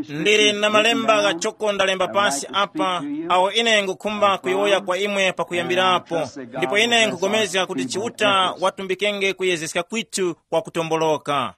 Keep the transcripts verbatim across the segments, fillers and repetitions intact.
Ndili na malemba ghachoko ndalemba pasi apa, awo ine ngukhumba kuyowoya kwa imwe pakuyambirapo. Ndipo ine nkugomezga kuti Chiuta watumbikenge kuyezeska kwithu kwa kutomboloka.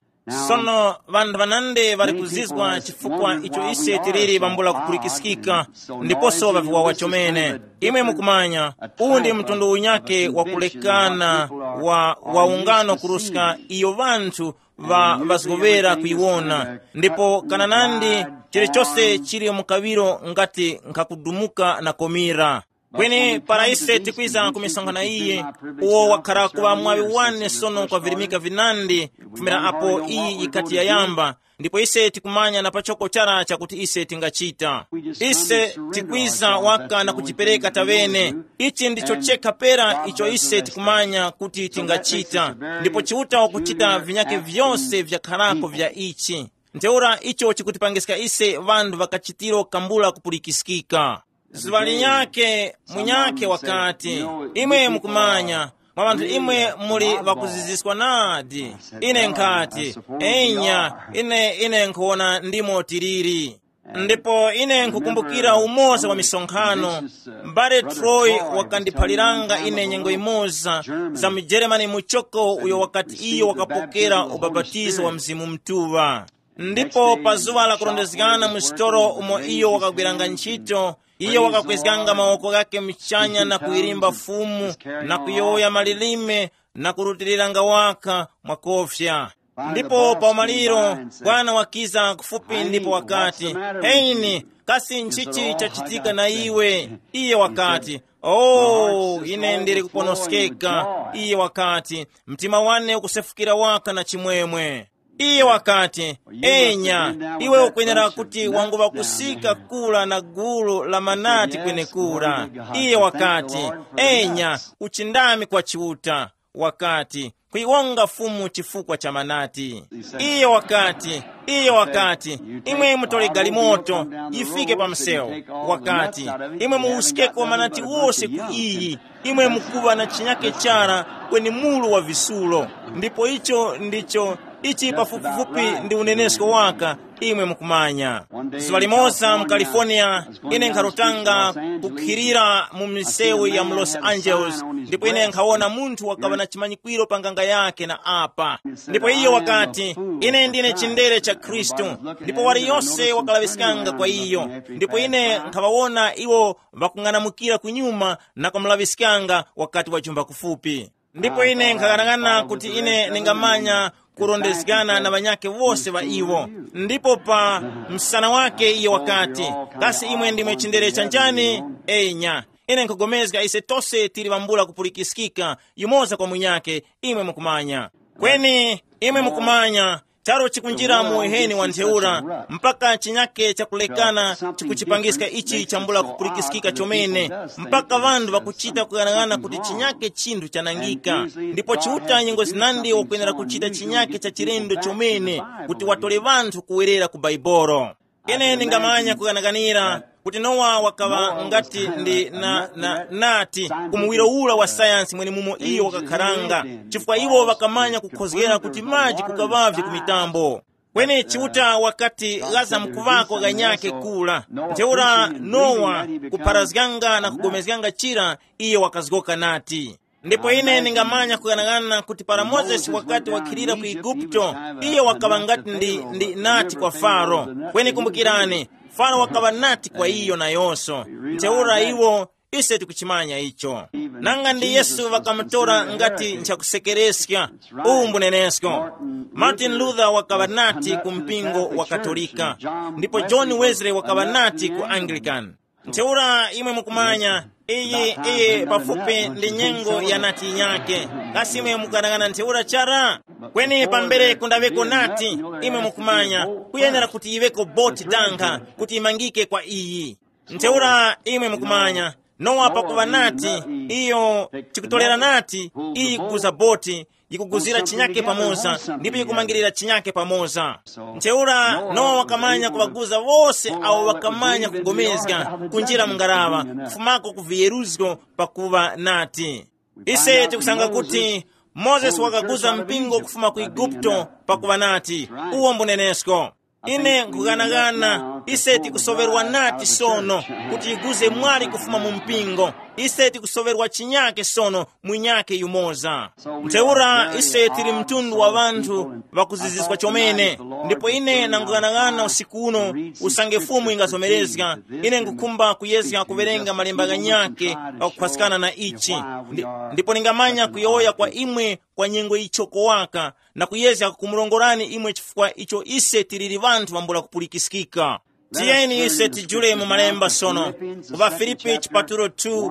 Sono ŵanthu ŵanandi ŵali kuzizwa chifukwa icho ise tiliri ŵambula kupulikiskika, ndiposo ŵaviwawa chomene. Imwe mukumanya, uwu ndi mtundu unyake wa kulekana wa, wa ungano kuruska iyo ŵanthu ŵa ŵazgoŵera kuyiwona. Ndipo kananandi chilichose chili mu kaŵiro ngati nkhakudumuka na komira. Kweni para ise tikwiza ku misonkhano iyi, uwo wakhara kuŵa mwaŵi wane sono kwa virimika vinandi kufumira apo iyi yikati yayamba. Ndipo ise tikumanya na pachoko chara chakuti ise tingachita. Ise tikwiza waka na kuchipereka tawene. Ichi ndicho chekha pera icho ise tikumanya kuti tingachita. Ndipo Chiuta wakuchita vinyake vyose vyakharako vya ichi. Ntheura icho chikutipangiska ise ŵanthu ŵakachitiro kambula kupulikiskika. Zuŵa linyakhe munyakhe wakati, imwe mukumanya, mwa ŵanthu imwe muli ŵakuziziswa nadi. Ine nkhati, enya, ine ine nkhuwona ndimo tiliri. Ndipo ine nkhukumbukira umoza wa misonkhano. M'bale Troy wakandiphaliranga ine nyengo imoza za mujeremani muchoko uyo wakati iyo wakapokera ubapatizo wa Mzimu Mtuŵa. Ndipo pa zuŵa la kurondezgana mu sitolo umo iyo wakagwiranga ntchito, iyo wakakwezganga mawoko ghake muchanya na kuyilimba Fumu, na kuyowoya malilime, na kurutiliranga waka mwakofya. Ndipo pa umaliro, bwana wakiza kufupi ndipo wakati, heini, kasi nchichi chachitika na iwe? Iye wakati, oh, ine ndili kuponoskeka. Iye wakati, mtima wane ukusefukira waka na chimwemwe. Iye wakati, enya, iwe ukwenera kuti wanguŵa kusika kura na gulu la manati kwenekura. Iye wakati, enya, uchindami kwa Chiuta. Wakati, kuyiwonga Fumu chifukwa cha manati. Iye wakati, iye wakati, imwe mutole galimoto, yifike pa msewu. Wakati, imwe muwuskeko manati wose ku iyi, imwe mukuŵa na chinyake chara kweni mulu wa visulo. Ndipo icho ndicho ichi pafupifupi ndi unenesko waka, imwe mukumanya. Zuŵa limoza mu California, ine nkharutanga kukhirira mu misewu ya mu Los Angeles, ndipo ine nkhawona munthu wakaŵa na chimanyikwiro pa nganga yake na apa. Ndipo iyo wakati, ine ndine chindere cha Khristu. Ndipo waliyose wakalaŵiskanga kwa iyo. Ndipo ine nkhaŵawona iwo ŵakung'anamukira kunyuma na kumulaŵiskanga wakati wajumba kufupi. Ndipo ine nkhaghanag'ana kuti ine ndingamanya kurondezgana na ŵanyakhe wose ŵa iwo. Ndipo pa msana wake iyo wakati, kasi imwe ndimwe chindere cha njani? Enya, ine nkhugomezga ise tose tili ŵambula kupulikiskika yumoza kwa munyakhe, imwe mukumanya. Kweni imwe mukumanya, charo chikunjira mu uheni wa ntheura, mpaka chinyake chakulekana chikuchipangiska ichi chambula kupulikiskika chomene, mpaka ŵanthu ŵakuchita kuyang'ana kuti chinyake chinthu chanangika. Ndipo Chiuta nyengo zinandi wakwenera kuchita chinyake cha chilendo chomene, kuti watore ŵanthu kuwerera ku Baibolo. Ine ndingamanya kuganaganira kuti Nowa wakaŵa ngati ndi na, na, nati ku muwiro ula wa sayansi mwenemumo iyo wakakharanga, chifukwa iwo ŵakamanya kukhozgera kuti maji kukaŵavye ku mitambo. Kweni Chiuta wakati ghaza mkuŵako ghanyakhe kula. Ntheura Nowa kupharazganga na kugomezganga chira, iyo wakazgoka nati, ndipo ine ndingamanya kughanaghanana kuti para Mozesi wakati wakhilira ku Eguputo, iyo wakaŵa ngati ndi, ndi nati kwa Faro, kweni kumbukirani, Faro wakaŵa nati kwa iyo nayonso. Ntheura iwo, ise tikuchimanya icho. Nanga ndi Yesu ŵakamutora ngati nchakusekereska. Uwu mbunenesko. Martin Luther wakaŵa nati ku mpingo wa Katolika, ndipo John Wesley wakaŵa nati ku Anglican. Ntheura imwe mukumanya, iyi iyi pafupi ndi nyengo ya nati yinyake. Kasi imwe mukanang'ana ntheura chara? Kweni pambere kundaŵeko nati, imwe mukumanya, kuyenera kuti yiŵeko boti danga kuti imangike kwa iyi. Ntheura imwe mukumanya, Nowa pakuŵa nati, iyo chikutolera nati, iyi kuguza boti, yikuguzira chinyake pamoza, ndipo yikumangirira chinyake pamoza. Ntheura Nowa wakamanya kuŵaguza wose awo ŵakamanya kugomezga kunjira mu ngaraŵa, kufumako ku viyeruzgo pakuŵa nati. Ise tikusanga kuti Mozesi wakaguza mpingo kufuma ku Eguputo pakuŵa nati, uwo mbunenesko. Ine nkughanagana, ise tikusoŵerwa nati sono kuti yiguze mwali kufuma mu mpingo. Ise tikusoŵerwa chinyake sono, mwinyake yumoza. Ntheura ise tili mtundu wa ŵanthu ŵakuziziswa chomene. Ndipo ine nangughanagana usiku uno, usange Fumu ingazomerezga, ine ngukhumba kuyezga kuwerenga malemba ghanyakhe ghakukhwaskana na ichi. Ndi- ndipo ningamanya kuyowoya kwa imwe kwa nyengo ichoko waka, na kuyezga kumurongorani imwe chifukwa icho ise tiliri ŵanthu vambula kupulikiskika. Tiyeni ise tijule mu malemba sono, ku ŵaFilipi chipatulo two,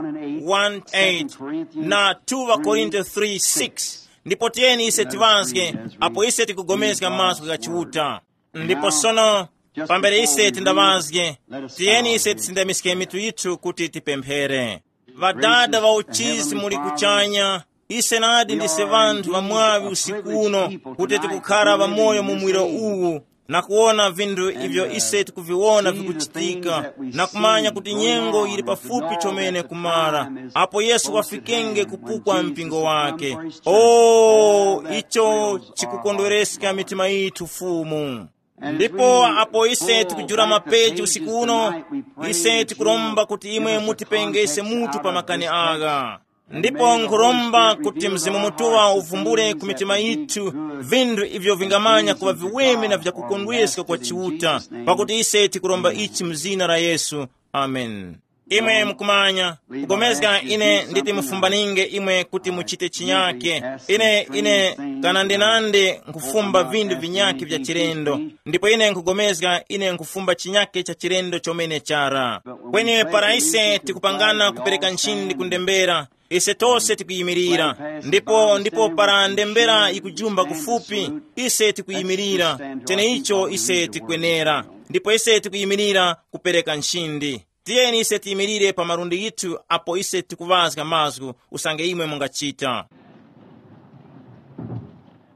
one eight, na two ŵaKorinto three six. Ndipo tiyeni ise tiŵazge, apo ise tikugomezga mazgu gha Chiuta. Ndipo sono, pambere ise tindaŵazge, tiyeni ise tisindamiske mitu yithu kuti tipemphere. Ŵadada ŵa uchizi muli kuchanya, ise nadi ndise ŵanthu ŵamwaŵi usiku uno, kuti tikukhara ŵamoyo mu muwiro uwu, na kuwona vinthu ivyo ise tikuviwona vikuchitika, na kumanya kuti nyengo yili pafupi chomene kumara, apo Yesu wafikenge kupukwa mpingo wake. O, icho chikukondwereska mitima yithu, Fumu. Ndipo apo ise tikujula mapeji usiku uno, ise tikuromba kuti imwe mutipengese mutu pa makani agha. Ndipo nkhuromba kuti Mzimu Mutuŵa uvumbule ku mitima yithu vinthu ivyo vingamanya kuŵa viweme na vyakukondweska kwa Chiuta, pakuti ise tikuromba ichi mu zina la Yesu. Amen. Imwe mukumanya, kugomezga ine nditi mufumbaninge imwe kuti muchite chinyake. Ine, ine, kana ndinande nkhufumba vinthu vinyakhe vya chilendo, ndipo ine nkhugomezga ine nkhufumba chinyake cha chilendo chomene chara. Kweni para ise tikupangana kupereka nchindi ku ndembera, ise tose tikuyimirira. Ndipo, ndipo para ndembera yikujumba kufupi, ise tikuyimirira. Cheneicho ise tikwenera. Ndipo ise tikuyimirira kupereka nchindi. Tiyeni ise tiyimirire pa malundi ghithu apo ise tikuŵazga mazgu usange imwe mungachita.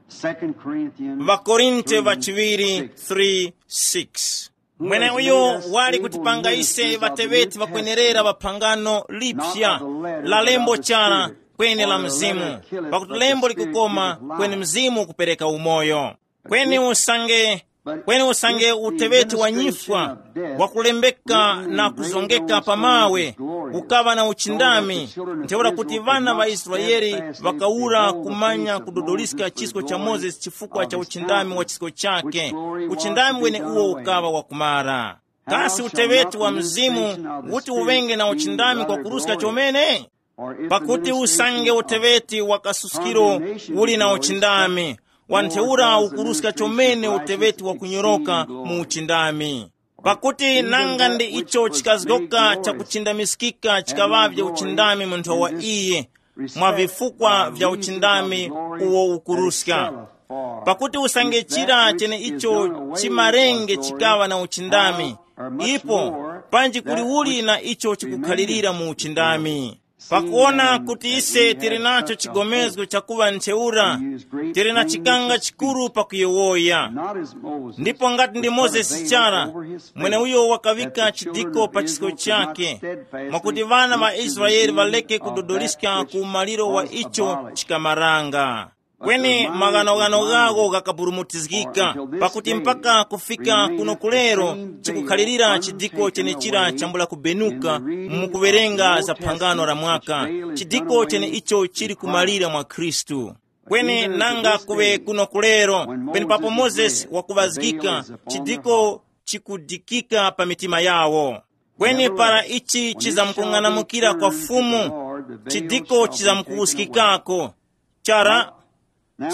Second Corinthians Vakorinte vachiwiri three six. Mweneuyo wali kutipanga ise ŵateŵeti ŵakwenerera ŵa phangano liphya, la lembo chara, kweni la mzimu. Pakuti lembo likukoma, kweni mzimu kupereka umoyo. Kweni usange, kweni usange uteŵeti wa nyifwa wakulembeka na kuzongeka pa mawe, ukaŵa na uchindami, ntheura kuti ŵana ŵa Israele ŵakawura kumanya kudodoliska chisko cha Mozesi chifukwa cha uchindami wa chisko chake, uchindami weneuwo ukaŵa wakumara. Kasi uteŵeti wa mzimu uti uŵenge na uchindami kwakuruska chomene? Pakuti usange uteŵeti wa kasuskiro uli na uchindami, wa ntheura ukuruska chomene uteŵeti wa kunyoroka mu uchindami. Pakuti nanga ndi icho chikazgoka chakuchindamiskika chikaŵavye uchindami mu nthowa iyi, mwa vifukwa vya uchindami uwo ukuruska. Pakuti usange chira cheneicho chimarenge chikaŵa na uchindami, ipo panji kuli uli na icho chikukhalirira mu uchindami. Pakuwona kuti ise tili nacho chigomezgo chakuŵa ntheura, tili na chikanga chikuru pakuyowoya. Ndipo ngati ndi Mozesi chara, mweneuyo wakaŵika chidiko pa chisko chake, mwakuti ŵana ŵa Israele ŵareke kudodoliska ku umaliro wa icho chikamaranga. Kweni maghanoghano ghawo ghakaburumutizgika, pakuti mpaka kufika kuno kulero chikukhalirira chidiko chenechira chambula kubenuka mu kuwerenga za phangano la mwaka, chidiko chene icho chili kumalira mwa Khristu. Kweni nanga kuŵe kuno kulero, penepapo Mozesi wakuŵazgika, chidiko chikudikika pa mitima yawo. Kweni para ichi chizamkung'anamukira kwa Fumu, chidiko chizamkuwuskikako. Chara,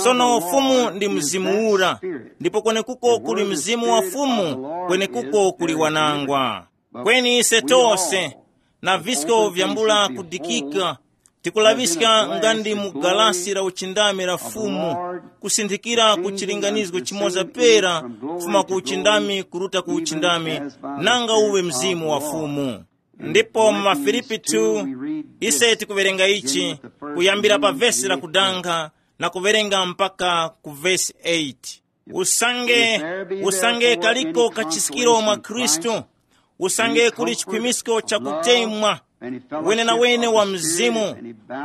sono Fumu ndi Mzimu ura, ndipo kwenekuko kuli Mzimu wa Fumu, kwenekuko kuli wanangwa. Kweni ise tose, na visko vyambula kudikika, tikulaŵiska nga ndi mu galasi la uchindami la Fumu, kusinthikira ku chilinganizgo chimoza pera, kufuma ku uchindami kuruta ku uchindami, nanga uwe Mzimu wa Fumu. Ndipo mu Mafilipi two, ise tikuwerenga ichi, kuyambira pa vesi la kudanga na kuwerenga mpaka ku vesi eight. Usange, usange kaliko kachiskiro mwa Khristu, usange kuli chikhwimisko cha kutemwa wenenawene wa mzimu,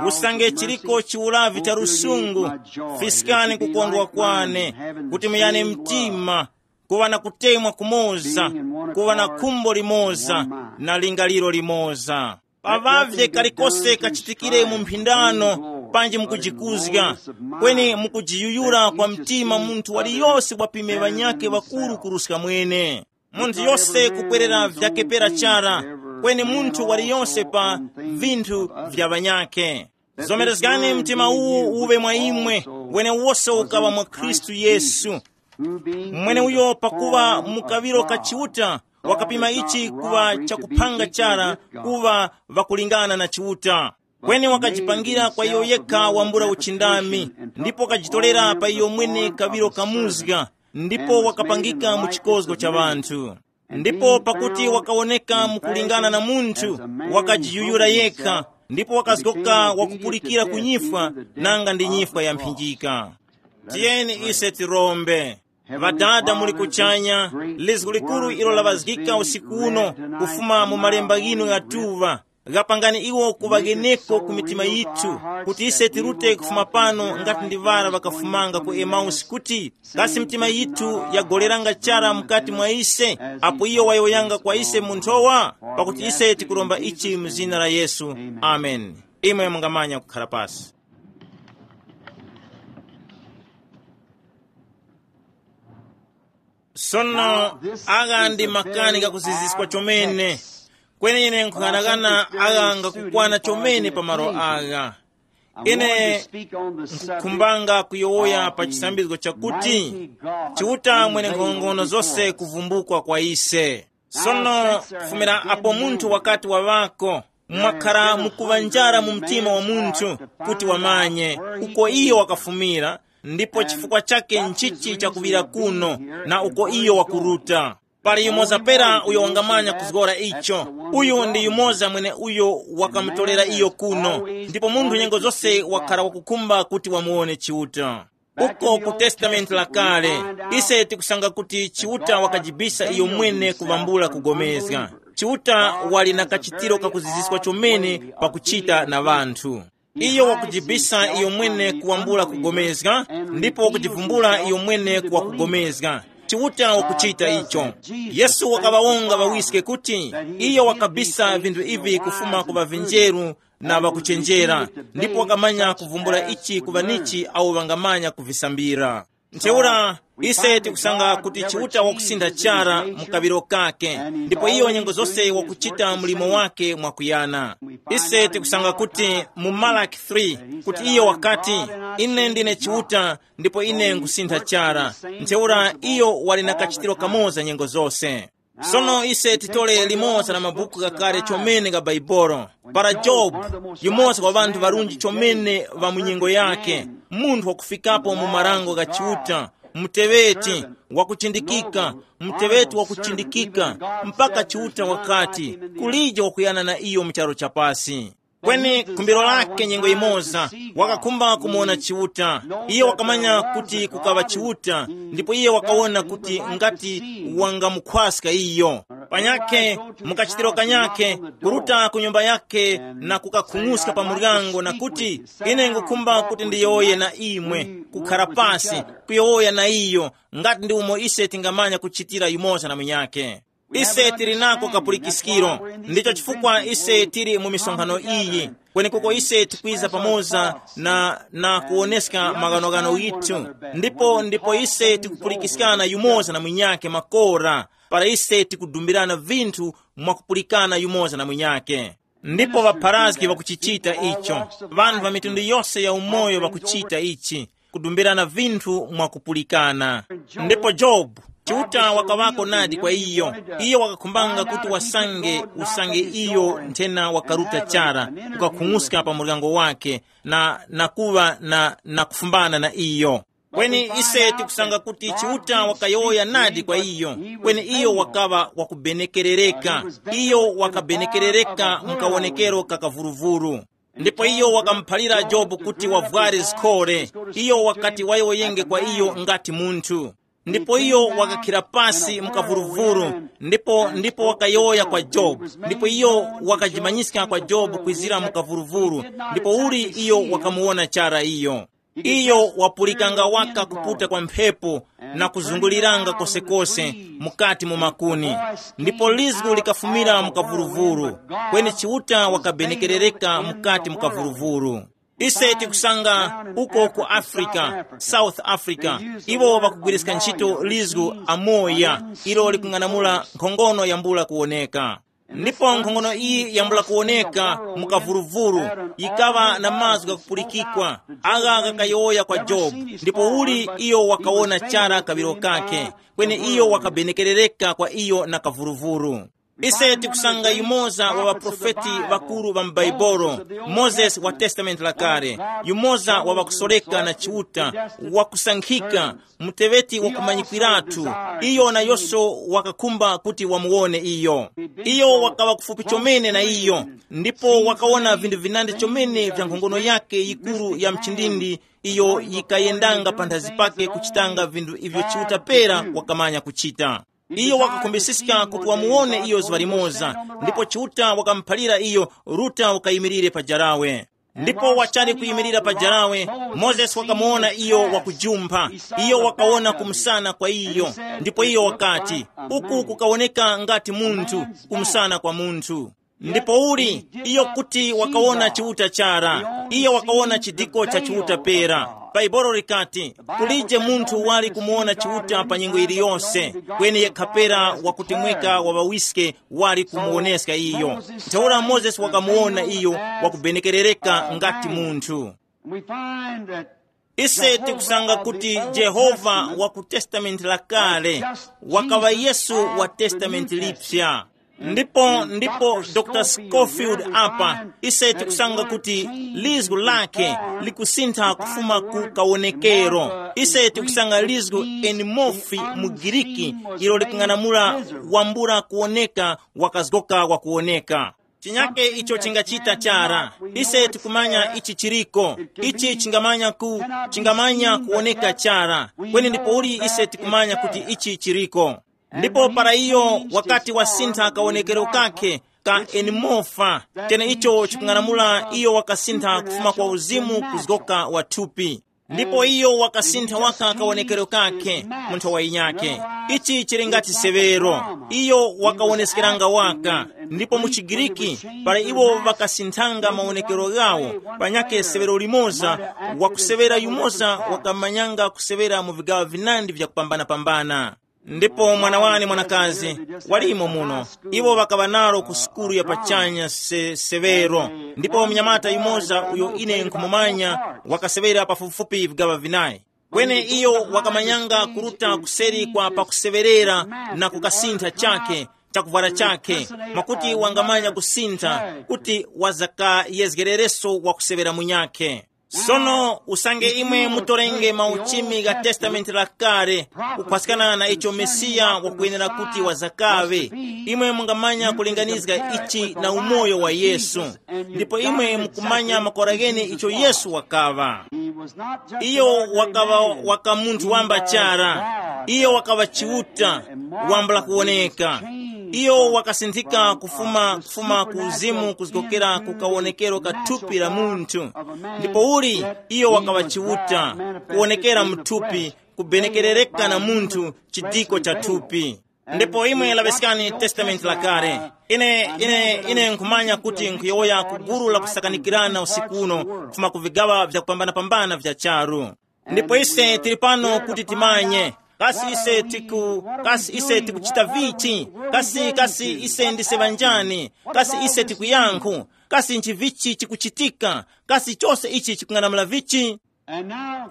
usange chiliko chiwuravi cha lusungu, fiskani kukondwa kwane, kuti muyane mtima, kuŵa na kutemwa kumoza, kuŵa na khumbo limoza, na lingaliro limoza. Paŵavye kalikose kachitikire mu mphindano, panji mukujikuzga, kweni mukujiyuyura kwa mtima munthu waliyose wapime ŵanyakhe ŵakuru kuruska mwene. Munthu yose kubwerera vyakepera chara, kweni munthu waliyose pa vinthu vya ŵanyakhe. Zomerezgani mtima uwu uwe mwa imwe, wenewose ukaŵa mwa Khristu Yesu. Mweneuyo pakuŵa mu kaŵiro ka Chiuta, wakapima ichi kuŵa chakuphanga chara kuŵa ŵakulingana na Chiuta. Kweni wakajipangira kwa iyo yekha wambula uchindami, ndipo wakajitorera pa iyo mwene kaŵiro kamuzga, ndipo wakapangika mu chikozgo cha ŵanthu. Ndipo pakuti wakawoneka mukulingana na munthu, wakajiyuyura yekha, ndipo wakazgoka wakupulikira ku nyifwa, nanga ndi nyifwa ya mphinjika. Tiyeni ise tirombe. Ŵadada muli kuchanya, lizgu likuru ilo laŵazgika usiku uno kufuma mu malemba ghinu ghatuŵa, ghapangani iwo kuŵa gheneko ku mitima yithu, kuti ise tirute kufuma pano ngati ndi ŵara ŵakafumanga ku Emausi kuti, kasi mitima yithu yagoleranga chara mukati mwa ise, apo iyo wayowoyanga kwa ise mu nthowa? Pakuti ise tikuromba ichi mu zina la Yesu. Amen. Imwe mungamanya kukhala pasi. Sono, agha ndi makani ghakuziziskwa chomene. Kweni ine nkhughanaghana agha ngakukwana chomene pa malo agha. Ine nkukhumbanga kuyowoya pa chisambizgo chakuti, Chiuta mwene nkhongono zose kuvumbukwa kwa ise. Sono, kufumira apo munthu wakati waŵako, mwakhara mukuŵa njara mu mtima wa munthu, kuti wamanye uko iyo wakafumira, ndipo chifukwa chake nchichi chakuŵira kuno, na uko iyo wakuruta. Pali yumoza pera uyo wangamanya kuzgora icho. Uyu ndi yumoza mwene uyo wakamutorera iyo kuno. Ndipo munthu nyengo zose wakhala wakukhumba kuti wamuwone Chiuta. Uko ku Testamenti la Kale, ise tikusanga kuti Chiuta wakajibisa iyo mwene kuvambula kugomezga. Chiuta wali na kachitiro kakuziziswa chomene pakuchita na ŵanthu. Iyo wakujibisa iyo mwene kuwambula kugomezga, ndipo wakujivumbula iyo mwene kuwa kugomezga. Chiuta wakuchita icho. Yesu wakaŵawonga ŵawiske kuti iyo wakabisa vinthu ivi kufuma ku ŵavinjeru na ŵakuchenjera, ndipo wakamanya kuvumbula ichi ku ŵanichi awo ŵangamanya kuvisambira. Ntheura, ise tikusanga kuti Chiuta wakusintha chara mu kaŵiro kake, ndipo iyo nyengo zose wakuchita mlimo wake mwakuyana. Ise tikusanga kuti mu Malaki three, kuti iyo wakati, "Ine ndine Chiuta, ndipo ine nkhusintha chara." Ntheura iyo wali na kachitiro kamoza nyengo zose. Sono ise titole limodzi la mabuku ghakale chomene ga Baibolo. Para Jobu, yumoza wa ŵanthu ŵarunji chomene ŵa mu nyengo yakhe, munthu wakufikapo mu marango gha Chiuta, muteŵeti wakuchindikika, muteŵeti wakuchindikika, mpaka Chiuta wakati, kulije wakuyana na iyo mu charu cha pasi. Kweni khumbiro lakhe nyengo yimoza, wakakhumba kumuwona Chiuta. Iye wakamanya kuti kukaŵa Chiuta, ndipo iye wakawona kuti ngati wangamukhwaska iyo. Panyakhe, mukachitiro kanyakhe, kuruta ku nyumba yakhe na kukakhung'uska pa muryango na kuti, "Ine ngukhumba kuti ndiyowoye na imwe, kukhara pasi, kuyowoya na iyo, ngati ndi umo ise tingamanya kuchitira yumoza na munyakhe." Ise tili nako kapulikiskiro, ndicho chifukwa ise tili mu misonkhano iyi, kwenekuko ise tikwiza pamoza na, na kuwoneska maghanoghano ghithu, ndipo, ndipo ise tikupulikiskana yumoza na munyakhe makora, para ise tikudumbirana vinthu mwakupulikana yumoza na munyakhe. Ndipo ŵapharazgi ŵakuchichita icho, ŵanthu ŵa mitundu yose ya umoyo ŵakuchita ichi, kudumbirana vinthu mwakupulikana. Ndipo Jobu, Chiuta wakaŵako nadi kwa iyo. Iyo wakakhumbanga kuti wasange, usange iyo nthena wakaruta chara, kukakhung'uska pa muryango wake, na, na kuŵa na, na kufumbana na iyo. Kweni ise tikusanga kuti Chiuta wakayowoya nadi kwa iyo, kweni iyo wakaŵa wakubenekerereka. Iyo wakabenekerereka mu kawonekero ka kavuruvuru. Ndipo iyo wakamuphalira Jobu kuti wavware zikhore. Iyo wakati wayowoyenge kwa iyo ngati munthu. Ndipo iyo wakakhira pasi mu kavuruvuru, ndipo, ndipo wakayowoya kwa Jobu. Ndipo iyo wakajimanyiska kwa Jobu kwizira mu kavuruvuru, ndipo uli iyo wakamuwona chara iyo. Iyo wapulikanga waka kuputa kwa mphepo na kuzunguliranga kosekose mukati mu makuni. Ndipo lizgu likafumira mu kavuruvuru, kweni Chiuta wakabenekerereka mukati mu kavuruvuru. Ise tikusanga uko ku Africa, South Africa, iwo ŵakugwiriska ntchito lizgu amoya, ilo likung'anamula nkhongono yambula kuwoneka. Ndipo nkhongono iyi yambula kuwoneka mu kavuruvuru, yikaŵa na mazgu ghakupulikikwa, agha ghakayowoya kwa Jobu, ndipo uli iyo wakawona chara kaŵiro kakhe, kweni iyo wakabenekerereka kwa iyo na kavuruvuru. Ise tikusanga yumoza wa ŵaprofeti ŵakuru ŵa m'Baibolo, Mozesi wa Testamenti la Kale, yumoza wa ŵakusoreka na Chiuta, wakusankhika, muteŵeti wakumanyikwiratu, iyo nayose wakakhumba kuti wamuwone iyo. Iyo wakaŵa kufupi chomene na iyo, ndipo wakawona vinthu vinandi chomene vya nkhongono yake yikuru ya mchindindi, iyo yikayendanga panthazi pake kuchitanga vinthu ivyo Chiuta pera wakamanya kuchita. Iyo wakakhumbisiska kuti wamuwone iyo zuŵa limoza, ndipo Chiuta wakamuphalira iyo, Ruta ukayimirire pa jarawe. Ndipo wachali kuyimirira pa jarawe, Mozesi wakamuwona iyo wakujumpha. Iyo wakawona kumsana kwa iyo, ndipo iyo wakati, uku kukawoneka ngati munthu, kumsana kwa munthu. Ndipo uli iyo kuti wakawona Chiuta chara, iyo wakawona chidiko cha Chiuta pera. Bhaibolo likati, kulije munthu wali kumuwona Chiuta pa nyengo iliyose, kweni yekha pera wakutemweka wa ŵawiske wali kumuwoneska iyo. Ntheura Mozesi wakamuwona iyo wakubenekerereka ngati munthu. We find that Ise tikusanga kuti Jehova wa ku Testamenti la Kale wakaŵa Yesu wa Testamenti Lipya. Ndipo ndipo dr Scofield apa, ise tikusanga kuti lizgu lake likusintha kufuma ku kawonekero. Ise tikusanga lizgu enimofi mu Giriki, ilo likung'anamula wambula kuwoneka, wakazgoka wakuwoneka. Chinyake icho chingachita chara. Ise tikumanya ichi chiriko. Ichi chingamanya ku chingamanya kuwoneka chara. Kweni ndipouli ise tikumanya kuti ichi chiriko? Ndipo para iyo wakati wasintha kawonekero kakhe ka enimofa, cheneicho chikung'anamula iyo wakasintha kufuma kwa uzimu kuzgoka wa thupi. Ndipo iyo wakasintha waka kawonekero kakhe mu nthowa yinyakhe. Ichi chili ngati severo. Iyo wakawoneskeranga waka. Ndipo mu chigiriki, para iwo ŵakasinthanga mawonekero ghawo, panyakhe severo limoza, wakusevera yumoza wakamanyanga kusevera mu vigaŵa vinandi vyakupambana-pambana. Ndipo mwana wane mwanakazi walimo muno. Iwo ŵakaŵa nalo ku sukulu ya pachanya se severo. Ndipo mnyamata yumoza uyo ine nkhumumanya wakaseŵera pafupifupi vigaŵa vinayi. Kweni iyo wakamanyanga kuruta kuseri kwa pakuseŵerera na kukasintha chakhe, chakuvwara chakhe, mwakuti wangamanya kusintha kuti wazakayezgerereso wakuseŵera munyakhe. Sono usange imwe mutorenge mauchimi gha Testamenti la Kale, kukhwaskana na icho Mesiya wakwenera kuti wazakaŵe, imwe mungamanya kulinganizga ichi na umoyo wa Yesu. Ndipo imwe mukumanya makora ghene icho Yesu wakaŵa. Iyo wakaŵa waka munthu wamba chara. Iyo wakaŵa Chiuta wambula kuwoneka. Iyo wakasinthika kufuma kufuma ku uzimu kuzgokera ku kawonekero ka thupi la munthu. Ndipo uli iyo wakaŵa Chiuta, kuwonekera mu thupi, kubenekerereka na munthu chidiko cha thupi. Ndipo imwe laŵeskani Testamenti la Kale. Ine ine ine nkhumanya kuti nkhuyowoya ku gulu la kusakanikirana usiku uno kufuma ku vigaŵa vyakupambana-pambana vya charu. Ndipo ise tili pano kuti timanye, kasi ise tiku kasi ise tikuchita vichi? Kasi kasi ise ndise ŵanjani? Kasi ise tikuyankhu? Kasi nchivichi chikuchitika? Kasi chose ichi chikung'anamula vichi?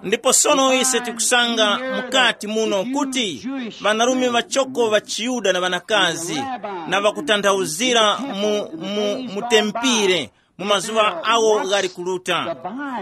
Ndipo sono ise tikusanga mukati muno kuti ŵanarume ŵachoko ŵa chiYuda na ŵanakazi na ŵakutanthauzira mu, mu, mu tempire mu mazuŵa awo ghali kuluta.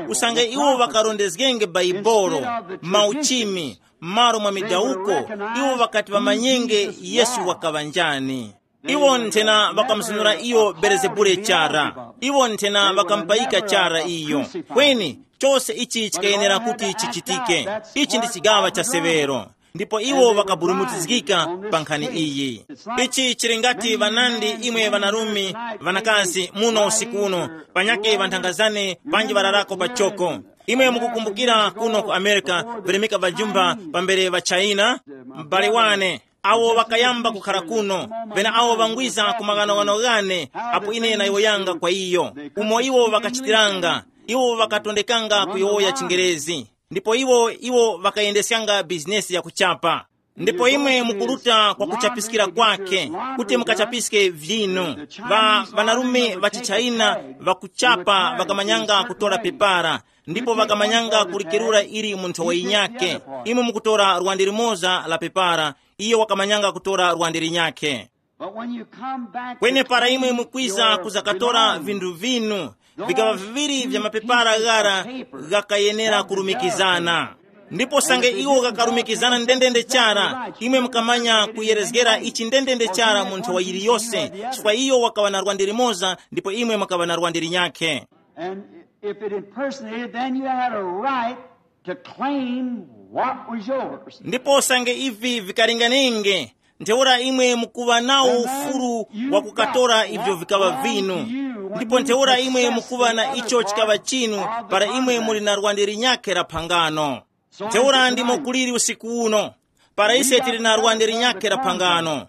Usange iwo ŵakarondezgenge Baibolo, mauchimi, malo mwa midawuko, iwo ŵakati ŵamanyenge Yesu wakaŵa njani. Iwo nthena ŵakamuzunura iyo Belezebule chara. Iwo nthena ŵakamupayika chara iyo. Kweni, chose ichi chikayenera kuti chichitike. Ichi ndi chigaŵa cha severo. Ndipo iwo ŵakaburumutizgika pa nkhani iyi. Ichi chili ngati ŵanandi imwe ŵanarume, ŵanakazi muno usiku uno, panyakhe ŵanthangazane panji ŵararako pachoko. Imwe mukukumbukira kuno ku America, virimika vajumba pambere va China, m'bale wane, awo ŵakayamba kukhara kuno, pena awo ŵangwiza ku maghanoghano ghane, apo ine nayowoyanga kwa iyo, umo iwo ŵakachitiranga, iwo ŵakatondekanga kuyowoya chingerezi, ndipo iwo iwo ŵakayendeskanga bizinesi yakuchapa. Ndipo imwe mukuruta kwa kuchapiskira kwake, kuti mukachapiske vinu. Ŵa ŵanarume ŵa chichayina ŵakuchapa ŵakamanyanga kutora pepara, ndipo ŵakamanyanga kulikerura ili mu nthowa yinyakhe. Imwe mukutora lwande limoza la pepara, iyo wakamanyanga kutora lwande linyakhe. But when you come back to kweni para imwe clean mukwiza your kuzakatora belongings, vinthu vinu, vikaŵa viŵiri vya mapepara ghara ghakayenera kulumikizana. Ndipo sange iwo ghakalumikizana ndendende chara, imwe mukamanya kuyerezgera ichi ndendende chara mu nthowa yiliyose, chifukwa iyo wakaŵa na lwande limoza ndipo imwe mwakaŵa na lwande linyakhe. And if it impersonated, then you had a right to claim what was yours. Ndipo sange ivi vikalinganenge, ntheura imwe mukuŵa nawo ufulu wa kukatora ivyo vikaŵa vinu. Ndipo ntheura imwe mukuŵa na icho chikaŵa chinu, para imwe muli na lwande linyakhe la phangano. Ntheura ndimo kuliri usiku uno, para ise tili na lwande linyakhe la phangano.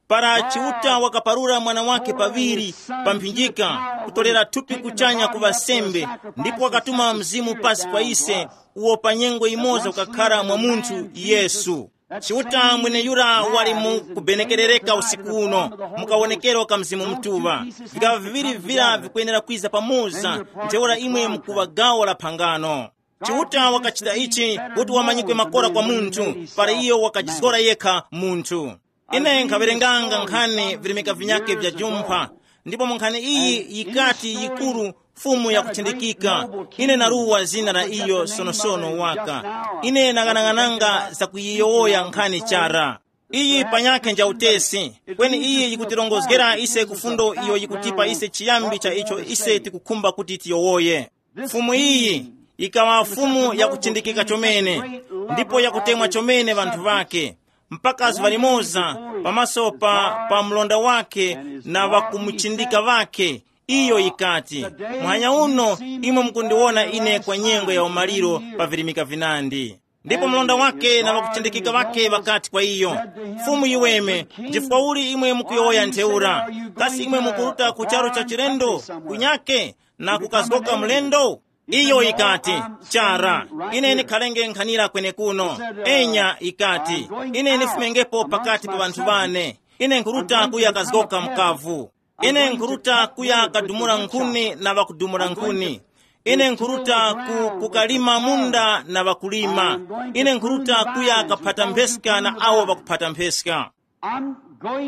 Para Chiuta wakaparura mwana wake paŵiri pa mphinjika, kutolera thupi kuchanya kuŵa sembe, ndipo wakatuma Mzimu pasi kwa ise, uwo pa nyengo imoza ukakhara mwa munthu Yesu. Chiuta mweneyura wali mu kubenekerereka usiku uno, mu kawonekero ka Mzimu Mutuŵa. Vikaŵa viŵiri vira vikwenera kwiza pamoza, ntheura imwe mukuŵa gawo la phangano. Chiuta wakachita ichi kuti wamanyikwe makora kwa munthu, para iyo wakajizgora yekha munthu. Ine nkhawerenganga nkhani virimika vinyakhe vya jumpha, ndipo mu nkhani iyi yikati yikuru, fumu yakuchindikika. Ine naruwa zina la iyo sonosono waka. Ine nang'anang'ananga zakuyiyowoya nkhani chara. Iyi panyakhe nja utesi, kweni iyi yikutirongozgera ise ku fundo iyo yikutipa ise chiyambi cha icho ise tikukhumba kuti tiyowoye. Fumu iyi yikaŵa fumu yakuchindikika chomene, ndipo yakutemwa chomene ŵanthu ŵake, mpaka zuŵa limoza pamaso pa, pa mlonda wake na ŵakumuchindika ŵake. Iyo yikati, muhanya uno imwe mukundiwona ine kwa nyengo ya umaliro pa virimika vinandi. Ndipo mlonda wake na ŵakuchindikika ŵake ŵakati kwa iyo, fumu yiweme, chifukwa uli imwe mukuyowoya ntheura? Kasi imwe mukuruta ku charu cha chilendo, kunyake, na kukazgoka mlendo? Iyo yikati, chara, ine ndikhalenge nkhanira kwenekuno. Enya yikati, ine ndifumengepo pakati pa ŵanthu ŵane. Ine nkhuruta kuya kazgoka mkavu. Ine nkhuruta kuya kadumula nkhuni na ŵakudumula nkhuni. Ine nkhuruta ku, kukalima munda na ŵakulima. Ine nkhuruta kuya kaphata mpheska na awo ŵakuphata mpheska.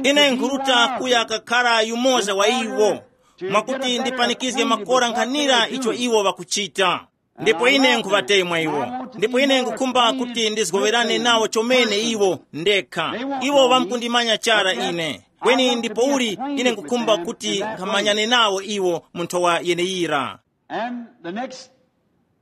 Ine nkhuruta kuya kakhara yumoza wa iwo, mwakuti ndipanikizge makora nkhanira icho iwo ŵakuchita. Ndipo ine nkhuŵatemwa iwo. Ndipo ine nkhukhumba kuti ndizgowerane nawo chomene iwo ndekha. Iwo ŵamkundimanya chara ine. Kweni ndipouli ine nkhukhumba kuti nkhamanyane nawo iwo mu nthowa yeneyira. And the next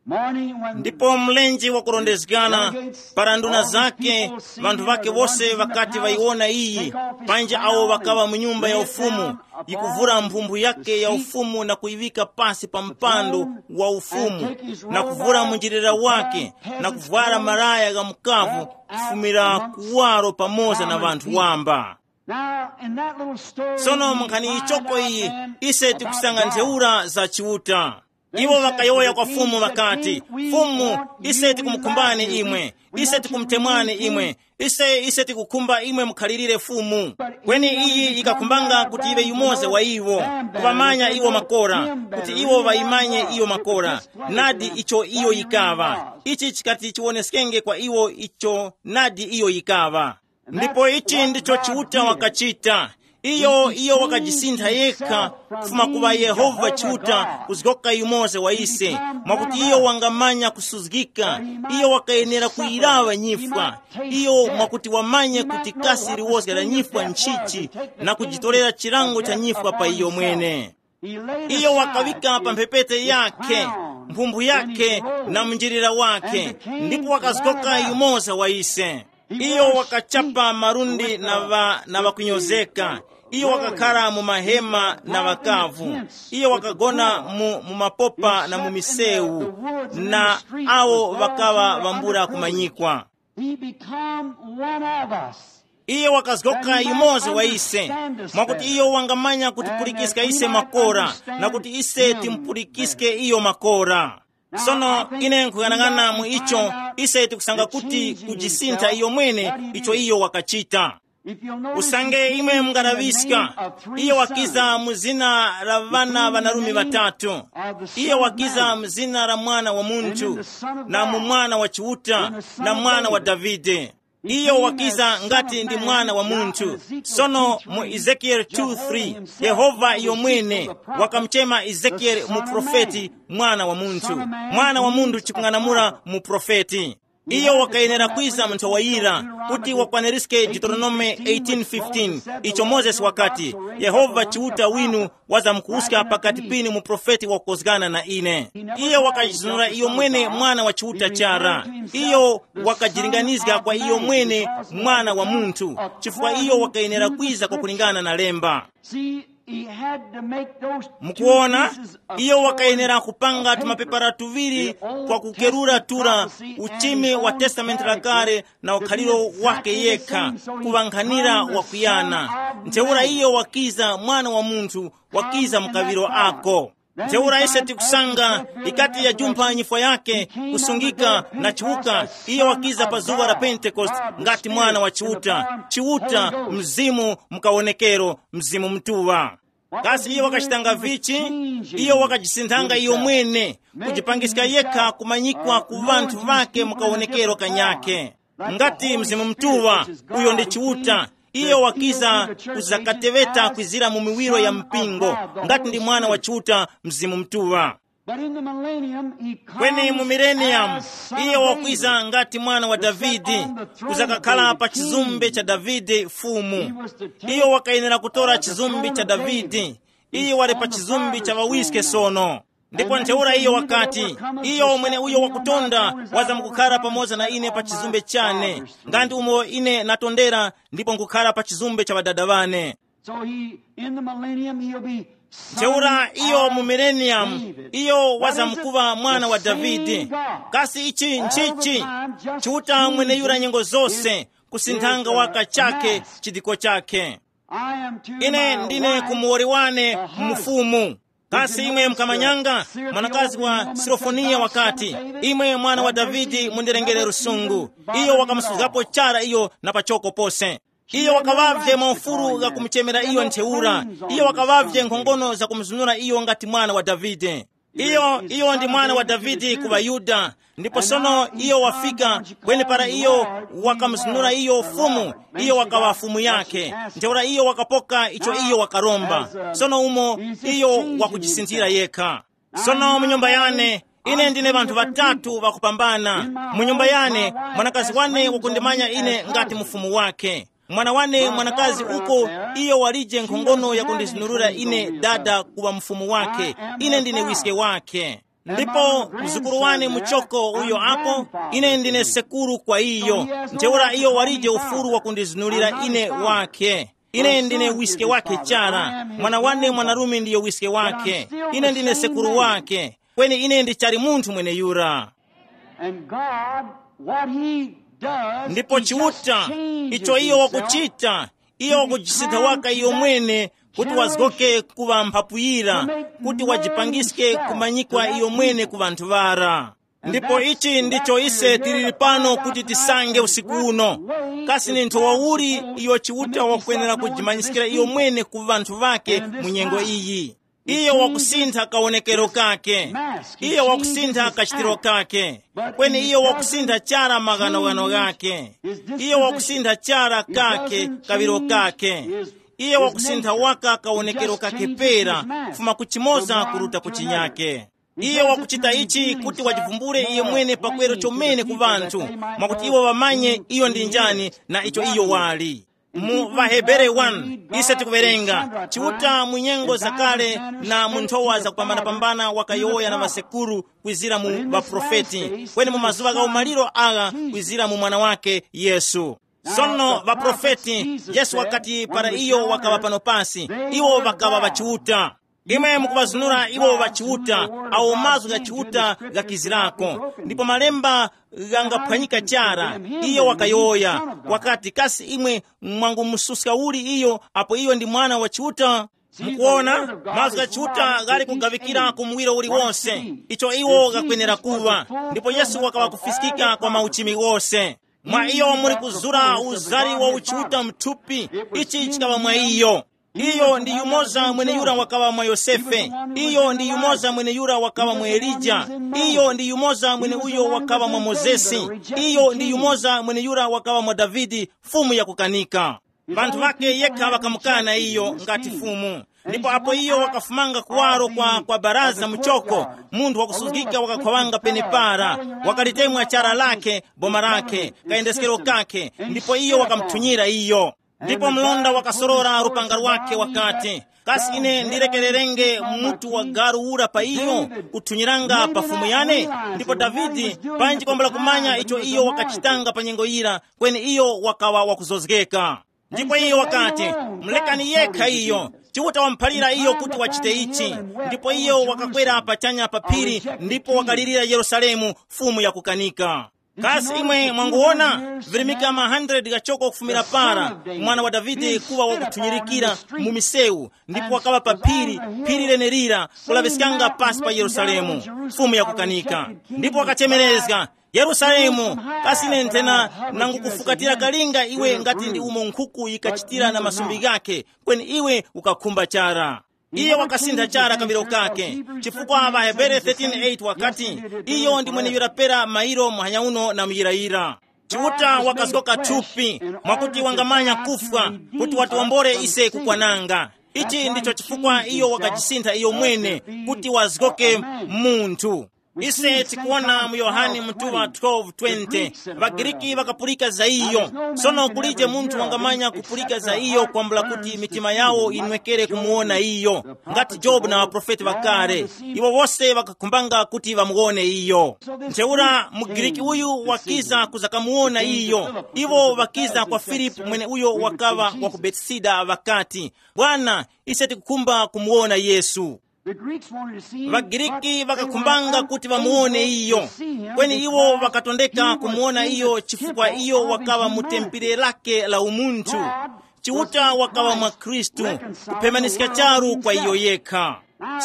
morning, when ndipo mlenje wakurondezgana, para nduna zake, vanthu vake wose ŵakati ŵayiwona iyi, panja awo ŵakaŵa mu nyumba ya ufumu, yikuvura mphumphu yake ya ufumu na kuyiŵika pasi pa mpando wa ufumu, na kuvura munjilira wake, na kuvwara malaya gha mukavu, kufumira kuwaro pamoza na ŵanthu wamba. Now, in that little story, sono mu nkhani yichoko iyi, ise tikusanga ntheura za Chiuta. Iwo ŵakayowoya kwa Fumu ŵakati, Fumu, ise tikumukhumbani imwe, ise tikumutemwani imwe, ise ise tikukhumba imwe mukhalirire Fumu. Kweni iyi yikakhumbanga kuti yiŵe yumoza wa iwo, kuŵamanya iwo makora, kuti iwo ŵayimanye iyo makora, nadi icho iyo yikaŵa. Ichi chikati chiwoneskenge kwa iwo icho nadi iyo yikaŵa. Ndipo ichi ndicho Chiuta wakachita. Iyo iyo wakajisintha yekha kufuma kuŵa Yehova Chiuta kuzgoka yumoza wa ise, mwakuti iyo wangamanya kusuzgika. Iyo wakayenera kuyiraŵa nyifwa. Iyo mwakuti wamanye kuti kasi liwozga la nyifwa nchichi, na kujitorera chilango cha nyifwa pa iyo mwene. Iyo wakaŵika pa mphepete yakhe mphumbu yakhe na munjilira wakhe, ndipo wakazgoka yumoza wa ise. Iyo wakachapa malundi na ŵa na ŵakunyozeka. Iyo wakakhara mu mahema na ŵakavu. Iyo wakagona mu, mu mapopa na mu misewu, na awo ŵakaŵa ŵambula kumanyikwa. He become one of us. Iye wakazgoka yumoza wa ise, mwakuti iyo wangamanya kutipulikiska ise makora, na kuti ise timpulikiske iyo makora. Sono ine nkuyang'ana mu icho, ise tikusanga kuti kujisintha iyo mwene icho iyo wakachita. Usange imwe mungalaŵiska, iye wakiza mu zina la ŵana ŵanarume ŵatatu. Iye wakiza mu zina la Mwana wa Munthu, na mu Mwana wa Chiuta, na Mwana wa Davide. Iyo wakiza ngati ndi Mwana wa Munthu. Sono mu Ezekieli two three, Yehova iyo mwene wakamuchema Ezekieli mu profeti, Mwana wa Munthu. Mwana wa Munthu chikung'anamula mu profeti. Iyo wakayenera kwiza mu nthawa yira, kuti wakwaniriske Deuteronome eighteen fifteen, icho Mozesi wakati, Yehova Chiuta winu wazamkuwuska pakati pinu mu profeti wakukozgana na ine. Iyo wakajizunura iyo mwene Mwana wa Chiuta chara. Iyo wakajilinganizga kwa iyo mwene Mwana wa Munthu, chifukwa iyo wakayenera kwiza kwa kulingana na lemba. See, he had to make those two Mukuona, pieces of iyo wakayenera kupanga tumapepara tuŵiri kwa kukerura tura, uchimi wa testamenti lakale na ukhaliro wake yekha, kuŵankhanira wakuyana. Ntheura iyo wakiza Mwana wa Munthu, wakiza mkaŵiro ako. Ntheura ise tikusanga ikati yajumpha nyifwa yake, kusungika na chiwuka, iyo wakiza pa zuŵa la Pentekoste ngati Mwana wa Chiuta, Chiuta, Mzimu, mukawonekero, Mzimu Mutuŵa. Kasi iyo wakachitanga vichi? Iyo wakajisinthanga iyo mwene, kujipangiska yekha kumanyikwa ku ŵanthu ŵake mu kawonekero kanyakhe. Ngati Mzimu Mutuŵa, uyo ndi Chiuta, iyo wakiza kuzakateŵeta kwizira mu miwiro ya mpingo, ngati ndi Mwana wa Chiuta, Mzimu Mutuŵa. But in the millennium, he comes Kweni mu millennium, as son iyo of wakwiza David, ngati mwana wa to sit Davide, on the throne of kuzakakhala David, pa chizumbe king. Cha Davide fumu. He was to take Iyo wakayenera kutora uh, the chizumbe throne cha of David. Davide. Iyo wali pa chizumbe cha ŵawiske sono. Ndipo ntheura iyo wakati, iyo mwene uyo wakutonda wazamkukhala pamoza na ine pa chizumbe chane, ngandi umo ine natondera ndipo nkukhala pa chizumbe cha ŵadada ŵane. So he, in the millennium, he'll be son Ntheura iyo mu of millennium, David. Iyo wazamkuva mwana wa Davide. Kasi ichi nchichi? Chiuta mwene yura nyengo zose, kusinthanga waka chake chidiko chake. Ine ndine kumuwoli wane mfumu. Kasi imwe mkamanyanga? Mwanakazi wa Sirofoniya wakati, imwe mwana wa Davidi, mundirengere lusungu. Iyo wakamusuzgapo chara iyo na pachoko pose. Iyo wakaŵavye maufulu gha kumuchemera iyo ntheura. Iyo wakaŵavye nkhongono za kumuzunura iyo ngati mwana wa Davide. Iyo iyo ndi mwana wa Davidi ku ŵaYuda. Ndipo sono iyo wafika, kweni para iyo wakamuzunura iyo fumu, iyo wakaŵa fumu yake. Ntheura iyo wakapoka icho iyo wakaromba. Sono umo iyo wakujisinthira yekha. Sono mu nyumba yane, ine ndine ŵanthu ŵatatu ŵakupambana. Mu nyumba yane, mwanakazi wane wakundimanya ine ngati mufumu wake. Mwana wane mwanakazi uko, iyo walije nkhongono yakundizunurira ine dada kuŵa mufumu wake. Ine ndine wiske wake. Ndipo mzukuru wane muchoko uyo apo, ine ndine sekuru kwa iyo. Ntheura iyo walije ufulu wakundizunulira ine wake. Ine ndine wiske wake chara. Mwana wane mwanarume ndiyo wiske wake. Ine ndine sekuru wake. Kweni ine ndichali munthu mweneyura. And God, what he does, Ndipo he just Chiuta, changes icho iyo himself wakuchita, iyo wakujisintha waka iyo mwene, kuti wazgoke kuŵa mphapuyira, kuti wajipangiske kumanyikwa iyo mwene ku ŵanthu ŵara. Ndipo ichi ndicho ise tiliri pano kuti tisange usiku uno. Kasi ni nthowa uli iyo Chiuta wakwenera kujimanyiskira iyo mwene ku ŵanthu ŵake mu nyengo iyi? Iyo wakusintha kawonekero kake. Iyo wakusintha kachitiro kake. Kweni iyo wakusintha chara maghanoghano ghake. Iyo wakusintha chara kake kaŵiro kake. Iyo wakusintha waka kawonekero kake pera, kufuma ku chimoza kuruta ku chinyake. Iyo wakuchita ichi kuti wajivumbule iye mwene pakweru chomene ku ŵanthu, mwakuti iwo ŵamanye iyo ndi njani na icho iyo wali. Mu Vahebere one, ise tikuwerenga, Chiuta mu nyengo zakale na mu nthowa zakupambanapambana wakayowoya na ŵasekuru kwizira mu ŵaprofeti, kweni mu mazuŵa gha umaliro agha kwizira mu Mwana wake Yesu. Sono ŵaprofeti, Yesu wakati para iyo wakaŵa pano pasi, iwo ŵakaŵa ŵachiuta. Imwe mukuŵazunura iwo ŵachiuta, awo mazgu gha Chiuta ghakizirako, ndipo malemba ghangaphwanyika chara. Iyo wakayowoya, wakati, kasi imwe mwangumususka uli iyo apo iyo ndi mwana wa Chiuta? Mukuona, mazgu gha Chiuta ghali kugaŵikira ku muwiro uliwonse, icho iwo ghakwenera kuŵa. Ndipo Yesu wakaŵa kufiskika kwa mauchimi ghose. Mwa iyo muli kuzura uzari wa uchiuta mthupi. Ichi chikaŵa mwa iyo. Iyo ndi yumoza mweneyura wakaŵa mwa Yosefe. Iyo ndi yumoza mweneyura wakaŵa mwa Elija. Iyo ndi yumoza mwene uyo wakaŵa mwa Mozesi. Iyo ndi yumoza mweneyura wakaŵa mwa Davide, fumu yakukanika. Vanthu ŵake yekha ŵakamukana iyo ngati fumu. Ndipo apo iyo wakafumanga kuwaro kwa, kwa baraza muchoko, munthu wakusuzgika wakakhwawanga penepara, wakalitemwa chara lakhe, boma lakhe, kayendeskero kakhe, ndipo iyo wakamuthunyira iyo. Ndipo mlonda wakasorora lupanga lwake wakati, kasi ine ndirekererenge mutu wa galu ura pa iyo, kuthunyiranga pa fumu yane? Ndipo Davide, panji kwambula kumanya icho iyo wakachitanga pa nyengo yira, kweni iyo wakawa wakuzozgeka. Ndipo iyo wakati, mulekani yekha iyo, Chiuta wamuphalira iyo kuti wachite ichi. Ndipo iyo wakakwera pachanya pa phiri, ndipo wakalirira Yerusalemu, fumu yakukanika. Kasi imwe mwanguwona, virimika ma hundred ghachoko kufumira para, mwana wa Davide kuŵa wakuthunyirikira mu misewu, ndipo wakaŵa pa phiri, phiri lenelira, kulaŵiskanga pasi pa Yerusalemu, fumu yakukanika. Ndipo wakachemerezga, Yerusalemu, kasi ine nthena nangukufukatira kalinga iwe ngati ndi umo nkhuku yikachitira na masumbi ghakhe, kweni iwe ukakhumba chara. Iye wakasintha chara kawiro kake, chifukwa ŵaHebere thirteen eight wakati, iyo ndi mweneyura pera mairo muhanya uno na muyirayira. Chiuta wakazgoka thupi, mwakuti wangamanya kufwa, kuti watiwombore ise kukwananga. Ichi ndicho chifukwa iyo wakajisintha iyo mwene, kuti wazgoke munthu. Ise tikuwona mu Yohane mutuŵa twelve twenty, ŵaGriki ŵakapulika za iyo. Sono kulije munthu wangamanya kupulika za iyo kwambula kuti mitima yawo yinwekere kumuwona iyo, ngati Jobu na ŵaprofeti ŵakale. Iwo wose ŵakakhumbanga kuti ŵamuwone iyo. Ntheura muGriki uyu wakiza kuzakamuwona iyo. Iwo ŵakiza kwa Filipu mweneuyo wakaŵa wa ku Betisida ŵakati, Bwana, ise tikukhumba kumuwona Yesu. The Greeks wanted to see him, but ВaGriki they ŵakakhumbanga kuti vamuwone iyo, kweni iwo vakatondeka kumuwona iyo chifukwa iyo wakaŵa mu tempere lake la umunthu. Chiuta wakaŵa mwa Khristu, kuphemaniska charu kwa iyo yekha.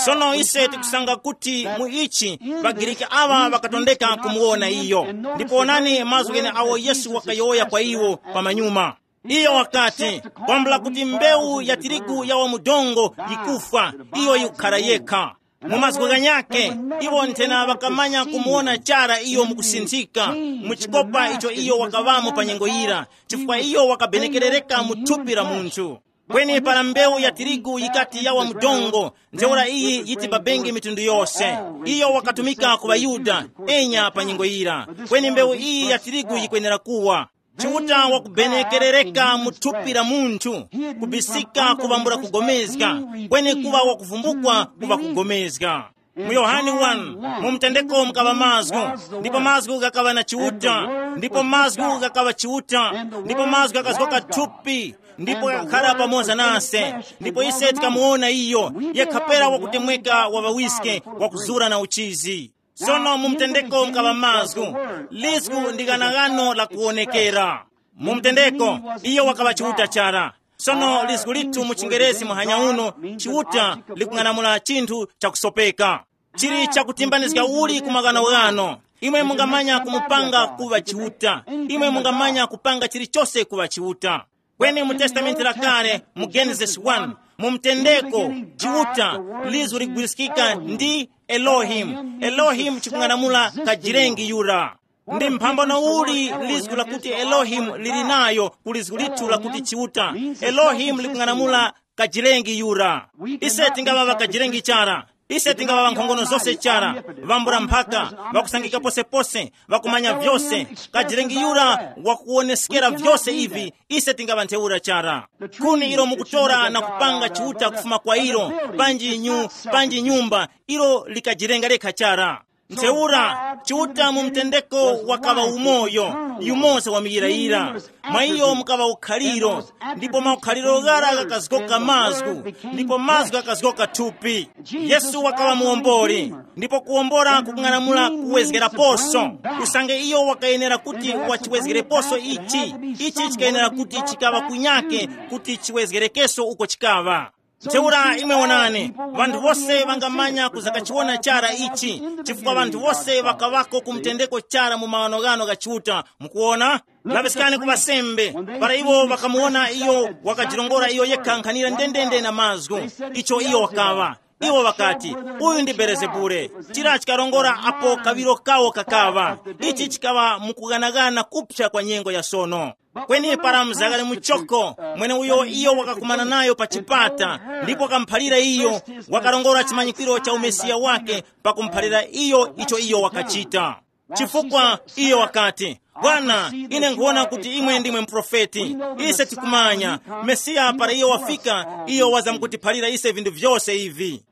Sono ise tikusanga kuti mu ichi ŵaGriki aŵa vakatondeka kumuwona iyo. Ndipo onani mazgu ghene awo Yesu wakayowoya kwa iwo pamanyuma. Iyo wakati, kwambula kuti mbewu ya tirigu yawa mu dongo yikufwa, iyo yikukhara yekha. Mu mazgu ghanyakhe, iwo nthena ŵakamanya kumuwona chara iyo mukusinthika mu chikopa icho iyo wakaŵamo pa nyengo yira, chifukwa iyo wakabenekerereka mu thupi la munthu. Kweni para mbewu ya tirigu yikati yawa mu dongo, ntheura iyi yiti babenge mitundu yose. Iyo wakatumika ku ŵaYuda, enya pa nyengo yira. Kweni mbewu iyi ya tirigu yikwenera kuwa. Chiuta wakubenekerereka mu thupi la munthu, kubisika kuvambula kugomezga, kweni kuŵa wakuvumbukwa kuŵa kugomezga. Mu Yohane one, mu mutendeko mukaŵa mazgu, ndipo mazgu ghakaŵa na Chiuta, ndipo mazgu ghakaŵa Chiuta, ndipo mazgu ghakazgoka thupi, ndipo ghakakhara pamoza nase, ndipo ise tikamuwona iyo, yekha pera wakutemweka wa ŵawiske, wakuzura na uchizi. Sono mu mutendeko mukaŵa mazgu, lizgu ndi ghanaghano la kuwonekera. Mu mutendeko, iyo wakaŵa Chiuta chara. Sono lizgu lithu mu chingerezi muhanya uno, Chiuta, likung'anamula chinthu chakusopeka. Chili chakutimbanizga uli ku maghanoghano. Imwe mungamanya kumupanga kuŵa Chiuta. Imwe mungamanya kupanga chilichose kuŵa Chiuta. Kweni mu Testamenti la Kale, mu Genesis one, mu mutendeko, Chiuta, lizu ligwiriskika ndi Elohim. Elohim chikung'anamula kajilengi yura. Ndi mphambano uli lizgu lakuti Elohim lili nayo ku lizgu lithu lakuti Chiuta? Elohim likung'anamula kajilengi yura. Ise tingaŵa ŵakajilengi chara. Ise tingaŵa ŵankhongono zose chara, ŵambula mphaka, ŵakusangika posepose, ŵakumanya vyose, kajilengi yura wakuwoneskera vyose ivi, ise tingaŵa ntheura chara. Khuni ilo mukutora na kupanga chiuta kufuma kwa ilo, panji nyu, panji nyumba, ilo likajilenga lekha chara. Ntheura, Chiuta mu mtendeko wakaŵa umoyo, yumoza wa muyirayira. Mwa iyo mukaŵa ukhaliro, ndipo maukhaliro ghara ghakazgoka mazgu, ndipo mazgu ghakazgoka thupi. Yesu wakaŵa muwomboli, ndipo kuwombora kukung'anamula kuwezgeraposo. Usange iyo wakayenera kuti wachiwezgereposo ichi, ichi chikayenera kuti chikaŵa kunyake kuti chiwezgerekeso uko chikaŵa. Ntheura imwe wonani, ŵanthu wose ŵangamanya kuzakachiwona chara ichi, chifukwa ŵanthu wose ŵakaŵako ku mtendeko chara mu maghanoghano gha Chiuta. Mukuwona, laŵiskani ku ŵasembe, para iwo ŵakamuwona iyo wakajirongora iyo yekha nkhanira ndendende na mazgu, icho iyo wakaŵa. Iwo ŵakati, uyu ndi Belezebule. Chira chikarongora apo kaŵiro kawo kakaŵa. Ichi chikaŵa mukughanagana kupsa kwa nyengo ya sono. Kweni para mzakale muchoko, mweneuyo iyo wakakumana nayo pa chipata, ndipo wakamuphalira iyo, wakarongora chimanyikiro cha umesiya wake, pakumuphalira iyo icho iyo wakachita. Chifukwa iyo wakati, bwana, ine nkhuwona kuti imwe ndimwe muprofeti. Ise tikumanya, Mesiya para iyo wafika, iyo wazamkutiphalira ise vinthu vyose ivi.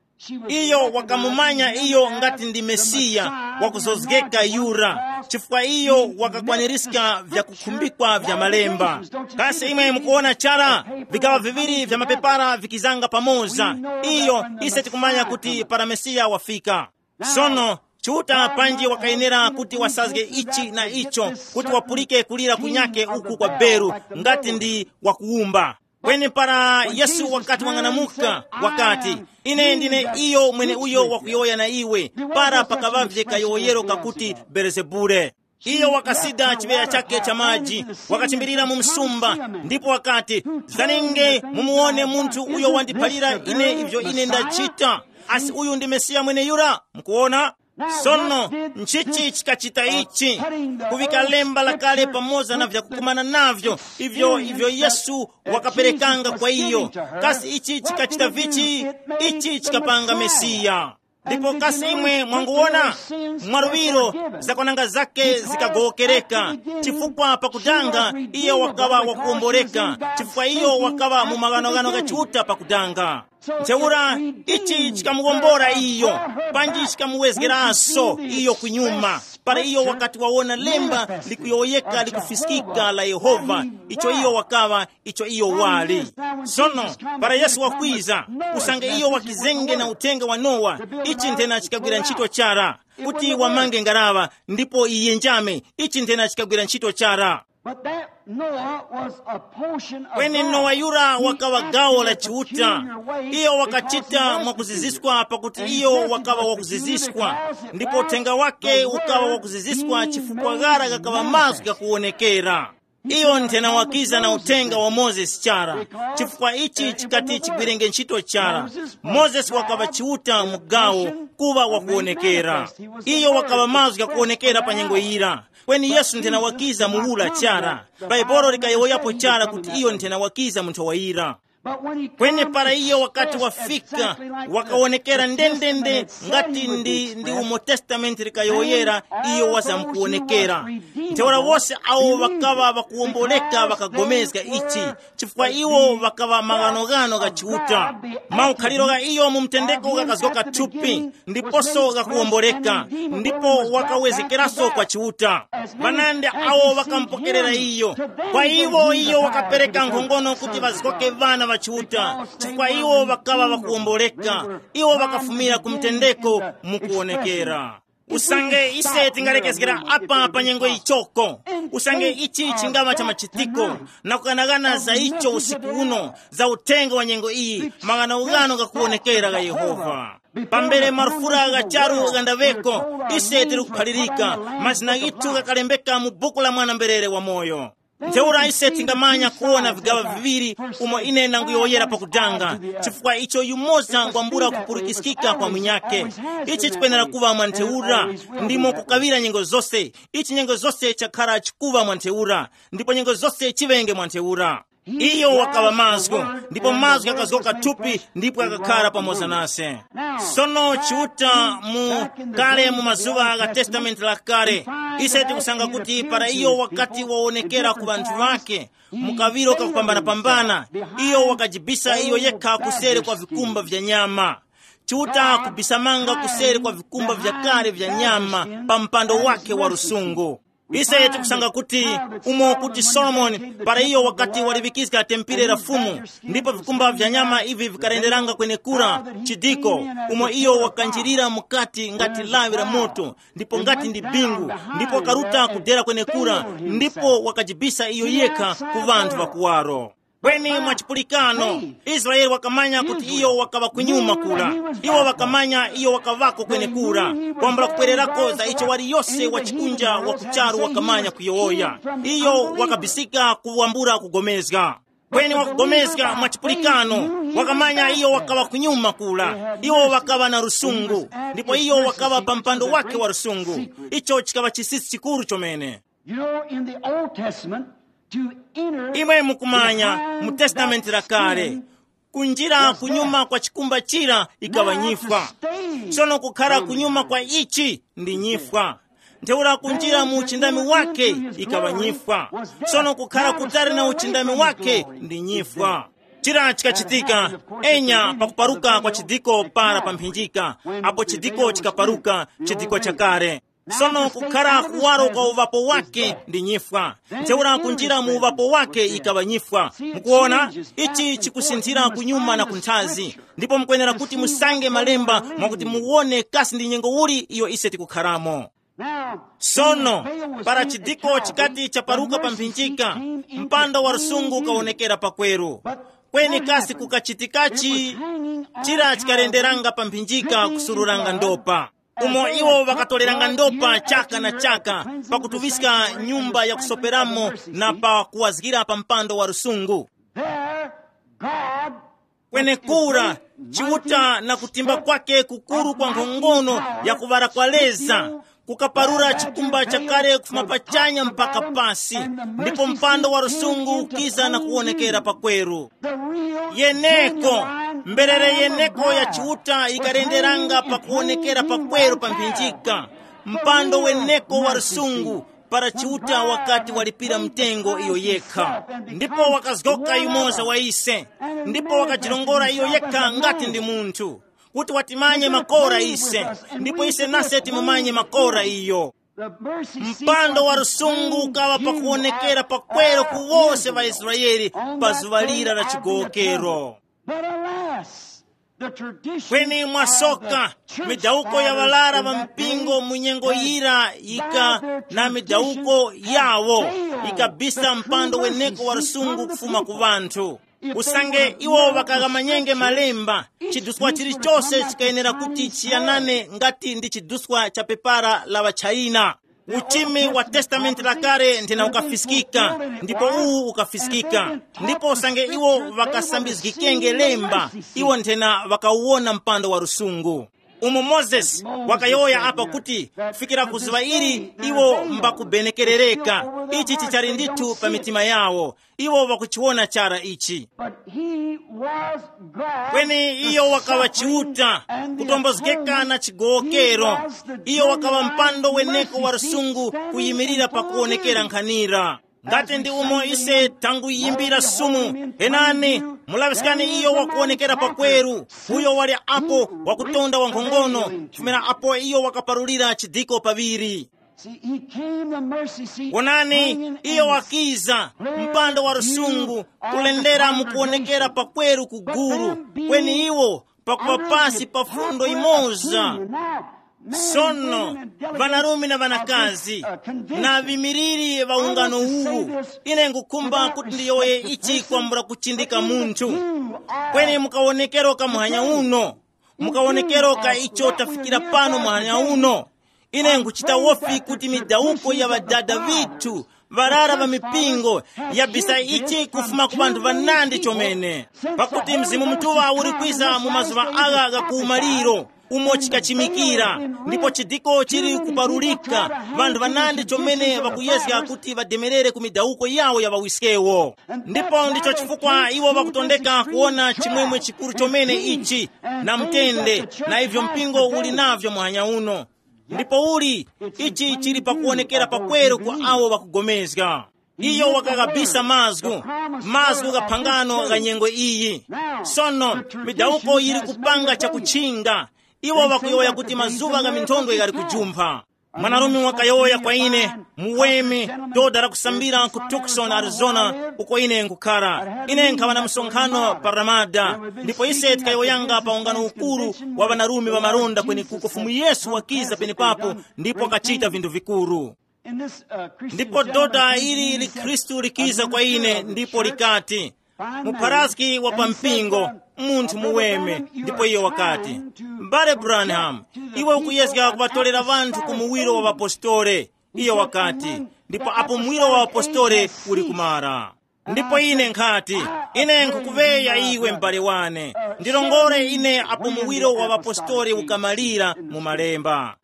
Iyo wakamumanya iyo ngati ndi Mesiya wakuzozgeka yura, chifukwa iyo wakakwanirizga vyakukhumbikwa vya malemba. Kasi imwe mukuwona chara, vigaŵa viŵiri vya mapepara vikizanga pamoza. Iyo, ise tikumanya kuti para Mesiya wafika. Sono, Chiuta panji wakayenera kuti wasazge ichi na icho, kuti wapulike kulira kunyake uku kwa beru, ngati ndi wakuwumba. Kweni para Yesu wakati wang'anamuka, wakati, ine ndine iyo mweneuyo wakuyowoya na iwe, para pakaŵavye kayowoyero kakuti Belezebule. Iyo wakasida chiŵeya chake cha maji, wakachimbirira mu msumba, ndipo wakati, zaninge mumuwone munthu uyo wandiphalira ine ivyo ine ndachita. Asi uyu ndi Mesiya mweneyura? Mukuwona? Sono, nchichi chikachita ichi? Kuŵika lemba lakale pamoza na vyakukumana navyo, ivyo ivyo Yesu wakaperekanga kwa iyo. Kasi ichi chikachita vichi? Ichi chikapanga Mesiya. Ndipo kasi imwe mwanguwona? Mwaluŵiro, zakwananga zake zikagowokereka, chifukwa pakutanga iyo wakaŵa wakuwomboreka, chifukwa iyo wakaŵa mu maghanoghano gha Chiuta pakutanga. Ntheura, ichi chikamuwombora iyo, panji chikamuwezgeranso iyo kunyuma, para iyo wakati wawona lemba likuyowoyeka likufiskika la Yehova, icho iyo wakaŵa, icho iyo wali. Sono, para Yesu wakwiza, usange iyo wakizenge na uthenga wa Nowa, ichi nthena chikagwira ntchito chara, kuti wamange ngaraŵa ndipo iyenjame, ichi nthena chikagwira ntchito chara. But that Noah was a portion of Kweni God. Nowa yura He wakawa acted gawo la in a Chiuta. Peculiar way. Iyo wakachita mwakuziziswa pakuti iyo wakawa wakuziziswa, ndipo uthenga wake ukawa wakuziziswa chifukwa ghara ghakawa mazgu ghakuwonekera. Iyo nthena wakiza na uthenga wa Mozesi chara, chifukwa ichi chikati chigwirenge ntchito chara. Mozesi wakawa Chiuta mu gawo, kuwa wakuwonekera. Iyo wakawa mazgu ghakuwonekera pa nyengo yira. Kweni Yesu nthena wakiza mu ula chara. Baibolo likayowoyapo chara kuti iyo nthena wakiza mu nthowa yira. Kweni para iyo wakati wafika, wakawonekera ndendende ngati ndi, ndi umo Testamenti likayowoyera, iyo wazamkuwonekera. Ntheura wose awo ŵakaŵa ŵakuwomboleka ŵakagomezga ichi, chifukwa iwo ŵakaŵa maghanoghano gha Chiuta. Maukhaliro gha iyo mu mtendeko ghakazgoka thupi, ndiposo ghakuwomboleka, ndipo wakawezekeraso kwa Chiuta. Ŵanandi awo ŵakamupokerera iyo. Kwa iwo iyo wakapereka nkhongono kuti ŵazgoke ŵana ŵa Chiuta, chifukwa iwo ŵakaŵa ŵakuwomboleka. Iwo ŵakafumira ku mtendeko mukuwonekera. Usange ise tingalekezgera apa pa nyengo ichoko, usange ichi chingaŵa cha machitiko, na kughanaghana za icho usiku uno, za uthenga wa nyengo iyi, maghanoghano ghakuwonekera gha Yehova. Pambere marufura gha charu ghandaŵeko, ise tili kuphalirika, mazina ghithu ghakalembeka mu buku la mwana-mberere wamoyo. Ntheura ise tingamanya kuwona vigaŵa viŵiri umo ine ndanguyowoyera pakudanga, chifukwa icho yumoza ngwambula kupulikiskika kwa munyakhe. Ichi chikwenera kuŵa mwa ntheura, ndimo kukaŵira nyengo zose, ichi nyengo zose chakhara chikuŵa mwa ntheura, ndipo nyengo zose chiŵenge mwa ntheura. Iyo wakaŵa mazgu, ndipo mazgu akazgoka thupi ndipo akakhara pamoza nase. Sono Chiuta mu kale mu mazuŵa gha Testamenti la Kale, ise tikusanga kuti para iyo wakati wawonekera ku ŵanthu ŵake mu kaŵiro kakupambanapambana, iyo wakajibisa iyo yekha kuseri kwa vikumba vya nyama. Chiuta kubisamanga kuseri kwa vikumba vya kale vya nyama pa mpando wake wa lusungu. Ise tikusanga kuti umo kuti Solomoni, para iyo wakati waliŵikizga tempere la Fumu, ndipo vikumba vya nyama ivi vikarenderanga kwenekura, chidiko, umo iyo wakanjirira mukati ngati lawi la moto, ndipo ngati ndi bingu, ndipo wakaruta kudera kwenekura, ndipo wakajibisa iyo yekha ku ŵanthu ŵakuwaro. Kweni mwa chipulikano, Israele wakamanya kuti iyo wakaŵa kunyuma kura. Iwo wakamanya iyo wakaŵako kwenekura, kwambula kupwererako za icho wali yose wa chikunja wa kucharu wakamanya kuyowoya. Iyo wakabisika kuwambula kugomezga. Kweni wakugomezga mwa chipulikano, wakamanya iyo wakaŵa kunyuma kura. Iwo wakaŵa na lusungu, ndipo iyo wakaŵa pa mpando wake wa lusungu. Icho chikaŵa chisisi chikuru chomene. You know, in the Old Testament, to enter imwe mukumanya, the mu Testamenti la Kale, skin, kunjira kunyuma kwa chikumba chira ikaŵa nyifwa. Sono kukhara kunyuma kwa ichi ndi nyifwa. Ntheura kunjira mu uchindami wake ikaŵa nyifwa. Sono kukhara kutali na uchindami wake ndi nyifwa. Chira chikachitika, enya pakuparuka kwa chidiko para pa mphinjika, apo chidiko chikaparuka, chidiko chakale. Sono kukhara kuwaro kwa uŵapo wake ndi nyifwa. Ntheura kunjira mu uŵapo wake ikaŵa nyifwa. Mukuona, ichi chikusinthira kunyuma na kunthazi. Ndipo mukwenera kuti musange malemba mwakuti muwone kasi ndi nyengo uli iyo ise tikukharamo. Sono, para chidiko chikati chaparuka pa mphinjika, mpando wa lusungu ukawonekera pakweru. Kweni kasi kukachitikachi? Chira chikalenderanga pa mphinjika kusururanga ndopa, umo iwo ŵakatoleranga ndopa chaka na chaka, pakutuŵiska nyumba yakusoperamo na pa kuwazgira pa mpando wa lusungu. There, God, kwenekura, Chiuta na kutimba kwake kukuru kwa nkhongono ya kuŵala kwa leza, kukaparura chikumba chakale kufuma pachanya mpaka pasi, ndipo mpando wa lusungu ukiza na kuwonekera pakweru. Yeneko, mberere yeneko ya Chiuta ikalenderanga pakuwonekera pakweru pa mphinjika, mpando weneko wa lusungu, para Chiuta wakati walipira mtengo iyo yekha, ndipo wakazgoka yumoza wa ise, ndipo wakajirongora iyo yekha ngati ndi munthu, kuti watimanye makora ise, ndipo ise nase timumanye makora iyo. Mpando wa lusungu ukaŵa pakuwonekera pakweru ku wose ŵaIsraele pa zuŵa lira la chigowokero. But alas, the tradition, kweni mwasoka, of the church midawuko ya fathers ŵalara in ŵa that mpingo day mu nyengo yira yika na midawuko yawo, ikabisa mpando weneko wa lusungu kufuma ku ŵanthu. Usange iwo ŵakaghamanyenge malemba, chiduswa chilichose chikayenera kuti chiyanane ngati ndi chiduswa cha pepara la ŵaChaina. Uchimi wa Testamenti la Kale nthena ukafiskika, ndipo uwu ukafiskika. Ndipo usange iwo ŵakasambizgikenge lemba, iwo nthena ŵakawona mpando wa lusungu. Umo Mozesi wakayowoya apa kuti, kufikira ku zuŵa ili iwo mbakubenekerereka, ichi chichali ndithu pa mitima yawo. Iwo ŵakuchiwona chara ichi. But he was God, kweni iyo wakaŵa Chiuta, kutombozgeka na chigowokero. Iyo wakaŵa mpando weneko wa lusungu kuyimirira pakuwonekera nkhanira. Ngati ndi umo ise tanguyimbira sumu, henani, mulaŵiskani iyo wakuwonekera pakweru, uyo wali apo wakutonda wankhongono, kufumira apo iyo wakaparulira chidiko paŵiri. See, he came the mercy seat, wonani, hanging iyo in wakiza mpando wa lusungu, kulendera mukuwonekera pakweru kuguru, kweni iwo pakuŵa pasi pa fundo imoza. Sono, ŵanarume na ŵanakazi, na ŵimiriri ŵa ungano uwu, ine ngukhumba kuti ndiyowoye ichi kwambula kuchindika munthu. Kweni mukawonekero ka muhanya uno, mukawonekero ka icho tafikira pano muhanya uno, ine nkuchita wofi kuti midawuko ya ŵadada ŵithu, ŵarara ŵa mipingo, yabisa ichi kufuma ku ŵanthu ŵanandi chomene. Pakuti Mzimu Mutuŵa uli kwiza mu mazuŵa agha gha kuwumaliro, umo chikachimikira, ndipo chidiko chili kuparulika, vanthu vanandi chomene ŵakuyezga kuti ŵademerere ku midawuko yawo ya ŵawiskewo. Ndipo ndicho chifukwa iwo ŵakutondeka kuwona chimwemwe chikuru chomene ichi, na mtende, na ivyo mpingo uli navyo muhanya uno. Ndipo uli, ichi chili pakuwonekera pakweru ku awo ŵakugomezga. Iyo wakaghabisa mazgu, mazgu gha phangano gha nyengo iyi. Sono, midawuko yili kupanga chakuchinga. Iwo ŵakuyowoya kuti mazuŵa gha minthondwe ghali kujumpha. Mwanarume wakayowoya kwa ine, muweme, doda lakusambira ku Tucson, Arizona, uko ine nkukhara. Ine nkhaŵa na msonkhano pa Ramada, ndipo ise tikayowoyanga pa ungano ukuru wa ŵanarume ŵa malonda kwenekuko Fumu Yesu wakiza penepapo ndipo wakachita vinthu vikuru. Ndipo dota ili likhristu likiza kwa ine ndipo likati, mupharaski wa pa mpingo, munthu muweme. Ndipo iyo wakati, m'bale Branham, iwe ukuyezga kuŵatolera vanthu ku muwiro wa ŵapostole. Iyo wakati, ndipo apo muwiro wa ŵapostole uli kumara. Ndipo ine nkhati, ine nkhukuŵeya iwe m'bale wane, ndilongore ine apo muwiro wa ŵapostole ukamalira mu malemba.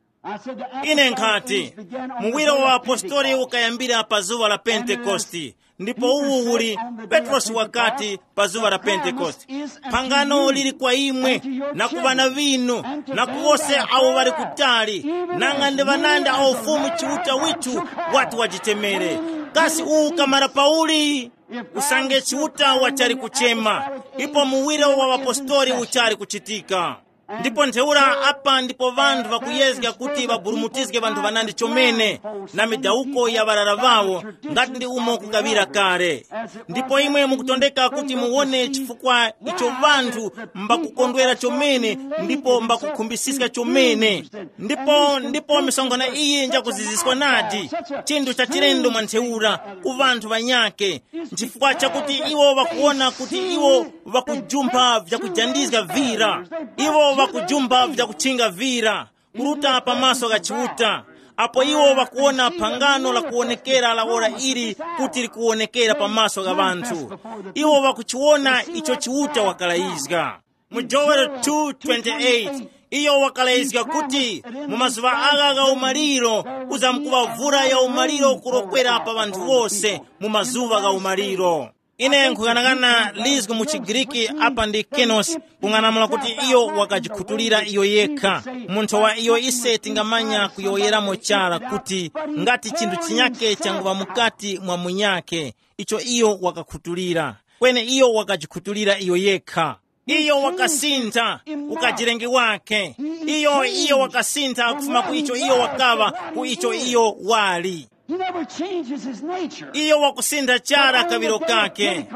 Ine nkhati, muwiro wa ŵapostoli ukayambira pa zuŵa la Pentekoste, ndipo uwu uli, Petrosi wakati, pa zuŵa la Pentekoste, phangano lili kwa imwe, na ku ŵana ŵinu, na ku wose awo ŵali kutali, nanga ndi ŵanandi awo Fumu Chiuta withu wati wajitemere. Kasi uwu ukamara pauli? Usange Chiuta wachali kuchema, ipo muwiro wa ŵapostoli uchali kuchitika. Ndipo ntheura apa ndipo ŵanthu ŵakuyezga kuti ŵaburumutizge ŵanthu ŵanandi chomene, na midawuko ya ŵarara ŵawo, ngati ndi umo kukaŵira kale. Ndipo imwe mukutondeka kuti muwone chifukwa icho ŵanthu mbakukondwera chomene ndipo mbakukhumbisiska chomene. Ndipo ndipo misonkhano iyi njakuziziswa nadi, chinthu cha chilendo mwa ntheura ku ŵanthu ŵanyakhe, nchifukwa chakuti iwo ŵakuwona kuti iwo ŵakujumpha vyakujandizga vira. Iwo ŵakujumpha vyakuchinga vira, kuruta pamaso gha Chiuta, apo iwo ŵakuwona phangano lakuwonekera la ora ili kuti likuwonekera pamaso gha ŵanthu. Iwo ŵakuchiwona icho Chiuta wakalayizga. Mu Joel two twenty-eight, iyo wakalayizga kuti, mu mazuŵa agha gha umaliro, kuzamkuŵa vura ya umaliro kurokwera pa ŵanthu wose mu mazuŵa gha umaliro. Ine nkhughanaghana lizgu mu chiGriki apa ndi kenos, kung'anamula kuti iyo wakajikhutulira iyo yekha. Munthu wa iyo ise tingamanya kuyowoyeramo chara kuti ngati chinthu chinyake changuŵa mukati mwa munyake, icho iyo wakakhutulira. Kweni iyo wakajikhutulira iyo yekha. Iyo wakasintha ukajirenge wake. Iyo iyo wakasintha kufuma ku icho iyo wakaŵa ku icho iyo wali. He never changes his nature. Iyo wakusintha chara kaŵiro kake.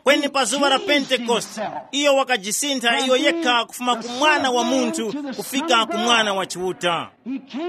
Kweni pa zuŵa la Pentekoste, iyo wakajisintha iyo yekha kufuma ku mwana wa munthu kufika ku mwana wa Chiuta.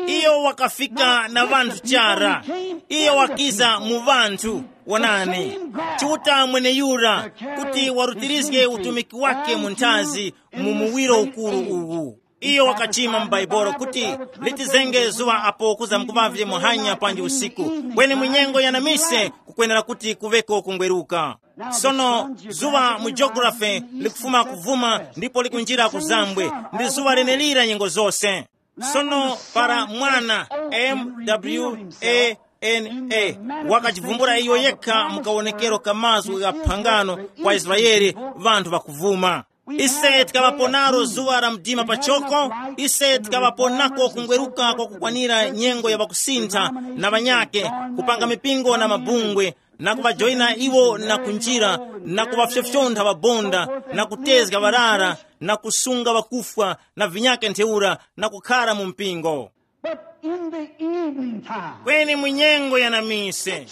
Iyo wakafika na vanthu chara. Iyo wakiza mu vanthu. Wonani, Chiuta mweneyura, kuti warutirizge utumiki wake mu nthazi mu muwiro ukuru uwu. Iyo wakachima mu Baibolo kuti, litizenge zuŵa apo kuzamkuŵavye muhanya panji usiku, kweni mu nyengo ya namise kukwenera kuti kuŵeko kungweruka. Sono, zuŵa mu geography likufuma kuvuma ndipo likunjira ku zambwe, ndi zuŵa lenelira nyengo zose. Sono para mwana, M W A N A, wakajivumbula iyo yekha mu kawonekero ka mazgu gha phangano kwa Israele, vanthu ŵakuvuma. Ise tikaŵapo nalo zuŵa la mdima pachoko, ise tikaŵapo nako kungweruka kwa kukwanira nyengo ya ŵakusintha na ŵanyake, kupanga mipingo na mabungwe, na kuŵajoyina iwo na kunjira, na kuŵafyofyontha ŵabonda, na kutezga ŵarara, na kusunga ŵakufwa, na vinyake ntheura, na kukhara mu mpingo. But in the evening time, kweni mu nyengo ya namise,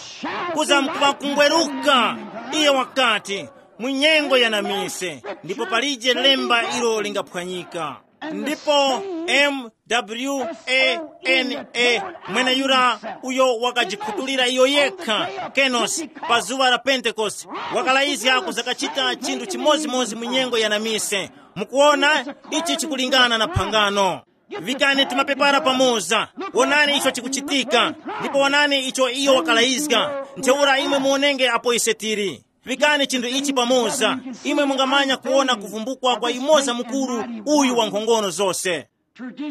kuza mkuŵa kungweruka, iye wakati, mu nyengo ya namise, ndipo palije lemba ilo lingaphwanyika. Ndipo M W A N A, mweneyura uyo wakajikhutulira iyo yekha, Kenos, pa zuŵa la Pentekoste, wakalayizga kuzakachita chinthu chimodzimodzi mu nyengo ya namise. Mukuona, ichi chikulingana na phangano. Vikani tumapepara pamoza. Wonani icho chikuchitika. Ndipo wonani icho iyo wakalayizga. Ntheura imwe muonenge apo ise tili. Vikani chinthu ichi pamoza. Imwe mungamanya kuwona kuvumbukwa kwa yumoza mukuru uyu wa nkhongono zose.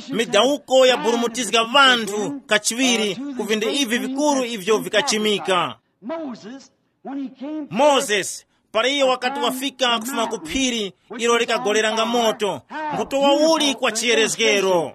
Midawuko yaburumutizga ŵanthu kachiŵiri ku vinthu ivi vikuru ivyo vikachimika. Moses, when he came to moses, para iyo wakati wafika kufuma ku phiri ilo likagolera nga moto, mbuto wauli kwa chiyerezgero.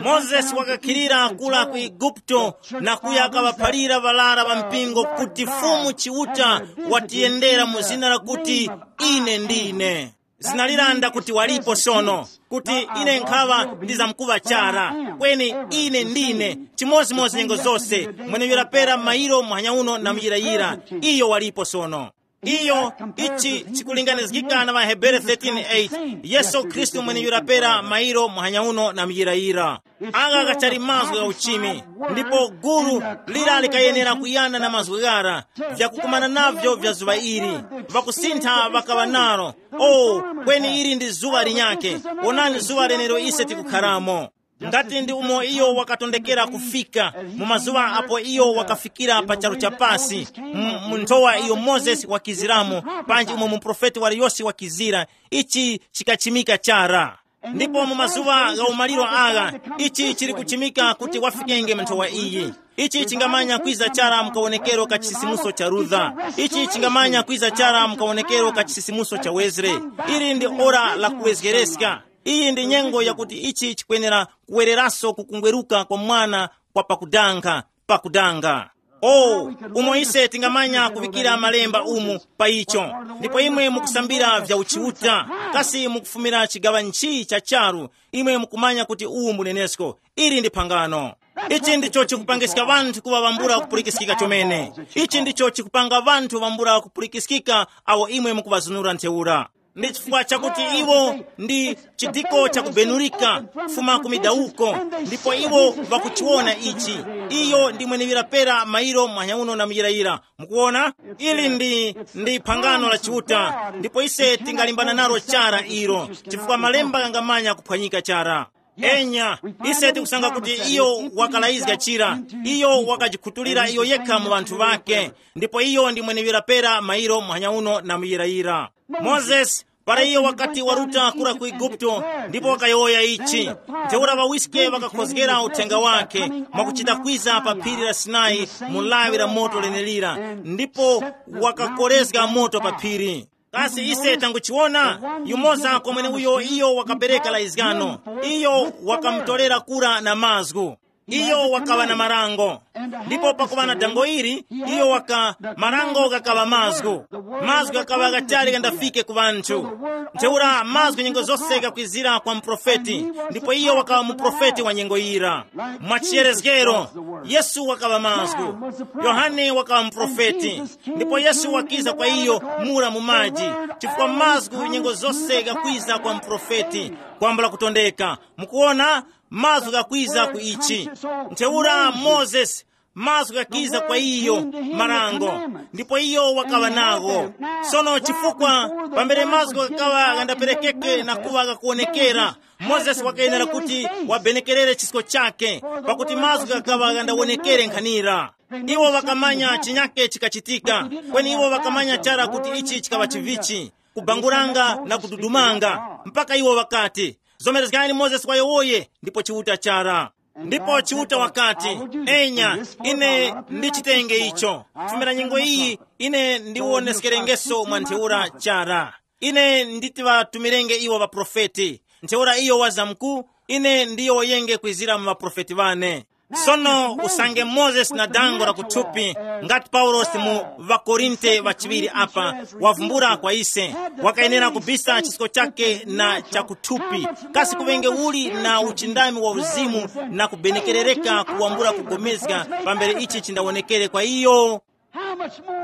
Moses wakakhilira kula ku Eguputo na kuya akawaphalira ŵalara ŵa mpingo kuti Fumu Chiuta watiyendera mu zina lakuti, ine ndine. Zina liranda kuti walipo sono, kuti ine nkhaŵa ndizamkuŵa chara. Kweni ine ndine chimozimozi nyengo zose, mweneuyo lapera mairo muhanya uno na muyirayira. Iyo walipo sono. Iyo, ichi chikulinganizgika na ŵaHebere thirteen eight. Yesu Khristu mweneuyo lapera mairo muhanya uno na muyirayira. Agha ghachali mazgu gha uchimi, ndipo gulu lira likayenera kuyana na mazgu ghara, vyakukumana navyo vya zuŵa ili. Vakusintha vakaŵa nalo. O, kweni ili ndi zuŵa linyakhe. Wonani zuŵa lenero ise tikukharamo. Ngati ndi umo iyo wakatondekera kufika, mu mazuŵa apo iyo wakafikira pa charu cha pasi, mu mu nthowa iyo mozesi wakiziramo, panji umo muprofeti waliyose wakizira, ichi chikachimika chara. Ndipo mu mazuŵa gha umaliro agha, ichi chili kuchimika kuti wafikenge mu nthowa iyi. Ichi chingamanya kwiza chara mukawonekero ka chisisimuso cha Rutha. Ichi chingamanya kwiza chara mukawonekero ka chisisimuso cha Wesley. Ili ndi ora la kuwezgereska. Iyi ndi nyengo yakuti ichi chikwenera kuwereraso kukungweruka kwa mwana kwa pakudanga, pakudanga. O, umo ise tingamanya kuŵikira malemba umu pa icho. Ndipo imwe mukusambira vya uchiuta, kasi mukufumira chigaŵa nchi cha charu, imwe mukumanya kuti uwu mbunenesko. Ili ndi phangano. Ichi ndicho chikupangiska ŵanthu kuŵa ŵambula kupulikiskika chomene. Ichi ndicho chikupanga ŵanthu ŵambula kupulikiskika awo imwe mukuŵazunura ntheura. Ndi chifukwa chakuti iwo ndi chidiko chakubenurika kufuma ku midawuko, ndipo iwo vakuchiwona ichi. Iyo ndi mwenewira pera mairo mwanya uno na muyirayira. Mukuwona, ili ndi ndi phangano la Chiuta, ndipo ise tingalimbana nalo chara ilo, chifukwa malemba ghangamanya kuphwanyika chara. Enya, ise tikusanga kuti iyo wakalayizga chira, iyo wakajikhutulira iyo yekha mu ŵanthu ŵake, ndipo iyo ndi mwenewira pera mairo muhanya uno na muyirayira. Mozesi, para iyo wakati waruta kura ku Eguputo, ndipo wakayowoya ichi, ntheura ŵawiske ŵakakhozgera uthenga wake mwakuchita kwiza pa phiri la Sinai mu lawi la moto lenelira, ndipo wakakorezga moto pa phiri. Kasi ise tanguchiwona? Yumoza kwa mweneuyo iyo wakapereka laizgano, iyo wakamutorera kura na mazgu. Iyo wakaŵa na marango. Ndipo pakuŵa na dango ili, iyo waka marango ghakaŵa mazgu. Mazgu ghakaŵa ghatali ghandafike ku ŵanthu. Ntheura mazgu nyengo zose ghakwizira kwa muprofeti, ndipo iyo wakaŵa muprofeti wa nyengo yira. Mwa chiyerezgero, Yesu wakaŵa mazgu. Yohane wakaŵa muprofeti, ndipo Yesu wakiza kwa iyo mura mu maji, chifukwa mazgu nyengo zose ghakwiza kwa muprofeti, kwambula kutondeka. Mukuwona, mazgu ghakwiza ku ichi. Ntheura mozesi, mazgu ghakiza kwa iyo, marango, ndipo iyo wakaŵa nago. Sono chifukwa pambere mazgu ghakaŵa ghandaperekeke na kuŵa ghakuwonekera, mozesi wakayenera kuti wabenekerere chisko chake, pakuti mazgu ghakaŵa ghandawonekere nkhanira. Iwo ŵakamanya chinyake chikachitika, kweni iwo ŵakamanya chara kuti ichi chikaŵa chivichi, kubanguranga na kududumanga, mpaka iwo ŵakati, zomerezgani mozesi wayowoye, ndipo chiuta chara. Ndipo chiuta wakati, enya, ine ndichitenge icho. Fumira nyengo iyi, ine ndiwoneskerengeso mwa ntheura chara. Ine nditiŵatumirenge iwo ŵaprofeti. Ntheura iyo wazamku, ine ndiyowoyenge kwizira mu ŵaprofeti ŵane. Sono usange mozesi na dango la kuthupi, ngati paulosi mu ŵakorinte ŵachiŵiri apa, wavumbula kwa ise, wakayenera kubisa chisko chake na chakuthupi. Kasi kuŵenge uli na uchindami wa uzimu na kubenekerereka kuwambula kugomezga pambere ichi chindawonekere kwa iyo?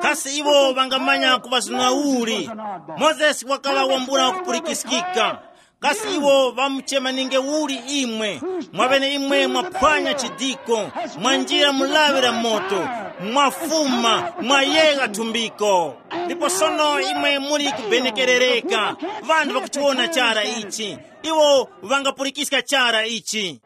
Kasi iwo ŵangamanya kuŵazunura uli? Mozesi wakaŵa wambula kupulikiskika. Kasi iwo ŵamuchemaninge uli imwe? Mwaŵene imwe mwaphwanya chidiko, mwanjira mu lawi la moto, mwafuma, mwayegha thumbiko. Ndipo sono imwe muli kubenekerereka. Ŵanthu ŵakuchiwona chara ichi. Iwo ŵangapulikiska chara ichi.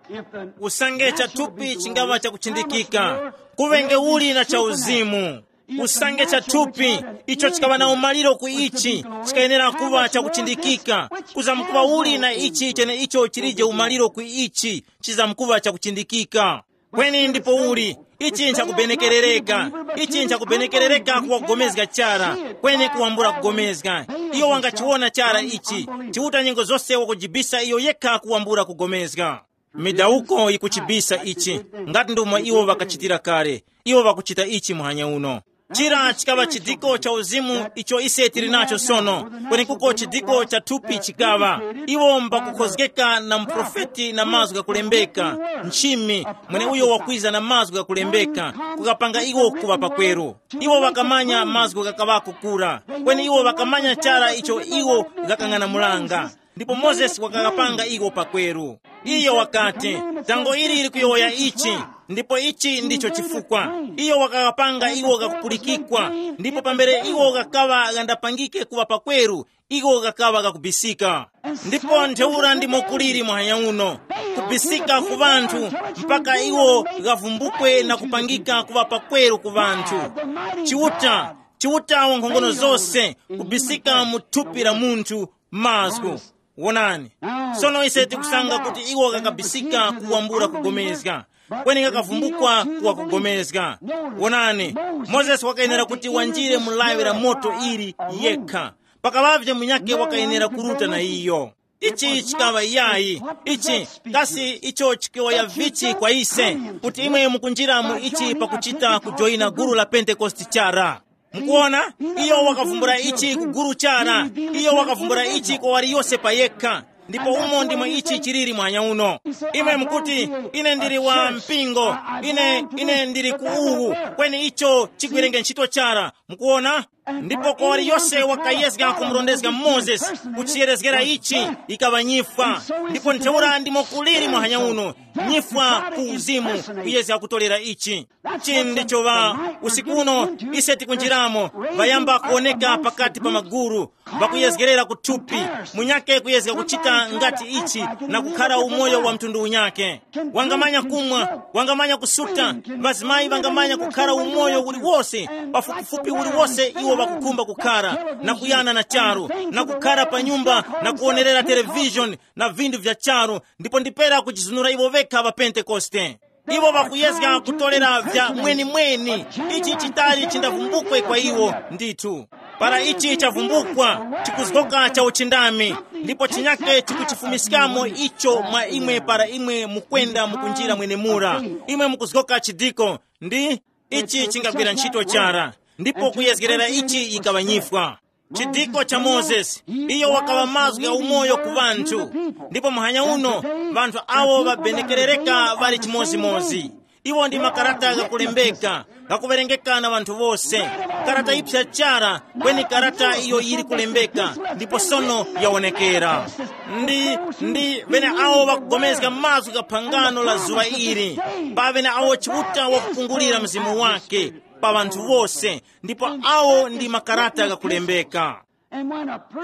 Usange chathupi chingaŵa chakuchindikika, kuŵenge uli na chauzimu. Usange cha thupi icho chikaŵa na umaliro ku ichi chikayenera kuŵa chakuchindikika. Kuzamkuŵa uli na ichi chene icho chilije umaliro ku ichi chizamkuŵa chakuchindikika. Kweni ndipo uli, ichi nchakubenekerereka. Ichi nchakubenekerereka kuwagomezga chara. Kweni kuwambula kugomezga, iyo wangachiwona chara ichi. Chiuta nyengo zose wakujibisa iyo yekha kuwambula kugomezga. Midawuko yikuchibisa ichi. Ngati ndomwe iwo ŵakachitira kale, iwo ŵakuchita ichi muhanya uno. Chira chikaŵa chidiko cha uzimu icho ise tili nacho sono, kwenekuko chidiko cha thupi chikaŵa. Iwo mbakukhozgeka na muprofeti na mazgu ghakulembeka, nchimi, mweneuyo wakwiza na mazgu ghakulembeka, kukapanga iwo kuŵa pakweru. Iwo ŵakamanya mazgu ghakaŵako kura, kweni iwo ŵakamanya chara icho iwo ghakang'anamulanga. Ndipo Mozesi wakakapanga iwo pakweru. Iyo wakati, tango ili likuyowoya ichi, ndipo ichi ndicho chifukwa. Iyo wakakapanga iwo ghakupulikikwa, ndipo pambere iwo ghakaŵa ghandapangike kuŵa pakweru, iwo ghakaŵa ghakubisika. Ndipo ntheura ndimo kuliri muhanya uno, kubisika ku ŵanthu, mpaka iwo ghavumbukwe na kupangika kuŵa pakweru ku ŵanthu. Chiuta, Chiuta wa nkhongono zose, kubisika mu thupi la munthu, mazgu. Wonani. Sono ise tikusanga kuti iwo kakabisika kuwambula kugomezga, kweni kakavumbukwa kuwa kugomezga. Wonani, Mozesi wakayenera kuti wanjire mu lawi la moto ili yekha. Pakaŵavye munyake wakayenera kuruta na iyo. Ichi chikaŵa yayi. Ichi, kasi icho chikaŵa vichi kwa ise, kuti imwe mukunjira mu ichi pakuchita kujoyina gulu la Pentekoste chara? Mukuona, iyo wakavumbula ichi ku gulu chara. Iyo wakavumbula ichi kwa waliyose pa yekha. Ndipo umo ndimo ichi chiliri mwanya uno. Imwe mukuti, ine ndili wa mpingo, ine ine ndili ku uwu, kweni icho chigwirenge ntchito chara. Mukuona? Ndipo kwa waliyose wakayezga kumurondezga Mozesi, kuchiyerezgera ichi, ikaŵa nyifwa. Ndipo ntheura ndimo kuliri mwanya uno, nyifwa ku uzimu, kuyezga kutolera ichi. Ichi ndicho ŵa usiku uno ise tikunjiramo, ŵayamba kuwoneka pakati pa maguru, ŵakuyezgerera ku thupi, munyake kuyezga kuchita ngati ichi, na kukhara umoyo wa mtundu unyake. Wangamanya kumwa, wangamanya kusuta, ŵazimayi ŵangamanya kukhara umoyo uliwose, pafupifupi uliwose iwo ŵakukhumba kukhara, na kuyana na charu, na kukhara pa nyumba na kuwonerera televishoni, na vinthu vya charu, ndipo ndipera kujizunura iwo vekha ŵa Pentekoste. Iwo ŵakuyezga kutolera vya mwenimweni. Ichi chitali chindavumbukwe kwa iwo. Ndithu, para ichi chavumbukwa, chikuzgoka cha uchindami, ndipo chinyake chikuchifumiskamo icho mwa imwe para imwe mukwenda mukunjira mwenemura. Imwe mukuzgoka chidiko, ndi ichi chingagwira ntchito chara. Ndipo kuyezgerera ichi ikaŵa nyifwa. Chidiko cha Mozesi, iyo wakaŵa mazgu gha umoyo ku ŵanthu. Ndipo muhanya uno, ŵanthu awo ŵabenekerereka ŵali chimozimozi. Iwo ndi makarata ghakulembeka, ghakuwerengeka na ŵanthu wose. Karata yiphya chara, kweni karata iyo yili kulembeka, ndipo sono yawonekera. Ndi, ndi ŵene awo ŵakugomezga mazgu gha phangano la zuŵa ili, pa ŵene awo Chiuta wakukungulira mzimu wake pa ŵanthu wose, ndipo awo ndi makarata ghakulembeka.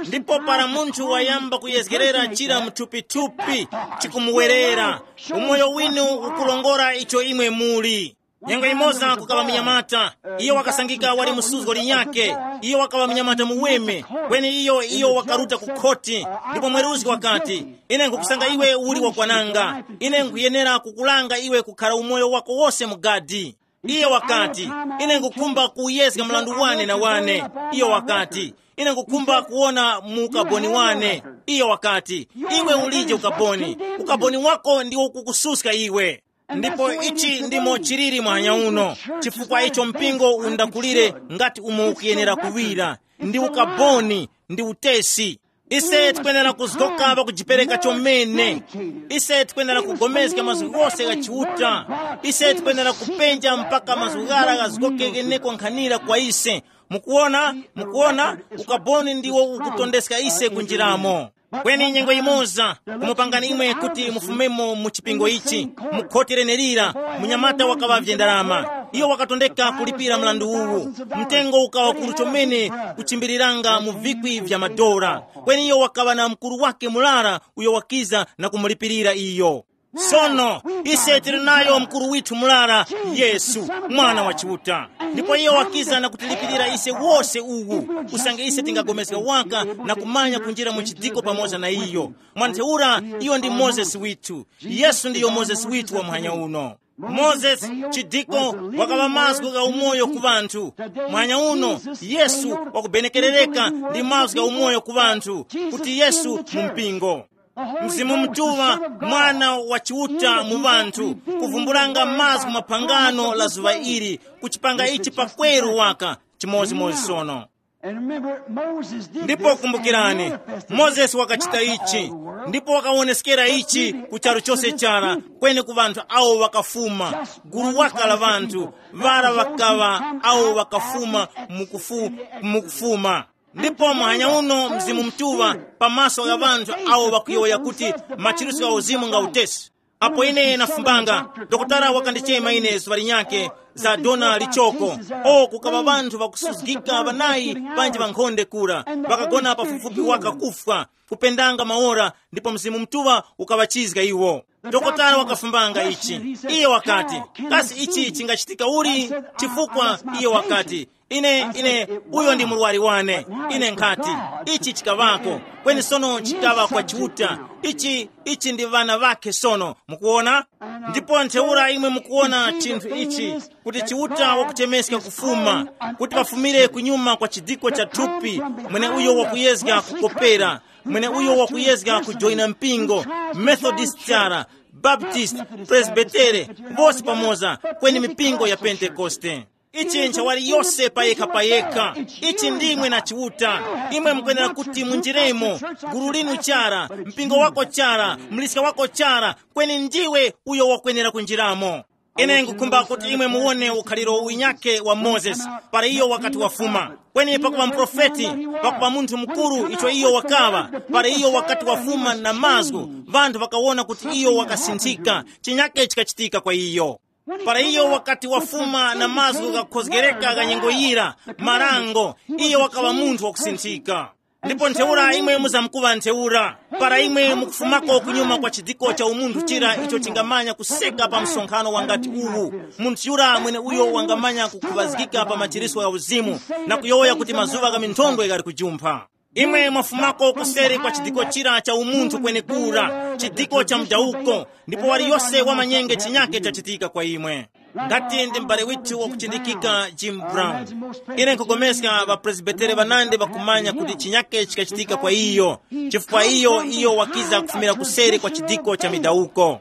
Ndipo para munthu wayamba kuyezgerera chira mthupithupi, chikumuwerera, umoyo winu ukulongora icho imwe muli. Nyengo imoza kukaŵa munyamata, iyo wakasangika wali musuzgo linyake. Iyo wakaŵa munyamata muweme, kweni iyo iyo wakaruta ku khoti. Ndipo mweruzgi wakati, ine nkukusanga iwe uli wakwananga. Ine nkuyenera kukulanga iwe kukhara umoyo wako wose mu gadi. Iyo wakati, ine nkukhumba kuyezga mlandu wane na wane. Iyo wakati, ine nkukhumba kuwona mu ukaboni wane. Iyo wakati, iwe ulije ukaboni. Ukaboni wako ndiwo ukukususka iwe. Ndipo ichi ndimo chiliri mwanya uno, chifukwa icho mpingo undakulire ngati umo ukuyenera kuŵira, ndi ukaboni, ndi utesi. Ise tikwenera kuzgoka pakujipereka chomene. Ise tikwenera kugomezga mazgu ghose gha Chiuta. Ise tikwenera kupenja mpaka mazgu ghara ghazgoke gheneko nkhanira kwa ise. Mukuona, mukuona, ukaboni ndiwo ukutondeska ise kunjiramo. Kweni nyengo yimoza kumupangani imwe kuti mufumemo mu chipingo ichi, mu khoti lenelira. Munyamata wakaŵavye ndarama, iyo wakatondeka kulipira mlandu uwu. Mtengo ukawa kuru chomene, kuchimbiriranga mu vikwi vya madora. Kweni iyo wakaŵa na mukuru wake murara uyo wakiza na kumulipirira iyo. Sono ise tili nayo mkuru withu mulala, Yesu, Mwana wa Chiuta. Ndipo iye wakiza na kutilipirira ise wose uwu, usange ise tingapulikana waka na kumanya kunjira mu chidiko pamoza na iyo. Mwa ntheura, iyo ndi Mozesi withu. Yesu ndiyo Mozesi withu wa muhanya uno. Mozesi, chidiko, wakaŵa mazgu gha umoyo ku ŵanthu. Muhanya uno, Yesu wakubenekerereka ndi mazgu gha umoyo ku ŵanthu, kuti Yesu mu mpingo. Mzimu Mutuŵa, Mwana wa Chiuta mu ŵanthu, kuvumbulanga mazgu maphangano la zuŵa ili, kuchipanga ichi pakweru waka, chimodzimodzi sono. Ndipo kumbukirani, Mozesi wakachita ichi, ndipo wakawoneskera ichi ku charu chose chara, kweni ku ŵanthu awo ŵakafuma, gulu waka la ŵanthu, ŵara ŵakaŵa awo ŵakafuma mukufu-, mukufuma. Ndipo muhanya uno Mzimu Mutuŵa pamaso gha ŵanthu awo ŵakuyowoya kuti machiritso gha uzimu nga utesi. Apo ine nafumbanga, dokotala wakandichema ine zuŵa linyakhe za dona lichoko. O, kukaŵa ŵanthu ŵakusuzgika ŵanayi panji ŵankhonde kura, ŵakagona pafupifupi waka kufwa, kupendanga maora, ndipo Mzimu Mutuŵa ukaŵachizga iwo. Dokotala wakafumbanga ichi. Iye wakati, kasi ichi chingachitika uli? Chifukwa iye wakati, ine, ine, uyo ndi murwari wane. Ine nkhati, ichi chikaŵako, kweni sono chikaŵa kwa Chiuta. Ichi, ichi ndi ŵana ŵakhe sono, mukuwona? Ndipo ntheura imwe mukuwona chinthu ichi, kuti Chiuta wakuchemeska kufuma, kuti pafumire kunyuma kwa chidiko cha thupi, mwene uyo wakuyezga kukopera, mwene uyo wakuyezga kujoyina mpingo, Methodist chara, Baptist, Presbytere, vose pamoza, kweni mipingo ya Pentekoste. Ichi nchawali yose payekha payekha. Ichi ndimwe na Chiuta. Imwe mukwenera kuti munjiremo, gulu linu chara, mpingo wako chara, mliska wako chara, kweni ndiwe uyo wakwenera kunjiramo. Ine nkukhumba kuti imwe muwone ukhaliro winyake wa Mozesi, para iyo wakati wafuma. Kweni pakuŵa muprofeti, pakuŵa munthu mukuru icho iyo wakaŵa, para iyo wakati wafuma na mazgu, vanthu vakawona kuti iyo wakasinthika, chinyake chikachitika kwa iyo. Para iyo wakati wafuma na mazgu ghakhozgereka gha nyengo yira, marango, iyo wakaŵa munthu wakusinthika. Ndipo ntheura imwe muzamkuŵa ntheura, para imwe mukufumako kunyuma kwa chidiko cha umunthu chira icho chingamanya kuseka pa msonkhano wangati uwu. Munthu yura mwene uyo wangamanya kukhuvazgika pa machiriswa ya uzimu, na kuyowoya kuti mazuŵa gha minthondwe ghali kujumpha. Imwe mwafumako kuseri kwa chidiko chira cha umunthu kwenekura, chidiko cha mdawuko, ndipo waliyose wamanyenge chinyake chachitika kwa imwe. Ngati ndi m'bale withu wakuchindikika Jim Brown, ine nkugomeska ŵapresbitere ŵanandi ŵakumanya kuti chinyake chikachitika kwa iyo, chifukwa iyo iyo wakiza kufumira kuseri kwa chidiko cha midawuko.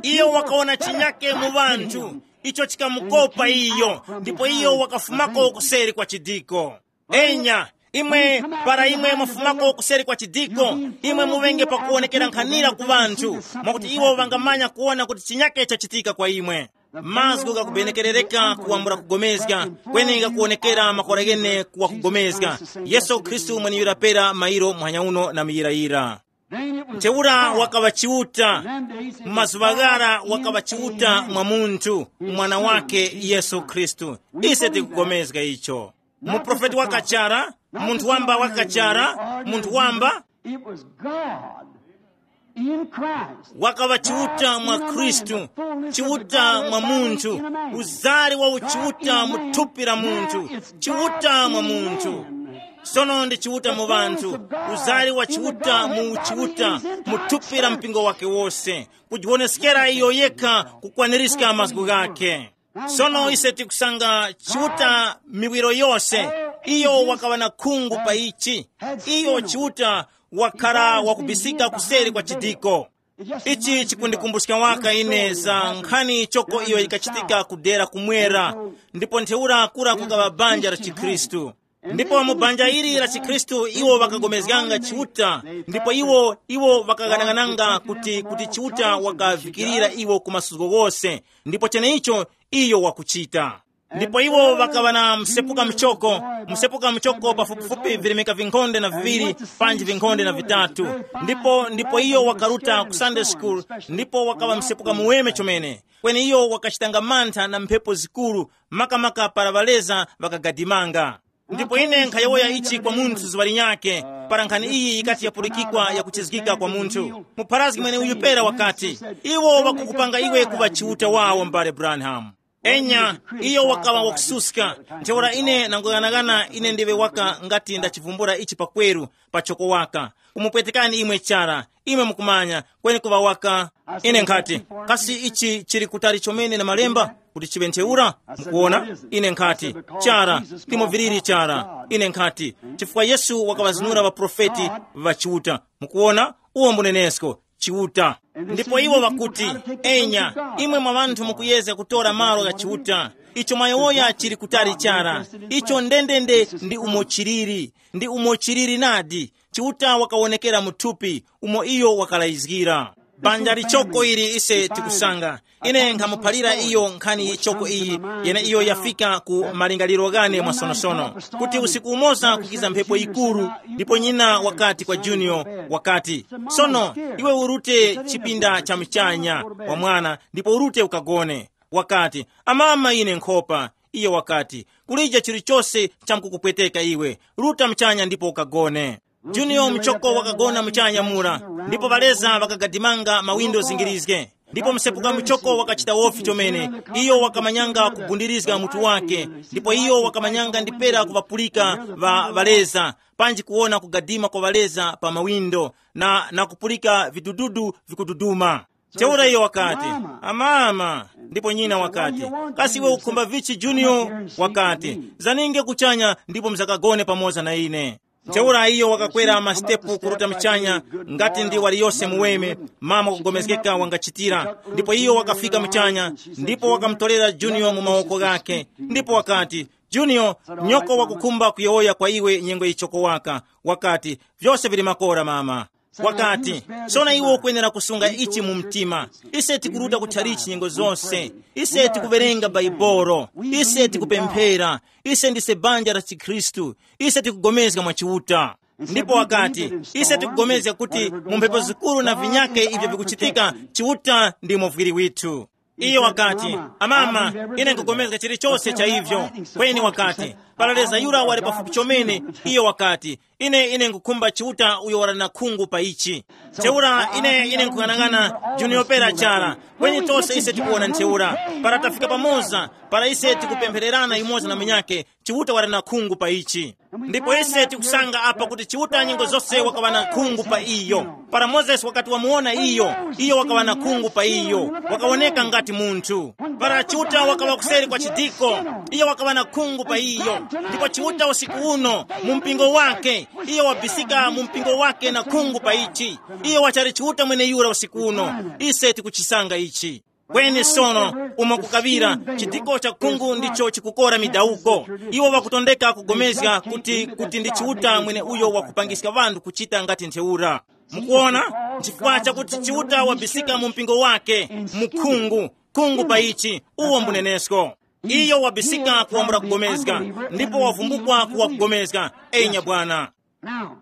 Iyo wakawona chinyake mu ŵanthu, icho chikamukopa iyo, ndipo iyo wakafumako kuseri kwa chidiko. Enya, imwe, para imwe mwafumako kuseri kwa chidiko, imwe muŵenge pakuwonekera nkhanira ku ŵanthu, mwakuti iwo ŵangamanya kuwona kuti chinyake chachitika kwa imwe. Mazgu ghakubenekerereka kuwambula kugomezga, kweni ghakuwonekera makora ghene kuwa kugomezga. Yesu Khristu mweneyura pera mairo muhanya uno na muyirayira. Ntheura wakaŵa Chiuta, mu mazuŵa ghara wakaŵa Chiuta mwa munthu, mwana wake Yesu Khristu. Ise tikugomezga icho. Muprofeti wakachara, munthu wamba wakachara, munthu wamba. It was God in Christ. Wakaŵa Chiuta mwa Khristu, Chiuta mwa munthu, uzari wa uchiuta mu thupi la munthu, Chiuta mwa munthu. Sono ndi Chiuta mu ŵanthu, uzari wa Chiuta mu uchiuta mu thupi la mpingo wake wose, kujiwoneskera iyo yekha kukwanirizga mazgu ghakhe. Sono ise tikusanga Chiuta miwiro yose, iyo wakaŵa na khungu pa ichi. Iyo Chiuta wakhala wakubisika kuseri kwa chidiko. Ichi chikundikumbuska waka ine za nkhani choko iyo yikachitika ku dera kumwera, ndipo ntheura kura kukaŵa banja la chikhristu. Ndipo mu banja ili la chikhristu iwo ŵakagomezganga Chiuta, ndipo iwo, iwo ŵakaghanaghananga kuti, kuti Chiuta wakavikirira iwo ku masuzgo ghose, ndipo cheneicho iyo wakuchita. Ndipo iwo ŵakaŵa na msepuka muchoko, msepuka muchoko pafupifupi virimika vinkhonde na viŵiri panji vinkhonde na vitatu. Ndipo, ndipo iyo wakaruta ku Sunday school, ndipo wakaŵa msepuka muweme chomene. Kweni iyo wakachitanga mantha na mphepo zikuru, makamaka para ŵaleza ŵakagadimanga. Ndipo ine nkhayowoya ichi kwa munthu zuŵa linyakhe, Para nkhani iyi yikati yapulikikwa yakuchizgika kwa munthu, mupharazgi mweneuyu pera wakati, iwo ŵakukupanga iwe kuŵa chiuta wawo, m'bale Branham. Enya, iyo wakaŵa wakususka. Ntheura ine nanguyang'anagana, ine ndiwe waka ngati ndachivumbula ichi pakweru, pachoko waka. Kumupwetekani imwe chara, imwe mukumanya, kweni kuŵa waka. Ine nkhati, kasi ichi chili kutali chomene na malemba kuti chiŵe ntheura? Mukuona, ine nkhati, chara, ndimo viliri chara. Ine nkhati, chifukwa Yesu wakaŵazinura ŵaprofeti ŵa Chiuta. Mukuona, uwo mbunenesko, Chiuta. Ndipo iwo ŵakuti, enya, imwe mwa ŵanthu mukuyezga kutora malo gha Chiuta. Icho mwayowoya chili kutali chara. Icho ndendende ndi umo chiliri, ndi umo chiliri nadi. Chiuta wakawonekera mu thupi, umo iyo wakalayizgira. Banja lichoko ili ise tikusanga. Ine nkhamuphalira iyo nkhani yichoko iyi, yene iyo yafika ku malingaliro ghane mwasonosono, kuti usiku umoza kukiza mphepo yikuru, ndipo nyina wakati kwa Junior, wakati, sono, iwe urute chipinda cha mchanya wa mwana ndipo urute ukagone. Wakati, amama, ine nkhopa. Iyo wakati, kulija chilichose chamkukupweteka iwe, ruta mchanya ndipo ukagone. Junior muchoko wakagona muchanya mura, ndipo ŵaleza ŵakagadimanga mawindo zingirizge. Ndipo msepuka muchoko wakachita wofi chomene. Iyo wakamanyanga kugundirizga mutu wake, ndipo iyo wakamanyanga ndipera kuŵapulika ŵa ŵaleza, panji kuwona kugadima kwa ŵaleza pa mawindo, na, na kupulika vidududu vikududuma. Ntheura iyo wakati, amama. Ndipo nyina wakati, kasi iwe ukhumba vichi, Junior? Wakati, zaninge kuchanya ndipo mzakagone pamoza na ine. Ntheura iyo wakakwera masitepu kuruta mchanya, ngati ndi waliyose muweme, mama kugomezgeka wangachitira. Ndipo iyo wakafika mchanya, ndipo wakamutolera Junior mu mawoko ghake, ndipo wakati, Junior, nyoko wakukhumba kuyowoya kwa iwe nyengo yichoko waka. Wakati, vyose vili makora, mama. Wakati, sona iwe ukwenera kusunga ichi mu mtima. Ise tikuruta kutchalichi nyengo zose. Ise tikuwerenga Baibolo. Ise tikupemphera. Ise ndise banja la chikhristu. Ise tikugomezga mwa Chiuta. Ndipo wakati, ise tikugomezga kuti mu mphepo zikuru na vinyake ivyo vikuchitika, Chiuta ndimo vwiri withu. Iyo wakati, amama, ine nkugomezga chilichose cha ivyo. Kweni wakati, paraleza yura wali pafupi chomene. Iyo wakati, ine ine nkukhumba Chiuta uyo wali na khungu pa ichi. Ntheura ine ine nkung'anang'ana, Junior pera chara. Kweni tose ise tikuwona ntheura, para tafika pamoza, para ise tikupemphererana yumoza na munyakhe, Chiuta wali na khungu pa ichi. Ndipo ise tikusanga apa kuti Chiuta nyengo zose wakaŵa na khungu pa iyo. Para Mozesi wakati wamuwona iyo, iyo wakaŵa na khungu pa iyo, wakawoneka ngati munthu. Para Chiuta wakaŵa kuseri kwa chidiko, iyo wakaŵa na khungu pa iyo. Ndipo Chiuta usiku uno, mu mpingo wake, iyo wabisika mu mpingo wake na khungu pa ichi. Iyo wachali Chiuta mweneyura usiku uno. Ise tikuchisanga ichi. Kweni sono, umo kukaŵira, chidiko cha khungu ndicho chikukora midawuko. Iwo ŵakutondeka kugomezga kuti kuti ndi Chiuta mwene uyo wakupangiska ŵanthu kuchita ngati ntheura. Mukuona? Nchifukwa chakuti Chiuta wabisika mu mpingo wake, mu khungu, khungu pa ichi, uwo mbunenesko. Iyo wabisika kuwambula kugomezga, ndipo wavumbukwa kuwa kugomezga. Enya bwana. Now,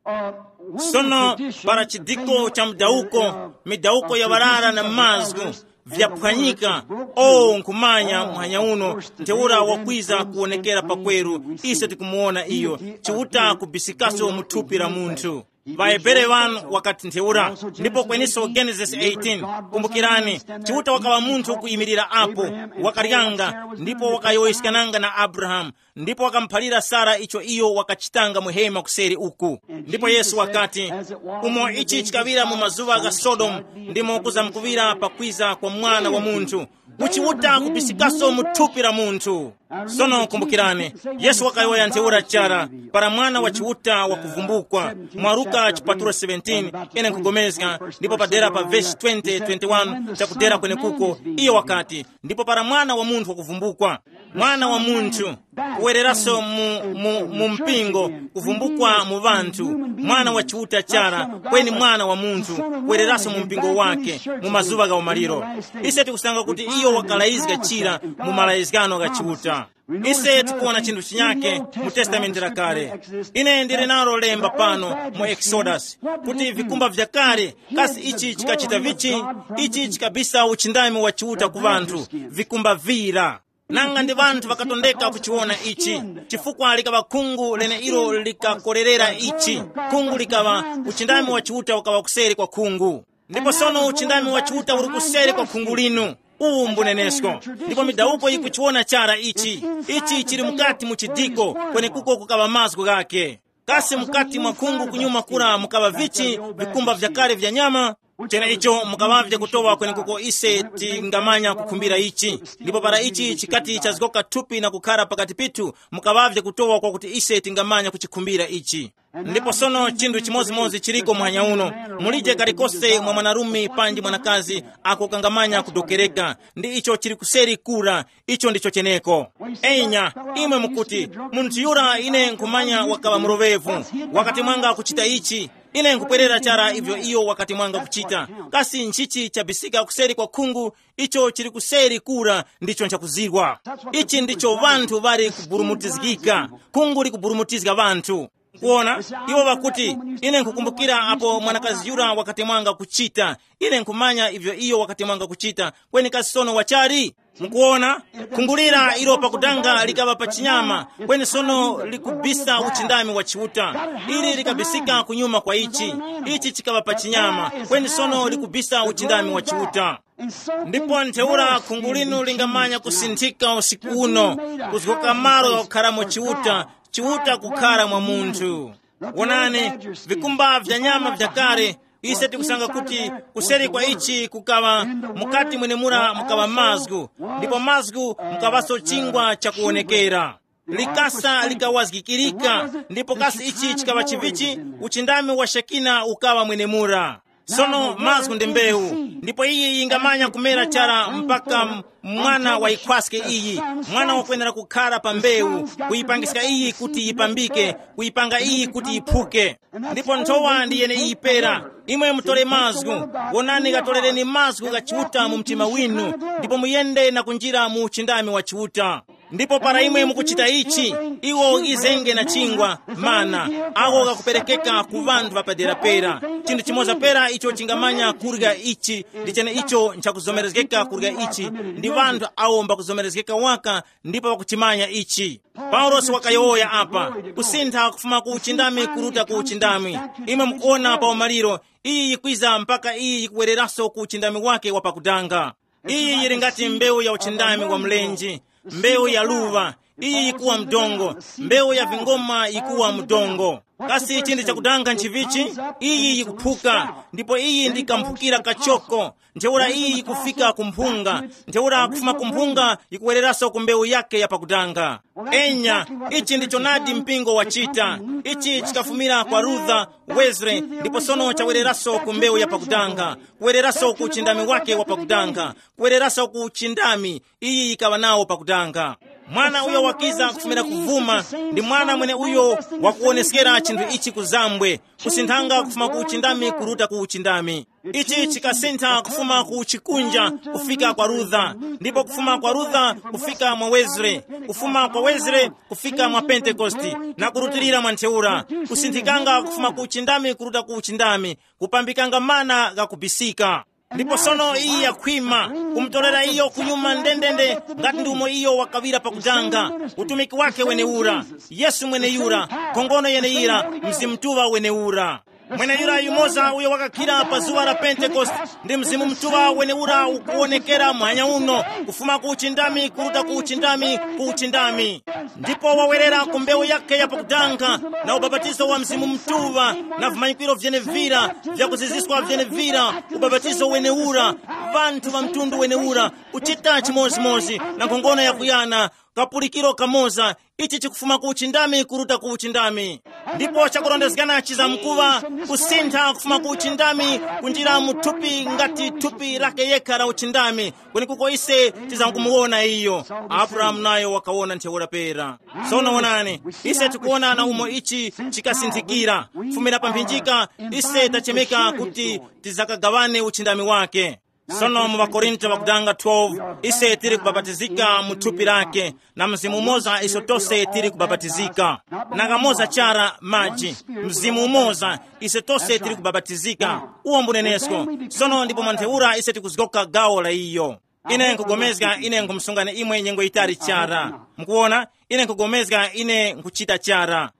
uh, when the sono tradition para of chidiko cha mdawuko, midawuko ya ŵarara na mazgu vyaphwanyika. O nkhumanya muhanya uno ntheura wakwiza kuwonekera pakweru, ise tikumuwona iyo, Chiuta kubisikaso mu thupi la munthu. Vahebere vanu wakati ntheura. Ndipo kweniso Genesis eighteen, kumbukirani, Chiuta wakaŵa munthu kuyimirira apo, wakaryanga, ndipo wakayowoyeskananga na Abrahamu, ndipo wakamuphalira Sara icho iyo wakachitanga mu hema kuseri uku. Ndipo Yesu wakati, umo ichi chikaŵira mu mazuŵa gha Sodomu, ndimo kuzamkuŵira pakwiza kwa Mwana wa Munthu. Kuchiwuta kubisikaso mu thupi la munthu. Sono kumbukirani, Yesu wakayowoya ntheura chara, para Mwana wa Chiuta wakuvumbukwa, mwa Luka chipatulo seventeen, ine nkugomezga, ndipo padera pa vesi twenty, twenty-one chakudera kwenekuko, iyo wakati, ndipo para Mwana wa Munthu wakuvumbukwa, Mwana wa Munthu, kuwereraso mu, mu, mu mpingo, kuvumbukwa mu ŵanthu, Mwana wa Chiuta chara, kweni Mwana wa Munthu, kuwereraso mu mpingo wake, mu mazuŵa gha umaliro. Ise tikusanga kuti iyo wakalayizga chira mu malayizgano gha Chiuta. Ise tikuwona chinthu chinyake mu Testamenti la Kale. Ine ndili nalo lemba pano mu Exodus, kuti vikumba vya kale, kasi ichi chikachita vichi? Ichi chikabisa uchindami wa Chiuta ku ŵanthu, vikumba vira. Nanga ndi ŵanthu ŵakatondeka kuchiwona ichi, chifukwa likaŵa khungu leneilo likakorerera ichi. Khungu likaŵa, uchindami wa Chiuta ukaŵa kuseri kwa khungu. Ndipo sono uchindami wa Chiuta uli kuseri kwa khungu linu. Uwu mbunenesko. Ndipo midawuko yikuchiwona chara ichi. Ichi chili mukati mu chidiko, kwenekuko kukaŵa mazgu ghake. Kasi mukati mwa khungu kunyuma kura mukaŵa vichi, vikumba vyakale vya nyama? Cheneicho mukaŵavye kutowa kwenekuko ise tingamanya kukhumbira ichi. Ndipo para ichi chikati chazgoka thupi na kukhara pakati pithu, mukaŵavye kutowa kwakuti ise tingamanya kuchikhumbira ichi. Ndipo sono chinthu chimodzimodzi chiliko muhanya uno. Mulije kalikose mwa mwanarume panji mwanakazi ako kangamanya kudokereka. Ndi icho chili kuseri kura. Icho ndicho cheneko. Enya, imwe mukuti, munthu yura ine nkhumanya wakaŵa muloŵevu, wakati mwanga kuchita ichi. Ine nkupwerera chara ivyo iyo wakati mwanga kuchita. Kasi nchichi chabisika kuseri kwa khungu? Icho chili kuseri kura ndicho nchakuzirwa. Ichi ndicho ŵanthu ŵali kuburumutizgika. Khungu likuburumutizga ŵanthu. Kuona, iwo ŵakuti, ine nkukumbukira apo mwanakazi yura wakati mwanga kuchita. Ine nkhumanya ivyo iyo wakati mwanga kuchita. Kweni kasi sono wachali? Mukuona, khungulira ilo pakudanga likaŵa pa chinyama, kweni sono likubisa uchindami wa Chiuta. Ili likabisika kunyuma kwa ichi. Ichi chikaŵa pa chinyama, kweni sono likubisa uchindami wa Chiuta. Ndipo ntheura khungu linu lingamanya kusinthika usiku uno, kuzgoka malo ghakukharamo Chiuta, Chiuta kukhara mwa munthu. Wonani, vikumba vya nyama vyakale, ise tikusanga kuti kuseri kwa ichi kukaŵa, mukati mwenemura mukaŵa mazgu, ndipo mazgu mukaŵaso chingwa chakuwonekera. Likasa likawazgikirika, ndipo kasi ichi chikaŵa chivichi? Uchindami wa Shekina ukaŵa mwenemura. Sono mazgu ndi mbewu, ndipo iyi yingamanya kumera chara mpaka m-, mwana wa yikhwaske iyi. Mwana wakwenera kukhara pa mbewu, kuyipangiska iyi kuti yipambike, kuyipanga iyi kuti yiphuke. Ndipo nthowa ndi yeneiyi pera. Imwe mutore mazgu, wonani, katorereni mazgu gha Chiuta mu mtima winu, ndipo muyende na kunjira mu uchindami wa Chiuta. Ndipo para imwe mukuchita ichi, iwo izenge na chingwa, mana, awo ghakuperekeka ku ŵanthu ŵapadera pera. Chinthu chimoza pera icho chingamanya kurya ichi, ndi chene icho nchakuzomerezgeka kurya ichi, ndi ŵanthu awo mbakuzomerezgeka waka ndipo ŵakuchimanya ichi. Paulosi wakayowoya apa, kusintha kufuma ku uchindami kuruta ku uchindami. Imwe mukuona pa umaliro, iyi yikwiza mpaka iyi yikuwereraso ku uchindami wake wa pakudanga. Iyi yili ngati mbewu ya uchindami wa mlenje, mbewu ya luva, iyi yikuwa mdongo, mbewu ya vingoma yikuwa mdongo. Kasi chinthu chakudanga nchivichi? Iyi yikuphuka, ndipo iyi ndi kamphukira kachoko. Ntheura iyi yikufika ku mphunga, ntheura kufuma ku mphunga yikuwereraso ku mbewu yake ya pakudanga. Enya, ichi ndicho nadi mpingo wachita. Ichi chikafumira kwa Luther, Wesley, ndipo sono chawereraso ku mbewu ya pakudanga, kuwereraso ku uchindami wake wa pakudanga, kuwereraso ku uchindami iyi yikaŵa nawo pakudanga. Mwana uyo wakiza kufumira kuvuma ndi mwana mwene uyo wakuwoneskera chinthu ichi kuzambwe, kusinthanga kufuma ku uchindami kuruta ku uchindami. Ichi chikasintha kufuma ku chikunja kufika kwa Luther, ndipo kufuma kwa Luther kufika mwa Wesley, kufuma kwa Wesley kufika mwa Pentekoste, na kurutilira mwa ntheura, kusinthikanga kufuma ku uchindami kuruta ku uchindami, kupambikanga mana ghakubisika. Ndipo sono iyi yakhwima, kumutorera iyo kunyuma ndendende, ngati ndi umo iyo wakaŵira pakudanga. Utumiki wake wenewura, Yesu mweneyura, nkhongono yeneyira, Mzimu Mutuŵa wenewura. Mweneyura yumoza uyo wakakhira pa zuŵa la Pentekoste, ndi Mzimu Mutuŵa wenewura ukuwonekera muhanya uno, kufuma ku uchindami kuruta ku uchindami ku uchindami. Ndipo wawerera ku mbewu yake ya pakudanga, na ubapatizo wa Mzimu Mutuŵa, na vimanyikiro vyenevira, vyakuziziskwa vyenevira, ubapatizo wenewura, vanthu va mtundu wenewura, kuchita chimodzimodzi na nkhongono yakuyana, kapulikiro kamoza, ichi chikufuma ku uchindami kuruta ku uchindami. Ndipo chakurondezgana chizamkuŵa kusintha kufuma ku uchindami kunjira mu thupi ngati thupi lake yekha la uchindami, kwenekuko ise tizamkumuwona iyo. Abrahamu nayo wakawona ntheura pera. Sono wonani, ise tikuwona na umo ichi chikasinthikira. Kufumira pa mphinjika, ise tachemeka kuti tizakagawane uchindami wake. Sono mu ŵakorinto ŵakudanga twelve, ise tili kubapatizika mu thupi lake, na mzimu umoza iso tose tili kubapatizika. Nanga moza chara maji, mzimu umoza, ise tose tili kubapatizika. Uwo mbunenesko. Sono ndipo mwa ntheura ise tikuzgoka gawo la iyo. Ine nkugomezga ine nkhumsungani imwe nyengo yitali chara. Mukuwona, ine nkugomezga ine nkhuchita chara.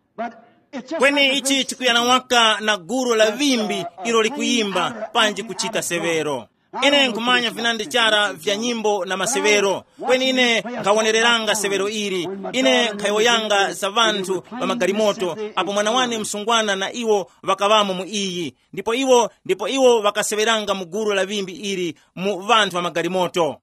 Kweni ichi chikuyana waka na gulu la vimbi ilo likuyimba panji kuchita severo. Ine nkhumanya vinandi chara vya nyimbo na masevero, kweni ine nkhawonereranga severo ili. Ine nkhayowoyanga za vanthu pa magalimoto, apo mwana wane msungwana na iwo ŵakaŵamo mu iyi, ndipo iwo ndipo iwo ŵakaseŵeranga mu gulu la vimbi ili mu vanthu ŵa magalimoto.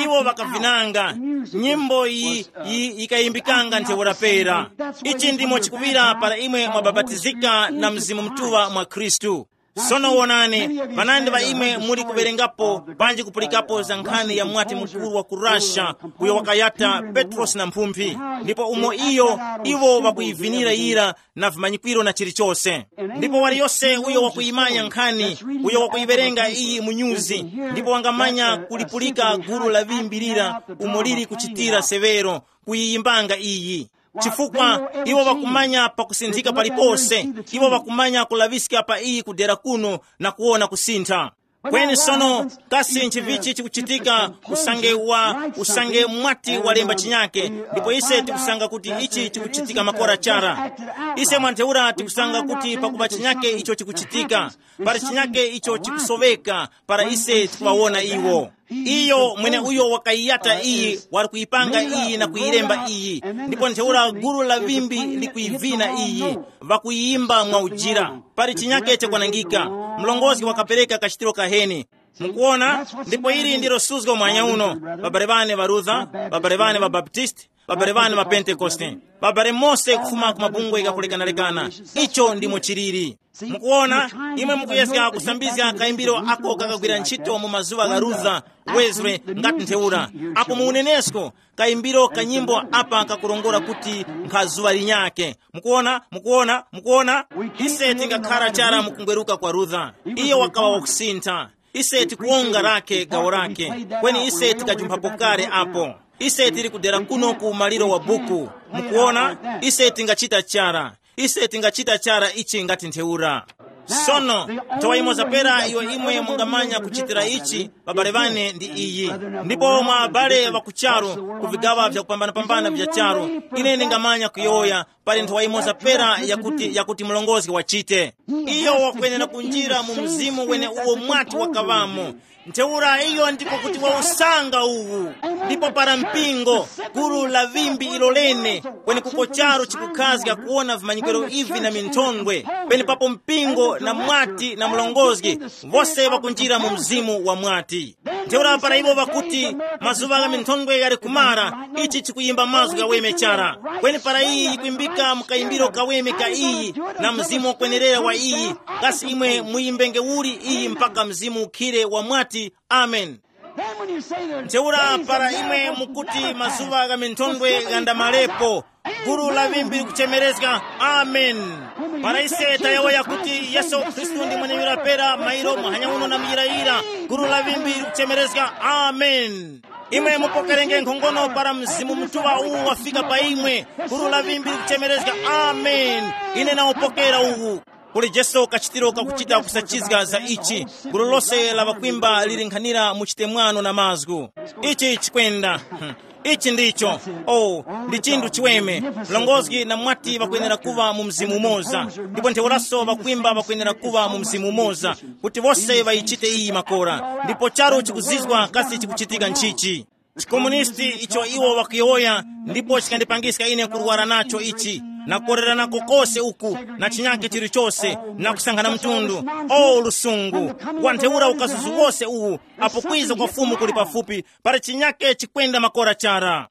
Iwo ŵakavinanga nyimbo iyi yi- yikayimbikanga ntheura pera. Ichi ndimo chikuŵira para imwe mwabapatizika na Mzimu Mutuŵa mwa Khristu. Sono wonani, panandi ŵa imwe muli kuwerengapo panji kupulikapo za nkhani ya mwati mukuru wa ku Russia, uyo wakayata Petrosi na mphumphi, ndipo umo iyo iwo ŵakuyivinira yira na vimanyikwiro na chilichose. Ndipo waliyose uyo wakuyimanya nkhani, uyo wakuyiwerenga iyi mu nyuzi, ndipo wangamanya kulipulika gulu la vimbi lira umo lili kuchitira severo, kuyiyimbanga iyi. Chifukwa iwo ŵakumanya pakusinthika palipose, iwo ŵakumanya kulaŵiska pa iyi kudera kuno na kuwona kusintha. Kweni sono, kasi nchivichi chikuchitika? Usange wa usange mwati walemba chinyake, ndipo ise tikusanga kuti ichi chikuchitika makora chara. Ise mwantheura tikusanga kuti pakupa chinyake icho chikuchitika, para chinyake icho chikusoweka para ise tikuŵawona iwo. Iyo mwene uyo wakayiyata iyi wali kuyipanga iyi na kuyilemba iyi, ndipo ntheura gulu la vimbi likuyivina iyi, ŵakuyimba mwa ujira. Pali chinyake chakwanangika. Mlongozi wakapereka kachitiro kaheni. Mukuona, ndipo ili ndilo suzgo mwanya uno, babale bane ba Luther, babale bane ba Baptist, babale bane ba Pentekoste, babale mose kufuma ku mabungwe ghakulekanalekana. Icho ndimo chiliri. Mukuona, imwe mukuyezga kusambizga kayimbiro ako kakagwira ntchito mu mazuŵa gha Luther, Wesley, ngati ntheura. Apo mu unenesko, kayimbiro ka nyimbo apa kakurongora kuti nkha zuŵa linyake. Mukuona, mukuona, mukuona. Ise tingakhara chara mukungweruka kwa Luther. Iyo wakawa wakusintha. Ise tikuwonga lake gawo lake. Kweni ise tikajumphapo kale apo. Ise tili kudera kuno ku maliro wa buku. Mukuona, ise tingachita chara. Ise tingachita chara ichi ngati ntheura. Sono, nthowa imoza pera iyo imwe mungamanya kuchitira ichi, babale bane, ndi iyi. Ndipo mwa abale ŵa ku charu, ku vigaŵa vyakupambanapambana vya charu, ine ndingamanya kuyowoya, pali nthowa imoza pera yakuti yakuti mlongozi wachite. Iyo wakwenera kunjira mu mzimu wene uwo mwati wakaŵamo. Ntheura iyo ndiko kuti wa usanga uwu. Ndipo para mpingo, gulu la vimbi ilo lene, kweni kuko charu chikukhazga kuwona vimanyikiro ivi na minthondwe, penepapo mpingo na mwati na mlongozgi, vose ŵakunjira mu mzimu wa mwati. Ntheura para iwo ŵakuti, mazuŵa gha minthondwe ghali kumara, ichi chikuyimba mazgu ghaweme chara. Kweni para iyi yikwimbika mu kayimbiro kaweme ka iyi, na mzimu wakwenerera wa iyi, kasi imwe muyimbenge uli iyi mpaka mzimu ukhire wa mwati? Amen. Then when you say the ntheura days of para imwe miracles mukuti mazuŵa gha minthondwe ghandamalepo, gulu la vimbi likuchemerezga, amen. Para ise tayowoya kuti Yesu Khristu ndi mwenye yura pera mairo muhanya uno na muyirayira, gulu la vimbi likuchemerezga, amen. Imwe mupokerenge nkhongono para Mzimu Mutuŵa uwu wafika pa imwe, gulu la vimbi likuchemerezga, amen. Ine nawupokera uwu. Kuli Jesu kachitiro kakuchita kusachizga za ichi. Gulu lose la ŵakwimba lili nkhanira mu chitemwano na mazgu. Ichi chikwenda. Hmm. Ichi ndicho. Oh, ndi chinthu chiweme. Mlongozgi na mwati ŵakwenera kuŵa mu mzimu umoza, ndipo ntheuraso ŵakwimba ŵakwenera kuŵa mu mzimu umoza, kuti wose ŵayichite iyi makora. Ndipo charu chikuzizwa kasi chikuchitika nchichi. Chikomunisti icho iwo wakuyowoya, ndipo chikandipangiska ine kurwara nacho ichi, na kukorera nako kose uku, na chinyake chilichose, na kusankhana mtundu. O lusungu! Wa ntheura ukazuzu wose uwu, apo kwiza kwa Fumu kuli pafupi, para chinyake chikwenda makora chara.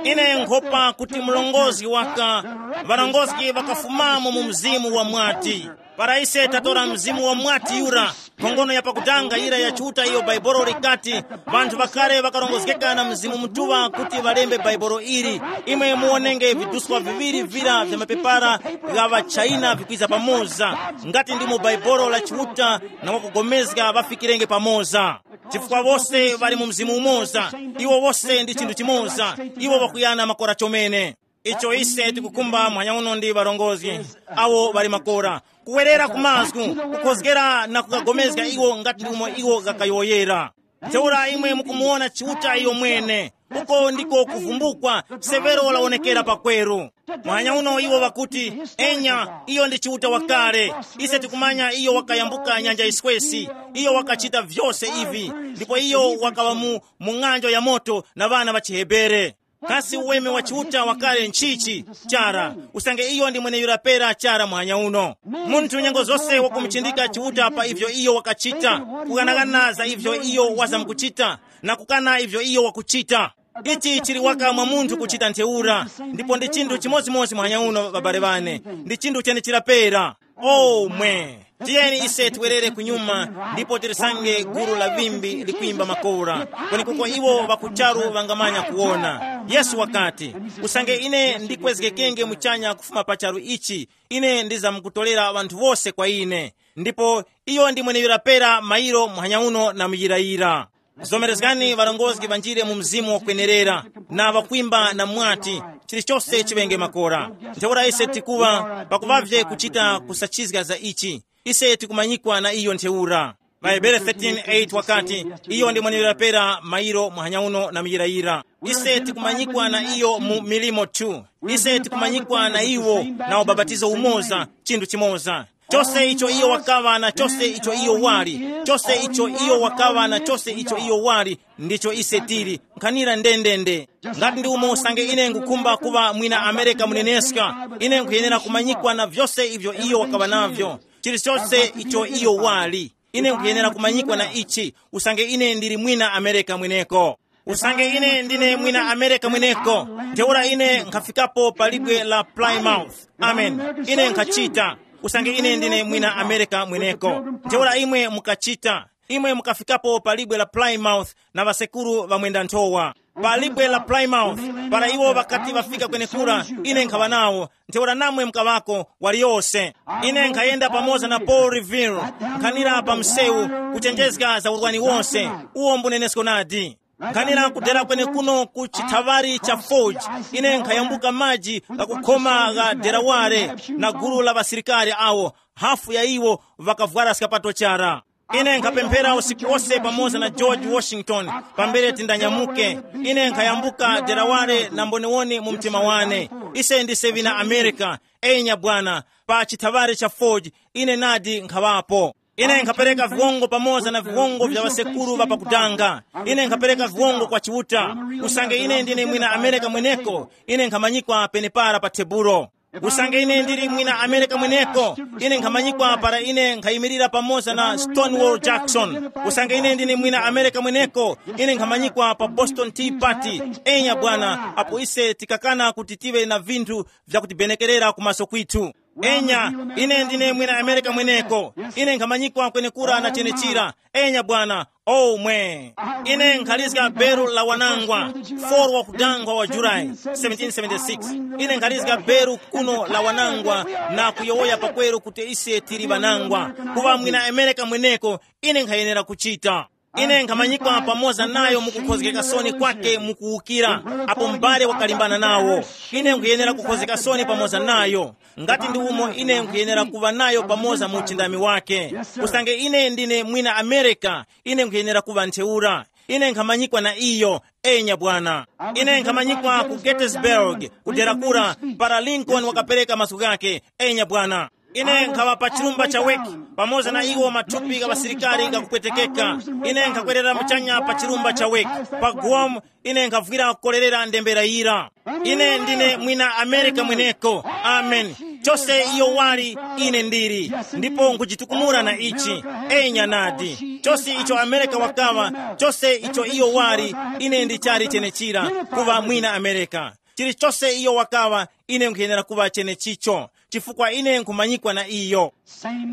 Ine nkhopa kuti mlongozi waka, ŵalongozi ŵakafumamo mu mzimu wa mwati. Para ise tatora mzimu wa mwati yura, nkhongono ya pakutanga yira ya Chiuta iyo Bhaibuli likati, ŵanthu ŵakale ŵakarongozgeka na Mzimu Mutuŵa kuti ŵalembe Bhaibuli ili. Imwe muwonenge viduswa viŵiri vira vya mapepara gha ŵaChaina vikwiza pamoza, ngati ndimo Bhaibuli la Chiuta na wakugomezga ŵafikirenge pamoza. Chifukwa wose ŵali mu mzimu umoza, iwo wose ndi chinthu chimoza, iwo ŵakuyana makora chomene. Icho ise tikukhumba muhanya uno ndi ŵarongozgi awo ŵali makora, kuwerera ku mazgu, kukhozgera na kukagomezga iwo ngati umo iwo ghakayowoyera. Ntheura imwe mukumuwona Chiuta iyo mwene. Uko ndiko kuvumbukwa, severo lawonekera pakweru. Mwanya uno iwo ŵakuti, enya, iyo ndi Chiuta wakale. Ise tikumanya iyo wakayambuka nyanja yiswesi. Iyo wakachita vyose ivi, ndipo iyo wakaŵa mu, mu ng'anjo ya moto na ŵana ŵa chiHebere. Kasi uweme wa Chiuta wakale nchichi? Chara, usange iyo ndi mweneyura pera chara muhanya uno. Munthu nyengo zose wakumuchindika Chiuta pa ivyo iyo wakachita, kughanagana za ivyo iyo wazamkuchita, na kukana ivyo iyo wakuchita. Ichi chili waka mwa munthu kuchita ntheura. Ndipo ndi chinthu chimodzimodzi muhanya uno, babale bane, ndi chinthu chenechira pera. O mwe, tiyeni ise tiwerere kunyuma, ndipo tirisange gulu la vimbi likwimba makora, kwenekuko iwo ŵakucharu ŵangamanya kuwona. Yesu wakati, usange ine ndikwezgekenge muchanya kufuma pa charu ichi, ine ndizamkutorera ŵanthu wose kwa ine. Ndipo iyo ndi mweneyura pera mairo muhanya uno na muyirayira. Zomerezgani ŵarongozgi ŵanjire mu mzimu wakwenerera, na ŵakwimba na mwati, chilichose chiŵenge makora. Ntheura ise tikuŵa pakuŵavye kuchita kusachizga za ichi. Ise tikumanyikwa na iyo ntheura. Ŵahebere thirteen eight wakati, iyo ndi mwenera pera mairo muhanya uno na muyirayira. Ise tikumanyikwa na iyo mu milimo two. Ise tikumanyikwa na iwo na ubapatizo umoza, chinthu chimoza. Chose icho iyo wakaŵa na chose icho iyo wali, chose icho iyo wakaŵa na chose icho iyo wali, ndicho ise tili nkhanira ndendende. Ngati ndi umo usange ine ngukhumba kuŵa mwina Amerika muneneska, ine nkhuyenera kumanyikwa na vyose ivyo iyo wakaŵa navyo, chilichose icho iyo wali. Ine nkhuyenera kumanyikwa na ichi, usange ine ndili mwina Amerika mweneko. Usange ine ndine mwina Amerika mweneko, ntheura ine nkhafikapo pa libwe la Plymouth. Amen. Ine nkhachita. Usange ine ndine mwina Amerika mweneko, ntheura imwe mukachita. Imwe mukafikapo pa libwe la Plymouth na ŵasekuru ŵamwenda nthowa. Pa libwe la Plymouth, para iwo ŵakati ŵafika kwenekura, ine nkhaŵa nawo. Ntheura namwe mukaŵako, waliyose. Ine nkhayenda pamoza na Paul Revere, nkhanira pa msewu, kuchenjezga za urwani wonse. Uwo mbunenesko nadi. Nkhanira kudera kwenekuno ku chithaŵari cha Forge, ine nkhayambuka maji ghakukhoma gha Delaware, na gulu la ŵasilikari awo, hafu ya iwo ŵakavwara skapato chara. Ine nkhapemphera usiku wose pamoza na George Washington, pambere tindanyamuke. Ine nkhayambuka Delaware na mboniwoni mu mtima wane. Ise ndise ŵina America. Enya bwana, pa chithaŵari cha Forge, ine nadi nkhaŵapo. Ine nkhapereka viwongo pamoza na viwongo vya ŵasekuru ŵa pakudanga. Ine nkhapereka viwongo kwa Chiuta. Usange ine ndine mwina America mweneko, ine nkhamanyikwa penepara pa tebulo. Usange ine ndili mwina America mweneko, ine nkhamanyikwa para ine nkhayimirira pamoza na Stonewall Jackson. Usange ine ndine mwina America mweneko, ine nkhamanyikwa pa Boston Tea Party. Enya bwana, apo ise tikakana kuti tive na vinthu vyakutibenekerera kumaso kwithu. Enya, ine ndine mwina America mweneko. Ine nkhamanyikwa kwenekura na chenechira. Enya bwana, omwe. Ine nkhalizga beru la wanangwa, four wa kudangwa wa July seventeen seventy-six. Ine nkhalizga beru kuno la wanangwa, na kuyowoya pakweru kuti ise tili ŵanangwa. Kuŵa mwina America mweneko, ine nkhayenera kuchita. Ine nkhamanyikwa pamoza nayo mukukhozgeka soni kwake mukuwukira, apo m'bale wakalimbana nawo. Ine nkhuyenera kukhozgeka soni pamoza nayo. Ngati ndi umo ine nkhuyenera kuŵa nayo pamoza mu uchindami wake. Usange ine ndine mwina America, ine nkhuyenera kuŵa ntheura. Ine nkhamanyikwa na iyo. Enya bwana. Ine nkhamanyikwa ku Gettysburg, kudera kura, para Lincoln wakapereka mazgu ghake. Enya bwana. Ine nkhaŵa pa chilumba cha Weki, pamoza na iwo mathupi gha ŵasilikari ghakupwetekeka. Ine nkhakwerera muchanya pa chilumba cha Weki. Pa Guam, ine nkhavwira kukorerera ndembera yira. Ine ndine mwina America mweneko. Amen. Chose iyo wali, ine ndili. Ndipo nkuchitukumura na ichi. Enya nadi. Chose icho America wakaŵa, chose icho iyo wali, ine ndichali chenechira, kuŵa mwina America. Chilichose iyo wakaŵa, ine nkhuyenera kuŵa chenechicho, chifukwa ine nkhumanyikwa na iyo.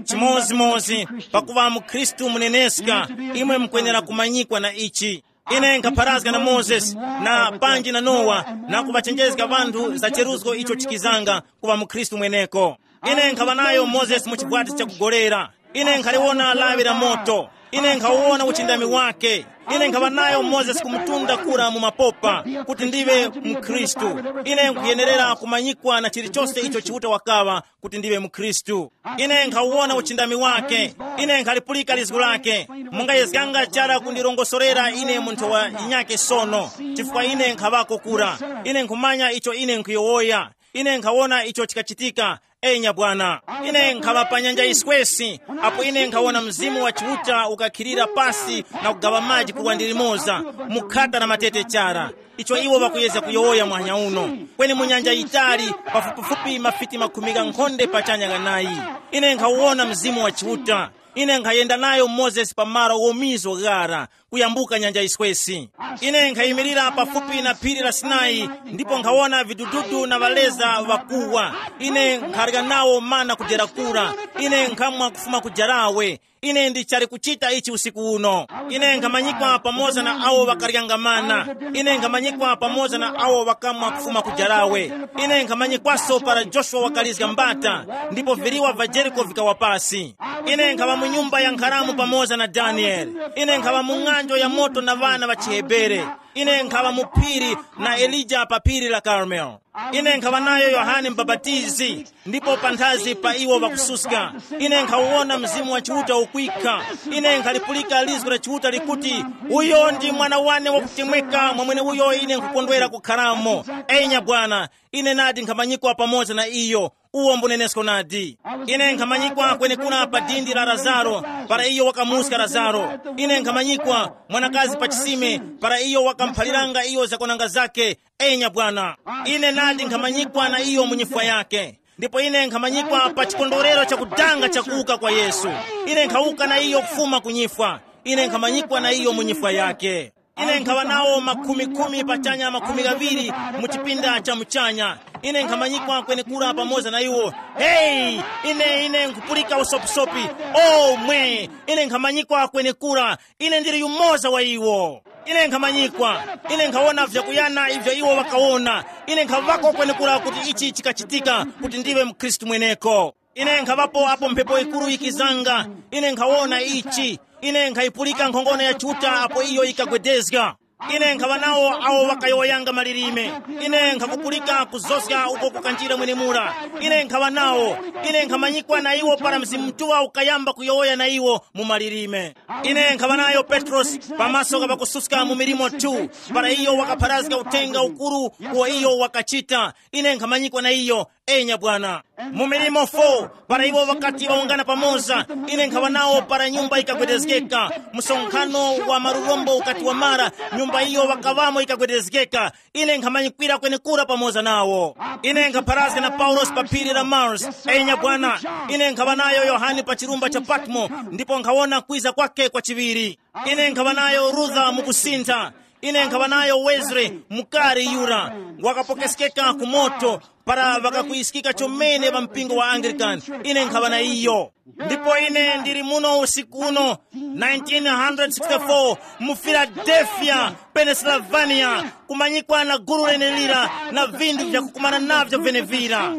Chimodzimodzi, pakuŵa mukhristu muneneska, imwe mukwenera kumanyikwa na ichi. Ine nkhapharazga na Mozesi, na panji na Nowa, na kuŵachenjezga ŵanthu za cheruzgo icho chikizanga kuŵa mukhristu mweneko. Ine nkhaŵa nayo Mozesi mu chivwati chakugolera. Ine nkhaliwona lawi la moto. Ine nkhawona uchindami wake. Ine nkhaŵa nayo Mozesi kumutunda kura mu mapopa, kuti ndiwe mkhristu. Ine nkhuyenerera kumanyikwa na chilichonse icho Chiuta wakaŵa, kuti ndiwe mkhristu. Ine nkhawona uchindami wake. Ine nkhalipulika lizgu lake. Mungayezganga chara kundirongosorera ine munthu wa yinyake sono, chifukwa ine nkhaŵako kura. Ine nkhumanya icho ine nkhuyowoya. Ine nkhawona icho chikachitika. Enya bwana. Ine nkhaŵa pa nyanja yiswesi, apo ine nkhawona Mzimu wa Chiuta ukakhilira pasi na kugaŵa maji kuwandi limoza, mu khata la matete chara. Icho iwo ŵakuyezga kuyowoya muhanya uno, kweni mu nyanja yitali, pafupifupi mafiti makhumi ghankhonde pachanya ghanayi. Ine nkhawona Mzimu wa Chiuta. Ine nkhayenda nayo Mozesi pa malo ghomizo ghara, kuyambuka nyanja yiswesi. Ine nkhayimirira pafupi na phiri la Sinai, ndipo nkhawona vidududu na ŵaleza ŵakuwa. Ine nkharya nawo mana kudera kura. Ine nkhamwa kufuma ku jarawe. Ine ndichali kuchita ichi usiku uno. Ine nkhamanyikwa pamoza na awo ŵakaryanga mana. Ine nkhamanyikwa pamoza na awo ŵakamwa kufuma ku jarawe. Ine nkhamanyikwaso para Joshua wakalizga mbata, ndipo viliwa va Jeriko vikawa pasi. Ine nkhaŵa mu nyumba ya nkharamu pamoza na Daniele. Ine nkhaŵa mu ng'anjo ya moto na ŵana ŵa chiHebere. Ine nkhaŵa mu phiri na Elija pa phiri la Karmelo. Ine nkhaŵa nayo Yohane Mubapatizi, ndipo panthazi pa iwo ŵakususka. Ine nkhawona Mzimu wa Chiuta ukwikha. Ine nkhalipulika lizgu la Chiuta likuti, "Uyo ndi mwana wane wakutemweka, mwamwene uyo ine nkhukondwera kukharamo." Enya bwana, ine nadi nkhamanyikwa pamoza na iyo. Uwo mbunenesko nadi. Ine nkhamanyikwa kwenekura pa dindi la Lazaro, para iyo wakamuska Lazaro. Ine nkhamanyikwa mwanakazi pa chisime, para iyo wakamphaliranga iyo zakwananga zake. Enya bwana, ine nadi nkhamanyikwa na iyo mu nyifwa yake. Ndipo ine nkhamanyikwa pa chikondwerero chakudanga chakuwuka kwa Yesu. Ine nkhawuka na iyo kufuma ku nyifwa. Ine nkhamanyikwa na iyo mu nyifwa yake. Ine nkhaŵa nawo makhumi khumi pachanya makhumi ghaŵiri mu chipinda cha muchanya. Ine nkhamanyikwa kwenekura pamoza na iwo. Heyi, ine ine nkupulika usopisopi. O mwe, ine nkhamanyikwa kwenekura. Ine ndili yumoza wa iwo. Ine nkhamanyikwa. Ine nkhawona vyakuyana ivyo iwo ŵakawona. Ine nkhaŵako kwenekura kuti ichi chikachitika, kuti ndiwe mkhristu mweneko. Ine nkhaŵapo apo mphepo yikuru yikizanga. Ine nkhawona ichi. Ine nkhayipulika nkhongono ya Chiuta apo iyo yikagwedezga. Ine nkhaŵa nawo awo ŵakayowoyanga malilime. Ine nkhakupulika kuzozga uko kukanjira mwenemura. Ine nkhaŵa nawo. Ine nkhamanyikwa na iwo para Mzimu Mutuŵa ukayamba kuyowoya na iwo mu malilime. Ine nkhaŵa nayo Petrosi pamaso kapakususka mu milimo two, para iyo wakapharazga uthenga ukuru uwo iyo wakachita. Ine nkhamanyikwa na iyo. Enya bwana. Mu milimo four, para iwo ŵakati ŵawungana pamoza, ine nkhaŵa nawo para nyumba yikagwedezgeka. Msonkhano wa marurombo ukati wamara, nyumba iyo ŵakaŵamo yikagwedezgeka. Ine nkhamanyikwira kwenekura pamoza nawo. Ine nkhapharazga na Paulosi pa phiri la Mars. Enya bwana. Ine nkhaŵa nayo Yohane pa chirumba cha Patmo, ndipo nkhawona kwiza kwake kwa chiŵiri. Ine nkhaŵa nayo Rutha mu kusintha. Ine nkhaŵa nayo Wesley, mukari yura, wakapokeskeka ku moto, para ŵakakuyiskika chomene ŵa mpingo wa Anglican. Ine nkhaŵa na iyo. Ndipo ine ndili muno usiku uno, nineteen sixty-four, mu Philadelphia, Pennsylvania, kumanyikwa na gulu lenelira na vinthu vyakukumana navyo venevira.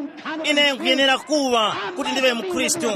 Ine nkhuyenera kuŵa kuti ndiwe mkhristu.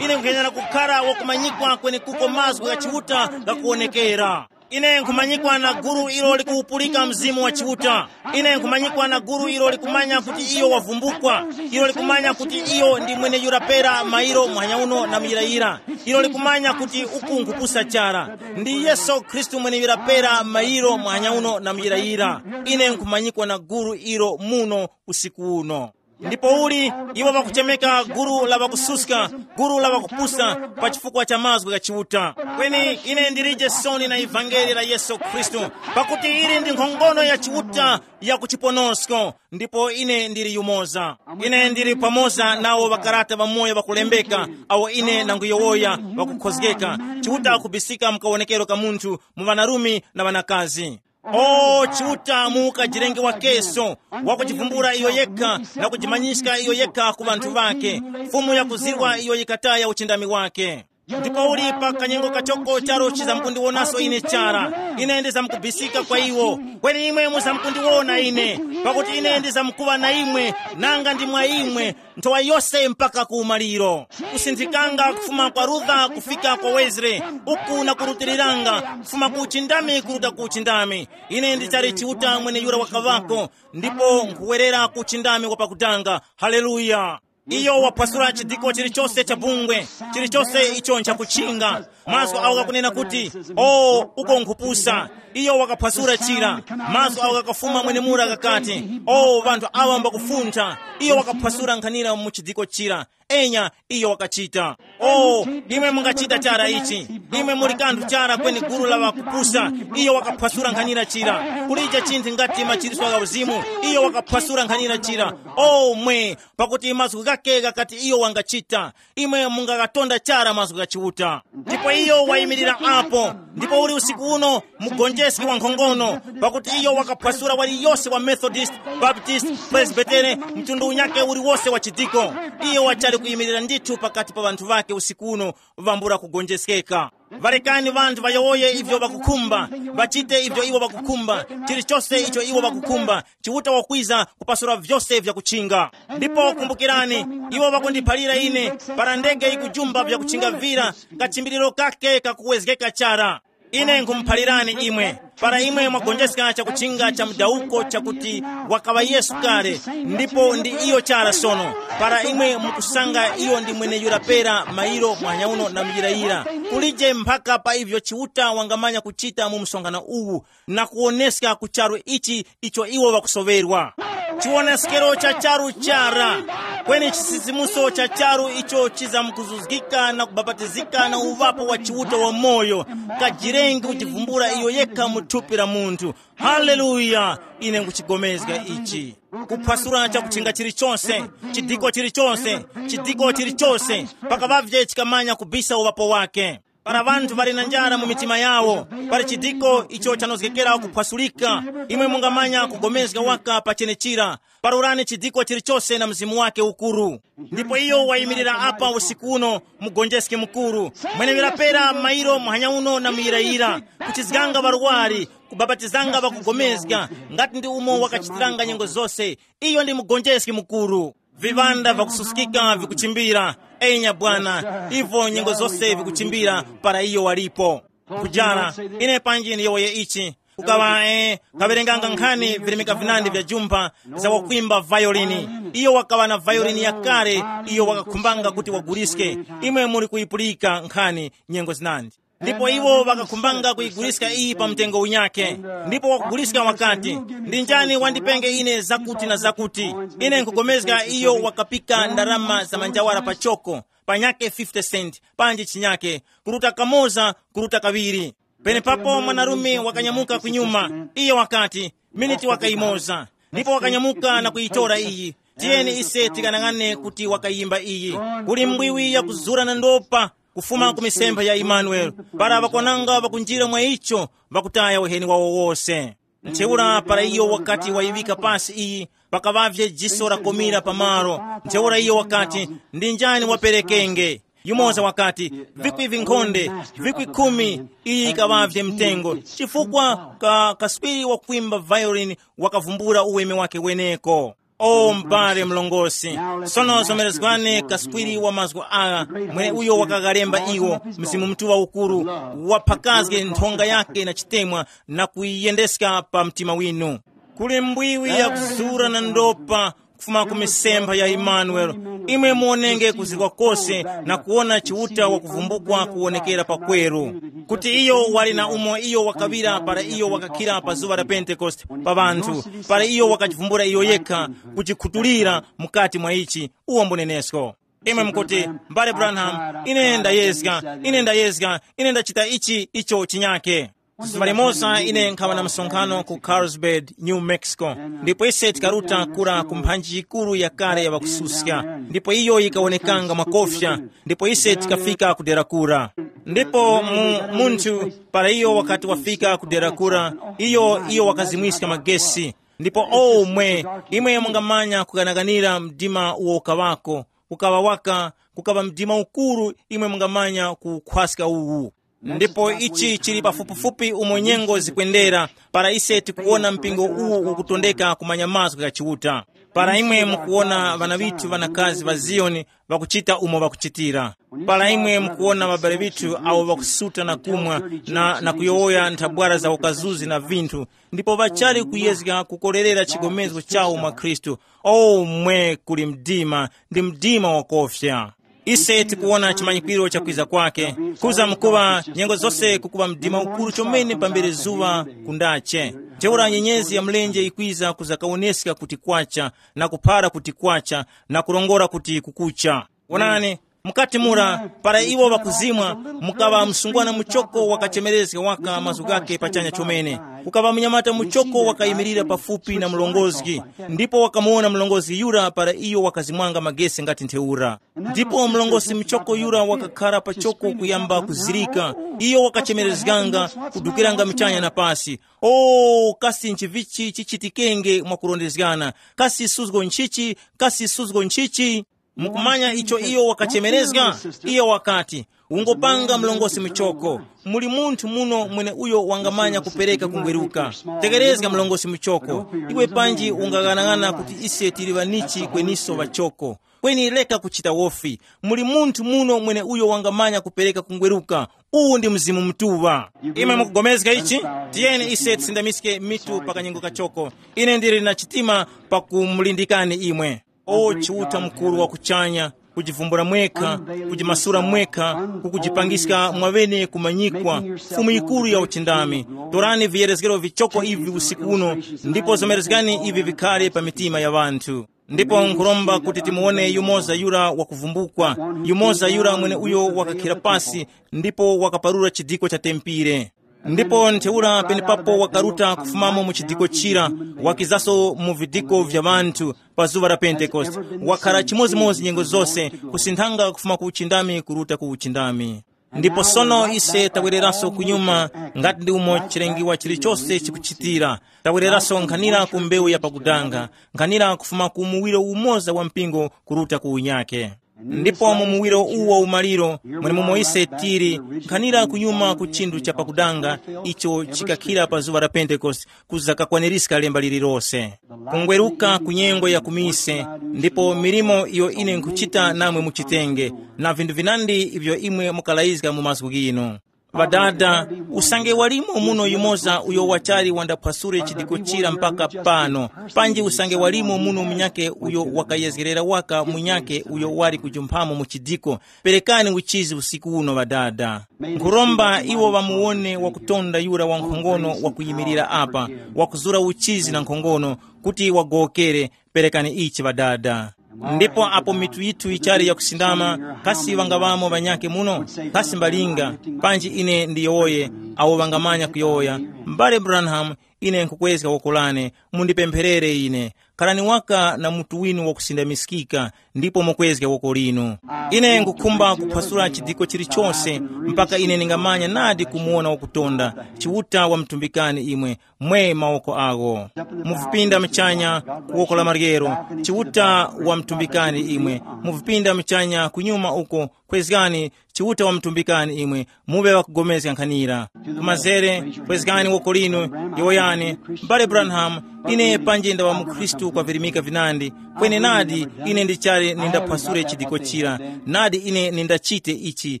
Ine nkhuyenera kukhala wakumanyikwa kwenekuko mazgu gha Chiuta ghakuwonekera. Ine nkhumanyikwa na gulu ilo likuwupulika Mzimu wa Chiuta. Ine nkhumanyikwa na gulu ilo likumanya kuti iyo wavumbukwa. Ilo likumanya kuti iyo ndi mweneyura pera mairo muhanya uno na muyirayira. Ilo likumanya kuti uku nkhupusa chara. Ndi Yesu Khristu mweneyura pera mairo muhanya uno na muyirayira. Ine nkhumanyikwa na gulu ilo muno usiku uno. Ndipo uli iwo ŵakuchemeka gulu la ŵakususka, gulu la ŵakupusa, pa chifukwa cha mazgu gha Chiuta. Kweni ine ndilije soni na ivangeli la Yesu Khristu, pakuti ili ndi nkhongono ya Chiuta ya ku chiponosko, ndipo ine ndili yumoza. Ine ndili pamoza nawo ŵakarata ŵamoyo ŵakulembeka, awo ine nanguyowoya ŵakukhozgeka. Chiuta akubisika mu kawonekero ka munthu, mu ŵanarume na ŵanakazi. O Chiuta mu ukajirenge wakeso, wakujivumbula iyo yekha na kujimanyiska iyo yekha ku ŵanthu ŵake, Fumu yakuzirwa iyo yikataya uchindami wake. Ndipo uli pa kanyengo kachoko charo chizamkundiwonaso ine chara. Ine ndizamkubisika kwa iwo. Kweni imwe muzamkundiwona ine, pakuti ine ndizamkuŵa na imwe, nanga ndi mwa imwe nthowa yose mpaka ku umaliro. Kusinthikanga kufuma kwa Luther kufika kwa Wesley, uku na kurutiliranga kufuma ku uchindami kuruta ku uchindami. Ine ndichali Chiuta mweneyura wakaŵako, ndipo nkhuwerera ku uchindami wa pakutanga. Haleluya! Iyo waphwasula chidiko chilichose cha bungwe, chilichose icho nchakuchinga. Mazgu awo ghakunena kuti, o, uko nkhupusa. Iyo wakaphwasula chira. Mazgu awo ghakafuma mwenemura ghakati, o, ŵanthu awa mbakufuntha. Iyo wakaphwasula nkhanira mu chidiko chira. Enya, iyo wakachita. O, imwe mungachita chara ichi. Imwe muli kanthu chara kweni gulu la ŵakupusa. Iyo wakaphwasula nkhanira chira. Kulija chinthu ngati machiritso gha uzimu. Iyo wakaphwasula nkhanira chira. O mwe, pakuti mazgu ghake ghakati iyo wangachita. Imwe mungaghatonda chara mazgu gha Chiuta. Ndipo iyo wayimirira apo. Ndipo uli usiku uno, mugonjeski wa nkhongono, pakuti iyo wakaphwasula waliyose wa Methodist, Baptist, Presbytere, mtundu unyake uliwose wa chidiko. Iyo wachali kuyimirira ndithu pakati pa ŵanthu ŵake usiku uno, vambula kugonjeskeka. Ŵarekani ŵanthu ŵayowoye ivyo ŵakukhumba, ŵachite ivyo iwo ŵakukhumba, chilichose icho iwo ŵakukhumba. Chiuta wakwiza kupasula vyose vyakuchinga. Ndipo kumbukirani, iwo ŵakundiphalira ine, para ndege yikujumba vyakuchinga vira, kachimbiliro kake kakuwezgeka chara. Ine nkhumuphalirani imwe, para imwe mwagonjeska chakuchinga cha mudawuko chakuti wakaŵa Yesu kale, ndipo ndi iyo chara sono, para imwe mukusanga iyo ndi mweneyura pera mairo mwanyauno na muyirayira, kulije mphaka pa ivyo Chiuta wangamanya kuchita mu msonkhano uwu na kuwoneska ku charu ichi icho iwo ŵakusoŵerwa. Chiwoneskero cha charu chara, kweni chisizimuso cha charu icho chizamkuzuzgika na kubapatizika na uŵapo wa Chiuta wamoyo, kajirengi kujivumbula iyo yekha mu thupi la munthu. Haleluya! Ine nkuchigomezga ichi. Kuphwasula chakutchinga chilichonse, chidiko chilichonse, chidiko chilichonse, pakaŵavye chikamanya kubisa uŵapo wake. Para ŵanthu ŵali na njara mu mitima yawo, pali chidiko icho chanozgekera kuphwasulika. Imwe mungamanya kugomezga waka pa chenechira. Parurani chidiko chilichose na mzimu wake ukuru. Ndipo iyo wayimirira apa usiku uno, mugonjeski mukuru, mwenewera pera mairo muhanya uno na muyirayira, kuchizganga ŵarwari, kubapatizanga ŵakugomezga, ngati ndi umo wakachitiranga nyengo zose. Iyo ndi mugonjeski mukuru. Viŵanda vakususkika vikuchimbira. Enya bwana, ivo nyengo zose vikuchimbira para iyo walipo. Kujara, ine panji ndiyowoye ichi. Kukaŵa eh, kawerenganga nkhani virimika vinandi vya jumpha, za wakwimba vayolini. Iyo wakaŵa na vayolini yakale, iyo wakakhumbanga kuti waguliske. Imwe muli kuyipulika nkhani nyengo zinandi. Ndipo iwo ŵakakhumbanga kuyiguliska iyi pa mtengo unyakhe. Ndipo wakuguliska wakati, ndi njani wandipenge ine zakuti na zakuti? Ine nkugomezga iyo wakapika ndarama za manjawara pachoko, panyakhe fifty cent, panji chinyakhe, kuruta kamoza, kuruta kaŵiri. Penepapo mwanarume wakanyamuka kunyuma. Iyo wakati, miniti wakayimoza. Ndipo wakanyamuka na kuyitora iyi. Tiyeni ise tikanang'ane kuti wakayimba iyi. Kuli mbwiwi yakuzura na ndopa, kufuma ku misempha ya Imanueli. Para ŵakwananga ŵakunjira mwa icho, ŵakutaya uheni wawo wose. Ntheura para iyo wakati wayiŵika pasi iyi, pakaŵavye jiso lakomira pamalo. Ntheura iyo wakati, ndi njani waperekenge? Yumoza wakati, vikwi vinkhonde, vikwi khumi. Iyi yikaŵavye mtengo, chifukwa ka kaswiri wakwimba violin wakavumbula uweme wake weneko. O m'bale mlongosi, sono zomerezgwani kaswiri wa mazgu agha, mweneuyo wakaghalemba iwo, Mzimu Mutuŵa ukuru, waphakazge nthonga yake na chitemwa na kuyiyendeska pa mtima winu. Kuli mbwiwi yakuzura na ndopa kufuma ku misempha ya Imanueli. Imwe muonenge kuzirwa kose na kuwona Chiuta wakuvumbukwa kuwonekera pakweru, kuti iyo wali na umo iyo wakaŵira para iyo wakakhira pa zuŵa la Pentekoste pa ŵanthu, para iyo wakachivumbula iyo yekha, kuchikhutulira mukati mwa ichi. Uwo mbunenesko. Imwe mukuti, mbale Branham, ine ndayezga, ine ndayezga, ine ndachita ichi icho chinyake. Zuŵa limoza ine nkhawa na msonkhano ku Carlsbad, New Mexico, ndipo ise tikaruta kura ku mphanji yikuru yakale ya ŵakususka, ndipo iyo yikawonekanga mwakofya, ndipo ise tikafika ku dera kura. Ndipo mu, munthu, para iyo wakati wafika ku dera kura, iyo, iyo wakazimwiska magesi. Ndipo omwe, imwe mungamanya kukanakanira mdima uwo ukaŵako, ukaŵa waka, kukaŵa mdima ukuru imwe mungamanya kukhwaska uwu. Ndipo ichi chili pafupifupi umo nyengo zikwendera, para ise tikuwona mpingo uwu ukutondeka kumanya mazgu gha Chiuta. Para imwe mukuwona ŵana ŵithu ŵanakazi ŵa Ziyoni ŵakuchita umo ŵakuchitira, para imwe mukuwona ŵabale ŵithu awo ŵakusuta na kumwa na, na kuyowoya nthabwara za ukazuzi na vinthu, ndipo ŵachali kuyezga kukorerera chigomezgo chawo mwa Khristu, o mwe kuli mdima, ndi mdima wakofya. Ise tikuwona chimanyikwiro cha kwiza kwake, kuza mkuŵa nyengo zose kukuŵa mdima ukuru chomene pambere zuŵa kundache. Ntheura nyenyezi ya mlenje ikwiza kuzakawoneska kuti kwacha, na kuphara kuti kwacha, na kurongora kuti kukucha. Wonani, mukati mura, para iwo ŵakuzimwa, mukaŵa msungwana muchoko wakachemerezga waka mazgu ghake pachanya chomene. Kukaŵa munyamata muchoko wakayimirira pafupi na mlongozgi, ndipo wakamuwona mlongozgi yura para iyo wakazimwanga magesi ngati ntheura. Ndipo mlongosi muchoko yura wakakhara pachoko kuyamba kuzirika. Iyo wakachemerezganga, kudukiranga michanya na pasi. O, kasi nchivichi chichitikenge mwakurondezgana? Kasi suzgo nchichi? Kasi suzgo nchichi? Mukumanya icho iyo wakachemerezga? Iyo wakati, ungopanga mlongosi muchoko. Muli munthu muno mwene uyo wangamanya kupereka kungweruka. Tekerezga mlongosi muchoko. Iwe panji ungaghanag'ana kuti ise tili ŵanichi kweniso ŵachoko. Kweni reka kuchita wofi. Muli munthu muno mwene uyo wangamanya kupereka kungweruka. Uwu ndi Mzimu Mutuŵa. Imwe mukugomezga ichi? Tiyeni ise tisindamiske mitu pa kanyengo kachoko. Ine ndili na chitima pakumulindikani imwe. O Chiuta mukuru wa kuchanya, kujivumbula mwekha, kujimasula mwekha, kukujipangiska mwaŵene kumanyikwa, Fumu yikuru ya uchindami. Torani viyerezgero vichoko ivi usiku uno, ndipo zomerezgani ivi vikhale pa mitima ya ŵanthu. Ndipo nkhuromba kuti timuwone yumoza yura wakuvumbukwa, yumoza yura mwene uyo wakakhira pasi, ndipo wakaparura chidiko cha tempire. Ndipo ntheura penepapo wakaruta kufumamo mu chidiko chira, wakizaso mu vidiko vya ŵanthu pa zuŵa la Pentekoste. Wakhara chimodzimodzi nyengo zose, kusinthanga kufuma ku uchindami kuruta ku uchindami. Ndipo sono ise tawereraso kunyuma, ngati ndi umo chilengiwa chilichose chikuchitira. Tawereraso nkhanira ku mbewu ya pakudanga, nkhanira kufuma ku muwiro umoza wa mpingo kuruta ku unyake. Ndipo mu muwiro uwu wa umaliro, mwenemumo ise tili, nkhanira kunyuma ku chinthu cha pakudanga, icho chikakhira pa zuŵa la Pentekoste, kuza kakwanirizga lemba lililose. Kungweruka ku nyengo ya kumise, ndipo milimo iyo ine nkhuchita namwe muchitenge, na vinthu vinandi ivyo imwe mukalayizga mu mazgu ghinu. Ŵadada, usange walimo muno yumoza uyo wachali wandaphwasule chidiko chira mpaka pano, panji usange walimo muno munyakhe uyo wakayezgerera waka munyakhe uyo wali kujumphamo mu chidiko, perekani uchizi usiku uno ŵadada. Nkhuromba iwo ŵamuwone wakutonda yura wankhongono wakuyimirira apa, wakuzura uchizi na nkhongono, kuti wagowokere, perekani ichi ŵadada. Ndipo apo mitu yithu yichali yakusindama, kasi ŵangaŵamo ŵanyakhe muno? Kasi mbalinga, panji ine ndiyowoye, awo ŵangamanya kuyowoya, M'bale Branham, ine nkhukwezga woko lane, mundipempherere ine. Khalani waka na mutu winu wakusindamiskika, ndipo mukwezge woko linu. Ine nkhukhumba kuphwasula chidiko chilichonse, mpaka ine ningamanya nadi kumuwona wakutonda, Chiuta wamtumbikani imwe, mwe mawoko agho. Muvipinda mchanya ku woko la maryero, Chiuta wamtumbikani imwe. Muvipinda mchanya kunyuma uko, kwezgani, Chiuta wamtumbikani imwe, muŵe ŵakugomezga nkhanira. Kumazere, kwezgani woko linu, yowoyani, M'bale Branham, ine panji ndaŵa mukhristu kwa virimika vinandi, kweni nadi ine ndichali nindaphwasule chidiko chira, nadi ine nindachite ichi,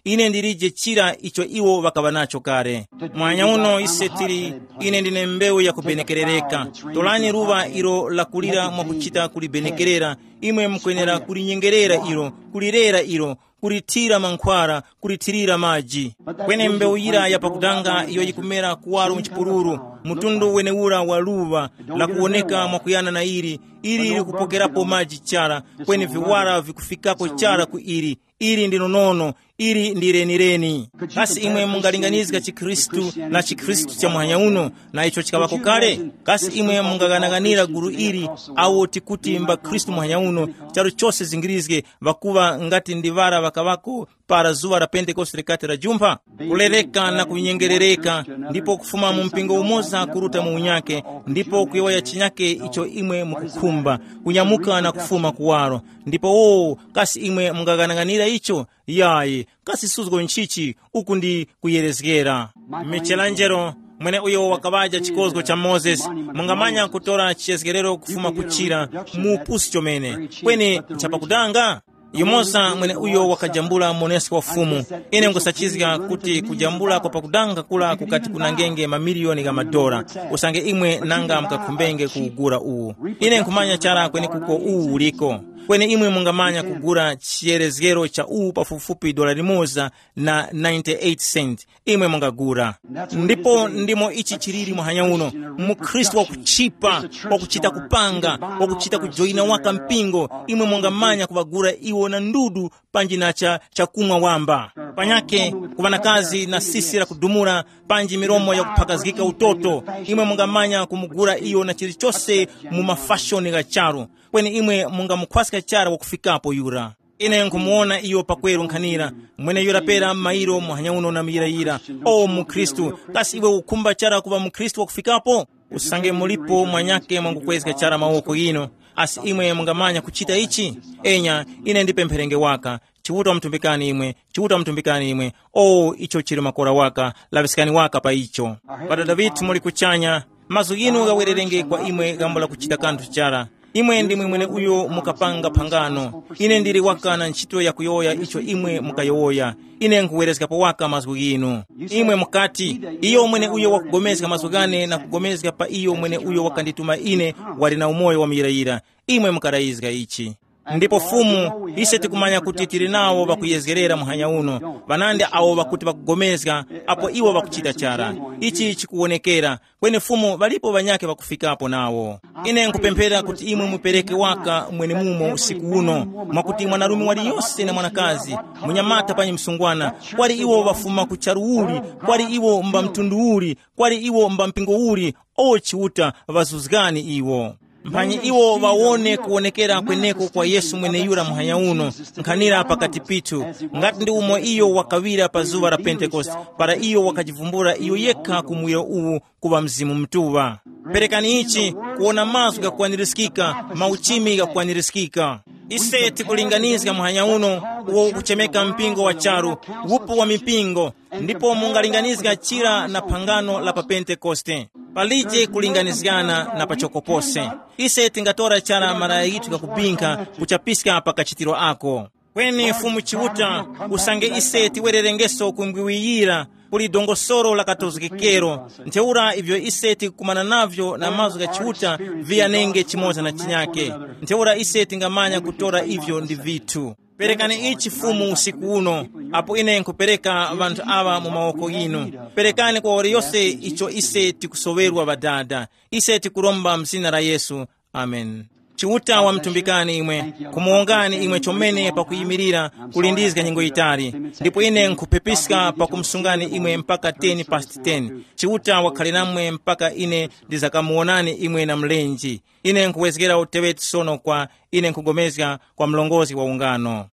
ine ndilije chira icho iwo ŵakaŵa nacho kale. Mwanya uno ise tili, ine ndine mbewu yakubenekerereka. Tolani luŵa ilo lakulira mwakuchita kulibenekerera, imwe mukwenera kulinyengerera ilo, kulirera ilo, kulithira mankhwara, kulithirira maji. Kweni mbewu yira yapakudanga iyo yikumera kuwaro mu chipululu, mtundu wenewura wa luŵa, lakuwoneka mwakuyana na ili, ili likupokerapo maji chara, kweni viwara vikufikako chara ku ili. Ili ndi nonono, ili ndi lenileni. Kasi imwe mungalinganizga chikhristu na chikhristu cha muhanya uno, na icho chikaŵako kale? Kasi imwe mungaghanaghanira gulu ili, awo tikuti mbakhristu muhanya uno, charu chose zingirizge, ŵakuŵa ngati ndi ŵara ŵakaŵako para zuŵa la Pentekoste likati lajumpha? Kulereka na kunyengerereka, ndipo kufuma mu mpingo umoza kuruta mu unyake, ndipo kuyowoya chinyake icho imwe mukukhumba. mba, kunyamuka na kufuma kuwaro. Ndipo wowo, kasi imwe mungaghanaghanira icho? Yayi, kasi suzgo nchichi? Uku ndi kuyerezgera. Michelangelo, mwene uyo wakaŵaja chikozgo cha Mozesi, mungamanya kutora chiyezgerero kufuma kuchira mu upusi chomene. Kweni nchapakudanga? Yumoza mwene uyo wakajambula monesko wa Fumu. Ine nkusachizga kuti kujambula kwa pakudanga kula kukati kunangenge mamiliyoni gha madora. Usange imwe nanga mukakhumbenge kuwugura uwu, ine nkhumanya chara kwenekuko uwu uliko. Kweni imwe mungamanya kugura chiyerezgero cha uwu pafupifupi dola limoza na ninety-eight cent. Imwe mungagura. Ndipo ndimo ichi chiliri muhanya uno. Mukhristu wakuchipa, wakuchita kupanga, wakuchita kujoyina waka mpingo, imwe mungamanya kuŵagura iwo na ndudu, panji na cha chakumwa wamba. Panyake, kuŵa na kazi na sisi la kudumula, panji milomo yakuphakazgika utoto, imwe mungamanya kumugura iyo na chilichose mu mafashoni gha charu. Kweni imwe mungamukhwaska chara wakufikapo yura. Ine nkhumuwona iyo pakweru nkhanira, mweneyura pera m'mayiro muhanya uno na muyirayira. O mukhristu, kasi iwe ukhumba chara kuŵa mukhristu wakufikapo? Usange mulipo mwanyake mwangukwezga chara mawoko ghinu, asi imwe mungamanya kuchita ichi? Enya, ine ndipempherenge waka. Chiuta wamutumbikani imwe, Chiuta wamutumbikani imwe. O, icho chili makora waka, laŵiskani waka pa icho. Ŵadada ŵithu muli kuchanya, mazgu ghinu ghawererenge kwa imwe ghambo la kuchita kanthu chara. Imwe ndimwe mwene uyo mukapanga phangano. Ine ndili waka na ntchito yakuyowoya icho imwe mukayowoya. Ine nkhuwerezgapo waka mazgu ghinu. Imwe mukati, iyo mwene uyo wakugomezga mazgu ghane na kugomezga pa iyo mwene uyo wakandituma ine, wali na umoyo wa muyirayira. Imwe mukarayizga ichi. Ndipo Fumu, ise tikumanya kuti tili nawo ŵakuyezgerera muhanya uno, ŵanandi awo ŵakuti ŵakugomezga, apo iwo ŵakuchita chara. Ichi chikuwonekera. Kweni Fumu, ŵalipo ŵanyakhe ŵakufikapo nawo. Ine nkupemphera kuti imwe mupereke waka mwenemumo usiku uno, mwakuti mwanarume waliyose na mwanakazi, munyamata panyi msungwana, kwali iwo ŵafuma ku charu uli, kwali iwo mba mtundu uli, kwali iwo mba mpingo uli, o Chiuta, ŵazuzgani iwo. Mphanyi iwo ŵawone kuwonekera kweneko kwa Yesu mweneyura muhanya uno, nkhanira pakati pithu, ngati ndi umo iyo wakaŵira pa zuŵa la Pentekoste, para iyo wakajivumbula iyo yekha ku muwiro uwu kuŵa Mzimu Mutuŵa. Perekani ichi, kuwona mazgu ghakukwanirizgika, mauchimi ghakukwanirizgika. Ise tikulinganizga muhanya uno, uwo ukuchemeka mpingo wa charu, wupu wa mipingo, ndipo mungalinganizga chira na phangano la pa Pentekoste. Palije kulinganizgana na pachoko pose. Ise tingatora chara malaya ghithu ghakubinkha kuchapiska pa kachitiro ako. Kweni Fumu Chiuta, usange ise tiwererengeso kumbwiwiyira, kuli dongosolo la katozgekero, ntheura ivyo ise tikukumana navyo na mazgu gha Chiuta viyanenge chimoza na chinyake. Ntheura ise tingamanya kutora ivyo ndi vithu. Perekani ichi Fumu usiku uno, apo ine nkupereka ŵanthu aŵa mu mawoko ghinu. Perekani kwa waliyose icho ise tikusoŵerwa Ŵadada. Ise tikuromba mu zina la Yesu. Amen. Chiuta wamutumbikani imwe, kumuwongani imwe chomene pakuyimirira kulindizga nyengo yitali. Ndipo ine nkhupepiska pakumusungani imwe mpaka ten past ten. Chiuta wakhale namwe mpaka ine ndizakamuwonani imwe na mlenji. Ine nkuwezgera uteŵeti sono kwa ine nkugomezga kwa mlongozi wa ungano.